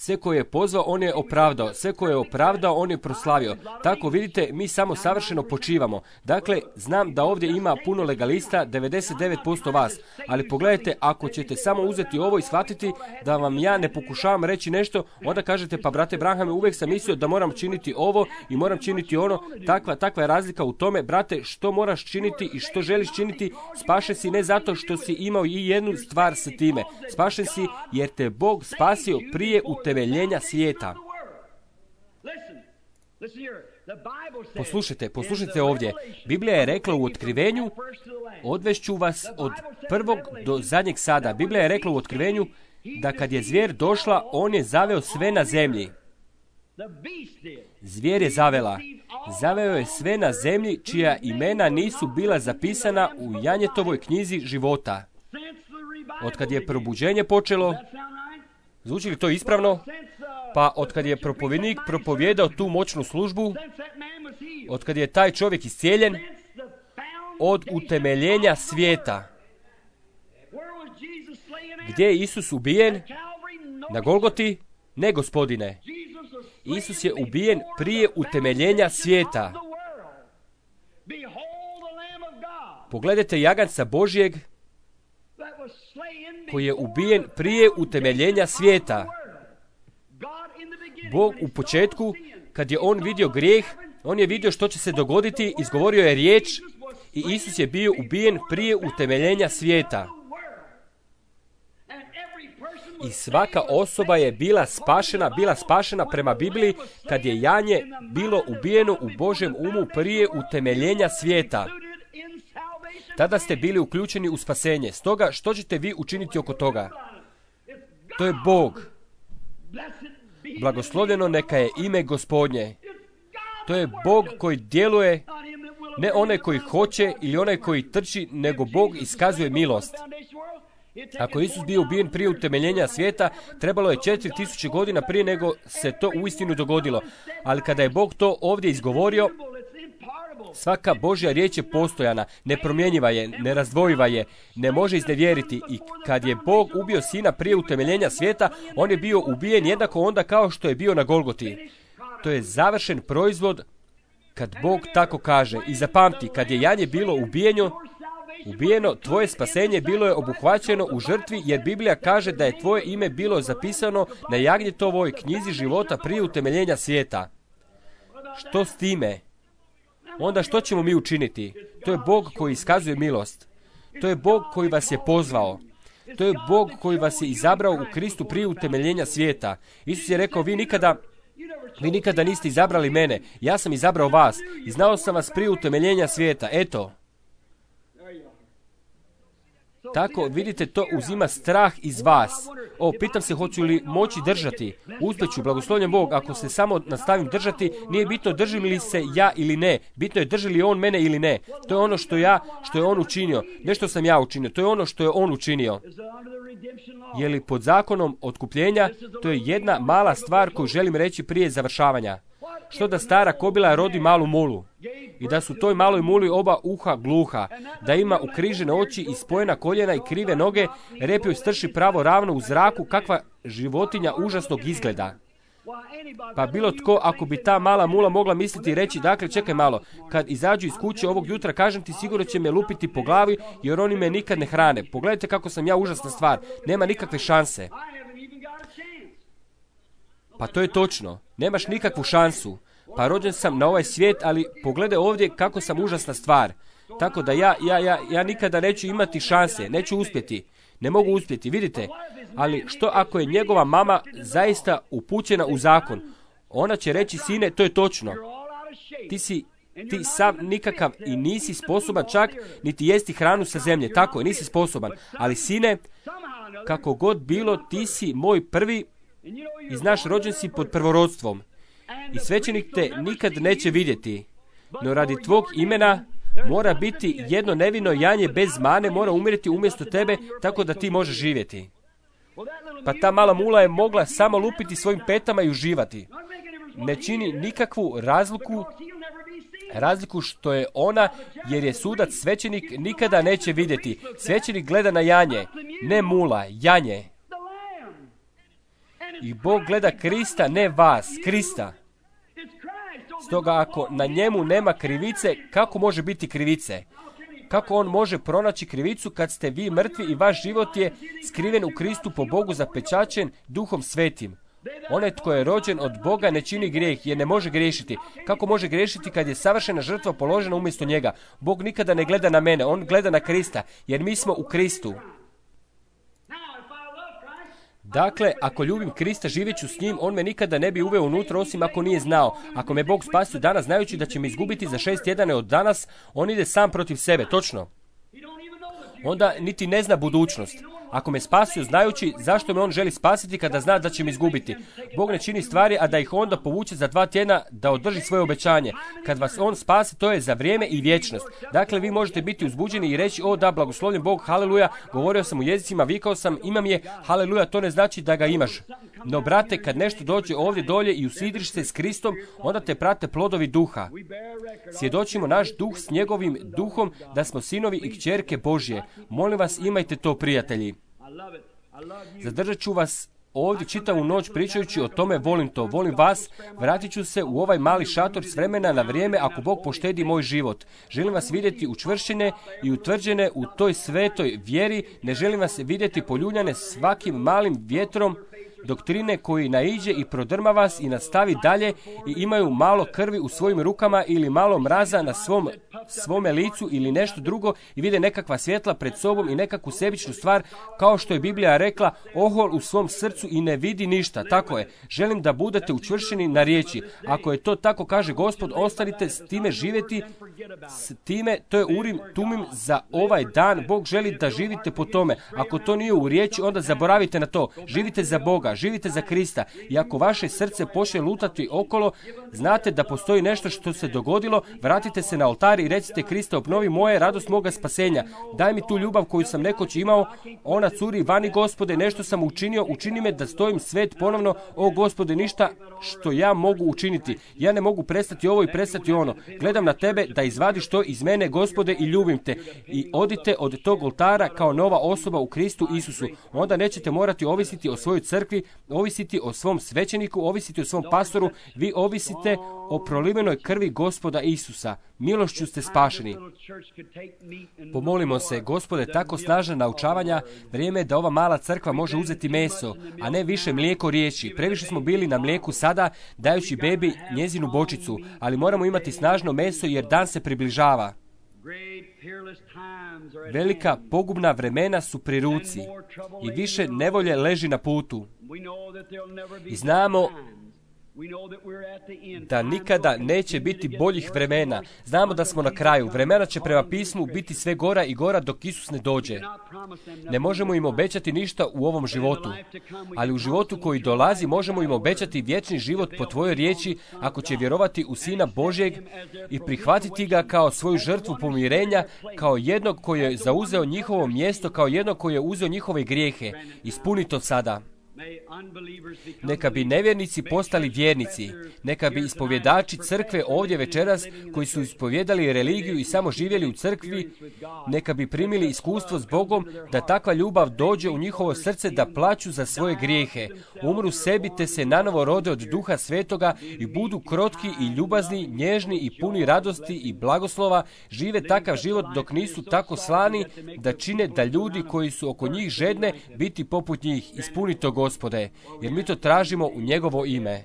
Sve koje je pozvao, on je opravdao. Sve koje je opravdao, on je proslavio. Tako vidite, mi samo savršeno počivamo. Dakle, znam da ovdje ima puno legalista, devedeset devet posto vas. Ali pogledajte, ako ćete samo uzeti ovo i shvatiti da vam ja ne pokušavam reći nešto, onda kažete, pa brate Branhame, uvijek sam mislio da moram činiti ovo i moram činiti ono. Takva, takva je razlika u tome, brate, što moraš činiti i što želiš činiti. Spašen si ne zato što si imao i jednu stvar sa time. Spašen si jer te Bog spasio prije u utemeljenja svijeta. Poslušajte, poslušajte ovdje. Biblija je rekla u Otkrivenju, odvešću vas od prvog do zadnjeg sada. Biblija je rekla u Otkrivenju da kad je zvijer došla, on je zaveo sve na zemlji. Zvijer je zavela. Zaveo je sve na zemlji čija imena nisu bila zapisana u Janjetovoj knjizi života. Od kad je probuđenje počelo, zvuči li to ispravno? Pa otkad je propovjednik propovjedao tu moćnu službu, otkad je taj čovjek iscijeljen, od utemeljenja svijeta. Gdje je Isus ubijen? Na Golgoti? Ne, gospodine. Isus je ubijen prije utemeljenja svijeta. Pogledajte jaganca Božjeg koji je ubijen prije utemeljenja svijeta. Bog u početku, kad je on vidio grijeh, on je vidio što će se dogoditi, izgovorio je riječ i Isus je bio ubijen prije utemeljenja svijeta. I svaka osoba je bila spašena, bila spašena prema Bibliji kad je janje bilo ubijeno u Božjem umu prije utemeljenja svijeta. Tada ste bili uključeni u spasenje. Stoga, što ćete vi učiniti oko toga? To je Bog. Blagoslovljeno neka je ime Gospodnje. To je Bog koji djeluje, ne onaj koji hoće ili onaj koji trči, nego Bog iskazuje milost. Ako je Isus bio ubijen prije utemeljenja svijeta, trebalo je četiri tisuće godina prije nego se to uistinu dogodilo. Ali kada je Bog to ovdje izgovorio, svaka Božja riječ je postojana, nepromjenjiva je, nerazdvojiva je, ne može iznevjeriti. I kad je Bog ubio sina prije utemeljenja svijeta, on je bio ubijen jednako onda kao što je bio na Golgoti. To je završen proizvod kad Bog tako kaže. I zapamti, kad je janje bilo ubijeno, ubijeno, tvoje spasenje bilo je obuhvaćeno u žrtvi, jer Biblija kaže da je tvoje ime bilo zapisano na Jagnjetovoj knjizi života prije utemeljenja svijeta. Što s time? Onda što ćemo mi učiniti? To je Bog koji iskazuje milost. To je Bog koji vas je pozvao. To je Bog koji vas je izabrao u Kristu prije utemeljenja svijeta. Isus je rekao, vi nikada, vi nikada niste izabrali mene. Ja sam izabrao vas i znao sam vas prije utemeljenja svijeta. Eto. Tako, vidite, to uzima strah iz vas. O, pitam se hoću li moći držati. Uspjeću, blagoslovljen Bog, ako se samo nastavim držati, nije bitno držim li se ja ili ne. Bitno je drži li on mene ili ne. To je ono što ja, što je on učinio. Ne što sam ja učinio, to je ono što je on učinio. Je li pod zakonom otkupljenja? To je jedna mala stvar koju želim reći prije završavanja. Što da stara kobila rodi malu mulu i da su toj maloj muli oba uha gluha, da ima ukrižene oči i spojena koljena i krive noge, rep joj strši pravo ravno u zraku, kakva životinja užasnog izgleda. Pa bilo tko, ako bi ta mala mula mogla misliti i reći, dakle, čekaj malo, kad izađu iz kuće ovog jutra, kažem ti, sigurno će me lupiti po glavi, jer oni me nikad ne hrane. Pogledajte kako sam ja užasna stvar, nema nikakve šanse. Pa to je točno, nemaš nikakvu šansu. Pa rođen sam na ovaj svijet, ali pogledaj ovdje kako sam užasna stvar. Tako da ja, ja, ja, ja nikada neću imati šanse, neću uspjeti. Ne mogu uspjeti, vidite. Ali što ako je njegova mama zaista upućena u zakon? Ona će reći, sine, to je točno. Ti si ti sam nikakav i nisi sposoban čak niti jesti hranu sa zemlje. Tako je, nisi sposoban. Ali sine, kako god bilo, ti si moj prvi i znaš, rođen si pod prvorodstvom. I svećenik te nikad neće vidjeti. No radi tvog imena mora biti jedno nevino janje bez mane, mora umrijeti umjesto tebe, tako da ti možeš živjeti. Pa ta mala mula je mogla samo lupiti svojim petama i uživati. Ne čini nikakvu razliku, razliku što je ona, jer je sudac svećenik nikada neće vidjeti. Svećenik gleda na janje, ne mula, janje. I Bog gleda Krista, ne vas, Krista. Stoga ako na njemu nema krivice, kako može biti krivice? Kako on može pronaći krivicu kad ste vi mrtvi i vaš život je skriven u Kristu po Bogu zapečaćen Duhom Svetim? Onaj tko je rođen od Boga ne čini grijeh jer ne može griješiti. Kako može griješiti kad je savršena žrtva položena umjesto njega? Bog nikada ne gleda na mene, on gleda na Krista, jer mi smo u Kristu. Dakle, ako ljubim Krista, živjet ću s njim, on me nikada ne bi uveo unutra osim ako nije znao. Ako me Bog spasio danas, znajući da će me izgubiti za šest tjedana od danas, on ide sam protiv sebe, točno. Onda niti ne zna budućnost. Ako me spasio znajući zašto me on želi spasiti kada zna da će me izgubiti. Bog ne čini stvari, a da ih onda povuče za dva tjedna da održi svoje obećanje. Kad vas on spasi, to je za vrijeme i vječnost. Dakle, vi možete biti uzbuđeni i reći, o da, blagoslovljen Bog, haleluja, govorio sam u jezicima, vikao sam, imam je, haleluja, to ne znači da ga imaš. No, brate, kad nešto dođe ovdje dolje i usidriš se s Kristom, onda te prate plodovi duha. Svjedočimo naš duh s njegovim duhom da smo sinovi i kćerke Božje. Molim vas, imajte to, prijatelji. Zadržat ću vas ovdje čitavu noć pričajući o tome, volim to, volim vas, vratit ću se u ovaj mali šator s vremena na vrijeme ako Bog poštedi moj život. Želim vas vidjeti učvršćene i utvrđene u toj svetoj vjeri, ne želim vas vidjeti poljuljane svakim malim vjetrom doktrine koji naiđe i prodrma vas i nastavi dalje i imaju malo krvi u svojim rukama ili malo mraza na svom, svome licu ili nešto drugo i vide nekakva svjetla pred sobom i nekakvu sebičnu stvar, kao što je Biblija rekla, ohol u svom srcu i ne vidi ništa. Tako je. Želim da budete učvršćeni na riječi. Ako je to tako, kaže Gospod, ostanite s time živjeti, s time, to je Urim Tumim za ovaj dan. Bog želi da živite po tome. Ako to nije u riječi, onda zaboravite na to. Živite za Boga. Živite za Krista i ako vaše srce počne lutati okolo, znate da postoji nešto što se dogodilo, vratite se na oltar i recite, Krista, obnovi moje, radost moga spasenja. Daj mi tu ljubav koju sam nekoć imao, ona curi vani, Gospode, nešto sam učinio, učini me da stojim svet ponovno, o Gospode, ništa što ja mogu učiniti. Ja ne mogu prestati ovo i prestati ono. Gledam na tebe da izvadiš to iz mene, Gospode, i ljubim te. I odite od tog oltara kao nova osoba u Kristu Isusu. Onda nećete morati ovisiti o svojoj crkvi, ovisiti o svom svećeniku, ovisiti o svom pastoru, vi ovisite o prolivenoj krvi Gospoda Isusa. Milošću ste spašeni. Pomolimo se, Gospode, tako snažna naučavanja, vrijeme je da ova mala crkva može uzeti meso, a ne više mlijeko riječi. Previše smo bili na mlijeku sada, dajući bebi njezinu bočicu, ali moramo imati snažno meso jer dan se približava. Velika pogubna vremena su pri ruci i više nevolje leži na putu. I znamo da nikada neće biti boljih vremena. Znamo da smo na kraju. Vremena će prema pismu biti sve gora i gora dok Isus ne dođe. Ne možemo im obećati ništa u ovom životu, ali u životu koji dolazi možemo im obećati vječni život po tvojoj riječi ako će vjerovati u Sina Božjeg i prihvatiti ga kao svoju žrtvu pomirenja, kao jednog koji je zauzeo njihovo mjesto, kao jednog koji je uzeo njihove grijehe. Ispuni to sada. Neka bi nevjernici postali vjernici. Neka bi ispovjedači crkve ovdje večeras, koji su ispovjedali religiju i samo živjeli u crkvi, neka bi primili iskustvo s Bogom, da takva ljubav dođe u njihovo srce, da plaću za svoje grijehe, umru sebi te se nanovo rode od Duha Svetoga i budu krotki i ljubazni, nježni i puni radosti i blagoslova, žive takav život dok nisu tako slani da čine da ljudi koji su oko njih žedne biti poput njih. Ispuni to, Gospode, jer mi to tražimo u njegovo ime.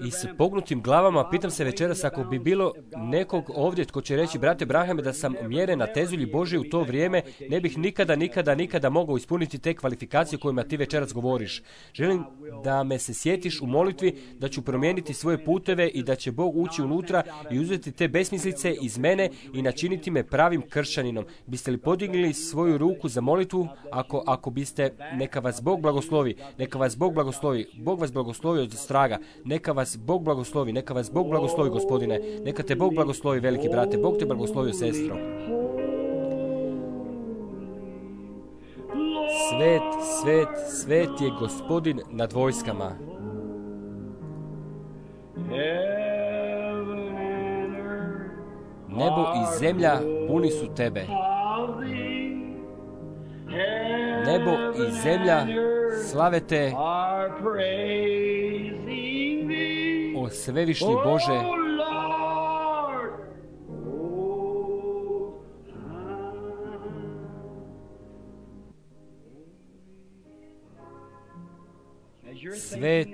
I s pognutim glavama pitam se večeras ako bi bilo nekog ovdje tko će reći, brate Brahame, da sam mjeren na tezulji Božje u to vrijeme, ne bih nikada, nikada, nikada mogao ispuniti te kvalifikacije kojima ti večeras govoriš. Želim da me se sjetiš u molitvi, da ću promijeniti svoje puteve i da će Bog ući unutra i uzeti te besmislice iz mene i načiniti me pravim kršćaninom. Biste li podigli svoju ruku za molitvu? Ako, ako biste, neka vas Bog blagoslovi, neka vas Bog blagoslovi. Bog vas blagoslovi od straga. Neka vas Bog blagoslovi. Neka vas Bog blagoslovi, Gospodine. Neka te Bog blagoslovi, veliki brate. Bog te blagoslovio, sestro. Svet, svet, svet je Gospodin nad vojskama. Nebo i zemlja puni su tebe. Nebo i zemlja slave te, o svevišnji Bože. Svet,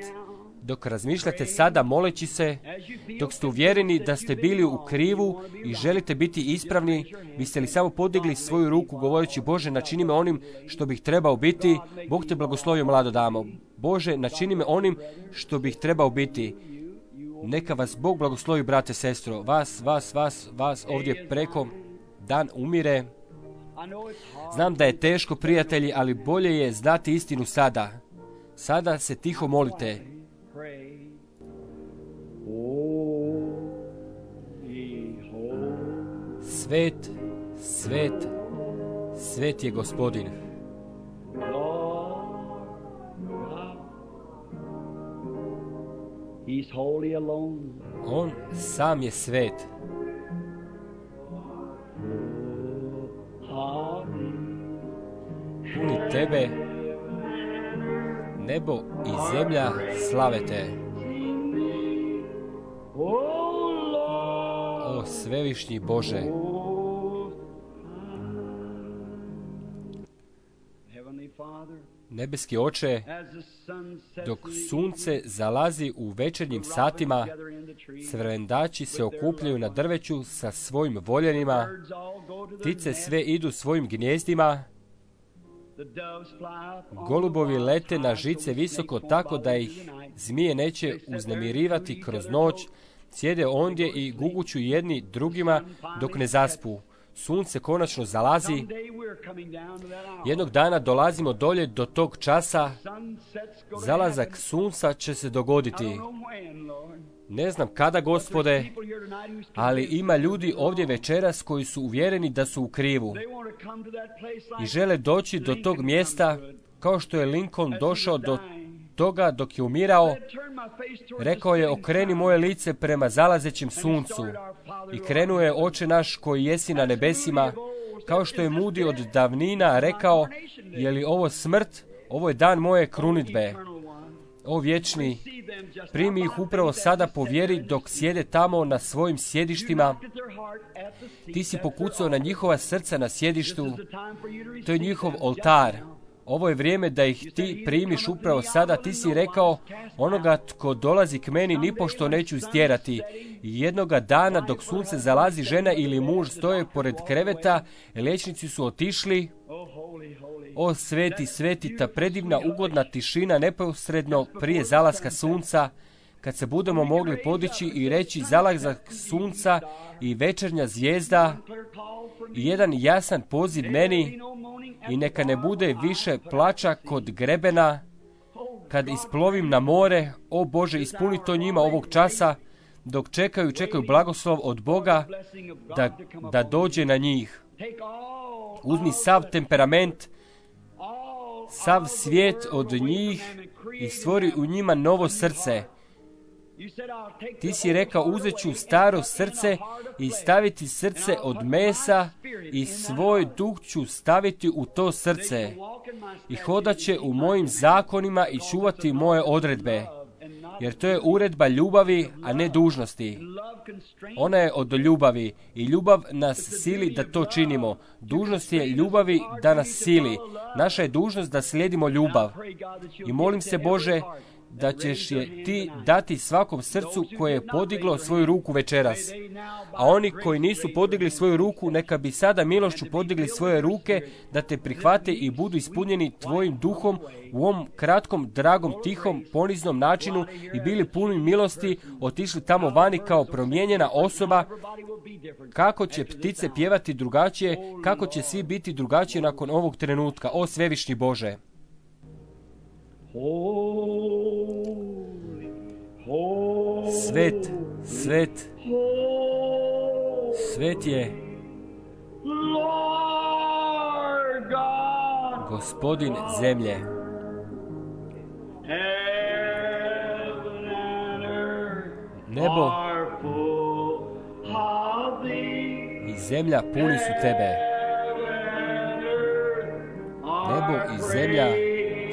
dok razmišljate sada moleći se, dok ste uvjereni da ste bili u krivu i želite biti ispravni, biste li samo podigli svoju ruku govoreći, Bože, načini me onim što bih trebao biti. Bog te blagoslovio, mlado damo. Bože, načini me onim što bih trebao biti. Neka vas Bog blagoslovi, brate, sestro. Vas, vas, vas, vas ovdje preko. Dan umire. Znam da je teško, prijatelji, ali bolje je znati istinu sada. Sada se tiho molite. Svet, svet, svet je Gospodin. On sam je svet. Puni tebe, nebo i zemlja slave te. O svevišnji Bože. Nebeski Oče, dok sunce zalazi u večernjim satima, crvendači se okupljaju na drveću sa svojim voljenima, ptice sve idu svojim gnjezdima, golubovi lete na žice visoko tako da ih zmije neće uznemirivati kroz noć, sjede ondje i guguću jedni drugima dok ne zaspu. Sunce konačno zalazi. Jednog dana dolazimo dolje do tog časa. Zalazak sunca će se dogoditi. Ne znam kada, Gospode, ali ima ljudi ovdje večeras koji su uvjereni da su u krivu i žele doći do tog mjesta kao što je Lincoln došao do toga dok je umirao. Rekao je, okreni moje lice prema zalazećem suncu i krenuo je, Oče naš koji jesi na nebesima, kao što je Moody od davnina rekao, je li ovo smrt? Ovo je dan moje krunidbe. O vječni, primi ih upravo sada po vjeri dok sjede tamo na svojim sjedištima. Ti si pokucao na njihova srca na sjedištu. To je njihov oltar. Ovo je vrijeme da ih ti primiš upravo sada. Ti si rekao, onoga tko dolazi k meni nipošto neću istjerati. Jednoga dana dok sunce zalazi, žena ili muž stoje pored kreveta, liječnici su otišli. O sveti, sveti, ta predivna ugodna tišina neposredno prije zalaska sunca, kad se budemo mogli podići i reći zalazak sunca i večernja zvijezda i jedan jasan poziv meni i neka ne bude više plača kod grebena kad isplovim na more. O Bože, ispuni to njima ovog časa. dok čekaju, čekaju blagoslov od Boga da, da dođe na njih. Uzmi sav temperament, sav svijet od njih i stvori u njima novo srce. Ti si rekao, uzet ću staro srce i staviti srce od mesa i svoj duh ću staviti u to srce. I hodat će u mojim zakonima i čuvati moje odredbe. Jer to je uredba ljubavi, a ne dužnosti. Ona je od ljubavi i ljubav nas sili da to činimo. Dužnost je ljubavi da nas sili. Naša je dužnost da slijedimo ljubav. I molim se, Bože, da ćeš je ti dati svakom srcu koje je podiglo svoju ruku večeras. A oni koji nisu podigli svoju ruku, neka bi sada milošću podigli svoje ruke, da te prihvate i budu ispunjeni tvojim duhom u ovom kratkom, dragom, tihom, poniznom načinu i bili puni milosti, otišli tamo vani kao promijenjena osoba. Kako će ptice pjevati drugačije, kako će svi biti drugačije nakon ovog trenutka, o svevišnji Bože. Svet, svet, svet je Gospodin zemlje. Nebo i zemlja puni su tebe. Nebo i zemlja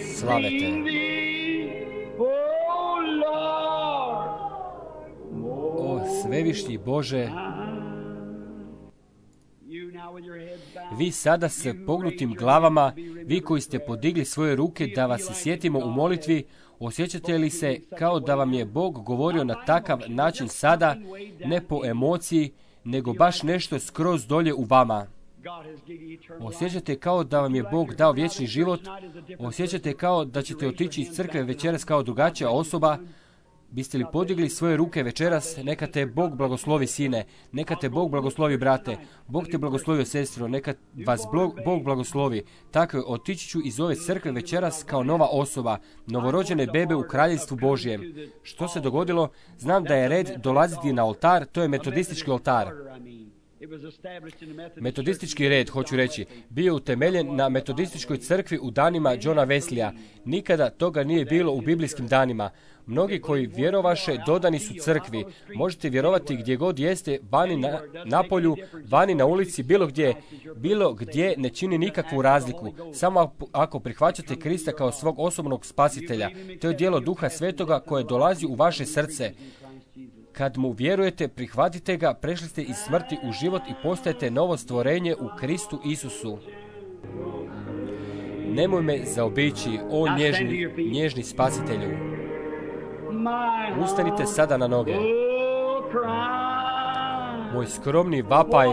slave te. O svevišnji Bože, vi sada s pognutim glavama, vi koji ste podigli svoje ruke da vas se sjetimo u molitvi, osjećate li se kao da vam je Bog govorio na takav način sada, ne po emociji, nego baš nešto skroz dolje u vama? Osjećate kao da vam je Bog dao vječni život? Osjećate kao da ćete otići iz crkve večeras kao drugačija osoba? Biste li podigli svoje ruke večeras? Neka te Bog blagoslovi, sine. Neka te Bog blagoslovi, brate. Bog te blagoslovio, sestro. Neka vas Bog blagoslovi. Tako je, otići ću iz ove crkve večeras kao nova osoba, novorođene bebe u kraljevstvu Božjem. Što se dogodilo? Znam da je red dolaziti na oltar, to je metodistički oltar. Metodistički red, hoću reći, bio utemeljen na metodističkoj crkvi u danima Johna Wesleya. Nikada toga nije bilo u biblijskim danima. Mnogi koji vjerovaše dodani su crkvi. Možete vjerovati gdje god jeste, vani na, na polju, vani na ulici, bilo gdje. Bilo gdje ne čini nikakvu razliku. Samo ako prihvaćate Krista kao svog osobnog spasitelja. To je djelo Duha Svetoga koje dolazi u vaše srce. Kad mu vjerujete, prihvatite ga, prešli ste iz smrti u život i postajete novo stvorenje u Kristu Isusu. Nemoj me zaobići, o nježni, nježni spasitelju. Ustanite sada na noge. Moj skromni vapaj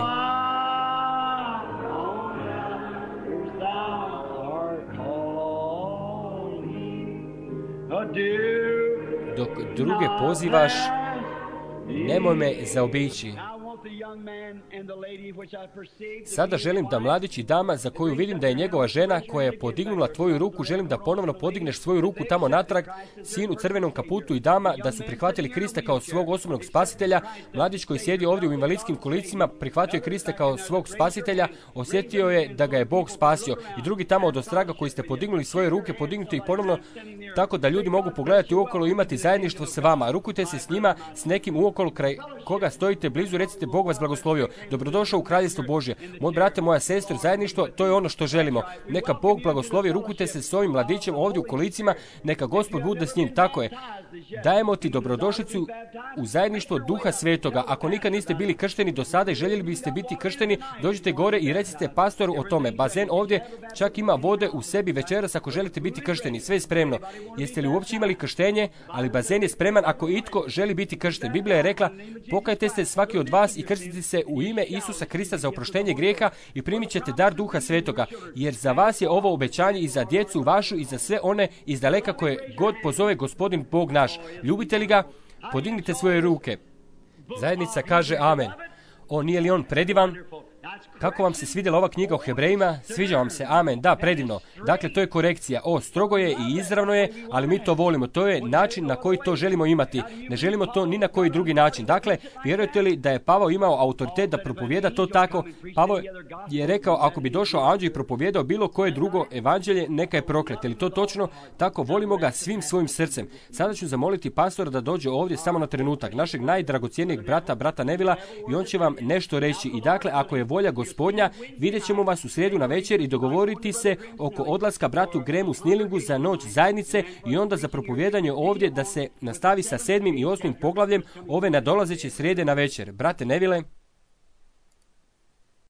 dok druge pozivaš, nemoj me zaobići. Sada želim da mladić i dama za koju vidim da je njegova žena koja je podignula tvoju ruku, želim da ponovno podigneš svoju ruku tamo natrag, sin u crvenom kaputu i dama da su prihvatili Krista kao svog osobnog spasitelja. Mladić koji sjedi ovdje u invalidskim kolicima prihvatio je Krista kao svog spasitelja, osjetio je da ga je Bog spasio. I drugi tamo od ostraga koji ste podignuli svoje ruke, podignite ih ponovno tako da ljudi mogu pogledati uokolo i imati zajedništvo s vama. Rukujte se s njima, s nekim uokolo kraj koga stojite blizu, recite Bog vas blagoslovio. Dobrodošao u kraljevstvo Božje. Moj brate, moja sestro, zajedništvo, to je ono što želimo. Neka Bog blagoslovi, rukujte se s ovim mladićem ovdje u kolicima, neka Gospod bude s njim. Tako je. Dajemo ti dobrodošlicu u zajedništvo Duha Svetoga. Ako nikad niste bili kršteni do sada i željeli biste biti kršteni, dođite gore i recite pastoru o tome. Bazen ovdje čak ima vode u sebi večeras ako želite biti kršteni. Sve je spremno. Jeste li uopće imali krštenje? Ali bazen je spreman ako itko želi biti kršten. Biblija je rekla, pokajte se svaki od vas i krstite se u ime Isusa Krista za oproštenje grijeha i primit ćete dar Duha Svetoga, jer za vas je ovo obećanje i za djecu vašu i za sve one iz daleka koje god pozove Gospodin Bog naš. Ljubite li ga? Podignite svoje ruke. Zajednica kaže amen. O, nije li on predivan? Kako vam se svidjela ova knjiga o Hebrejima? Sviđa vam se? Amen. Da, predivno. Dakle, to je korekcija. O, strogo je i izravno je, ali mi to volimo. To je način na koji to želimo imati. Ne želimo to ni na koji drugi način. Dakle, vjerujete li da je Pavao imao autoritet da propovijeda to tako? Pavao je rekao, ako bi došao anđeo i propovjedao bilo koje drugo evanđelje, neka je proklet. Je li to točno? Tako, volimo ga svim svojim srcem. Sada ću zamoliti pastora da dođe ovdje samo na trenutak, našeg najdragocjenijeg brata, brata Nevila, i on će vam nešto reći. I dakle, ako je volja Gospodnja, vidjet ćemo vas u srijedu na večer i dogovoriti se oko odlaska bratu Gremu Snilingu za noć zajednice i onda za propovjedanje ovdje da se nastavi sa sedmim i osmim poglavljem ove nadolazeće srijede na večer. Brate Nevile,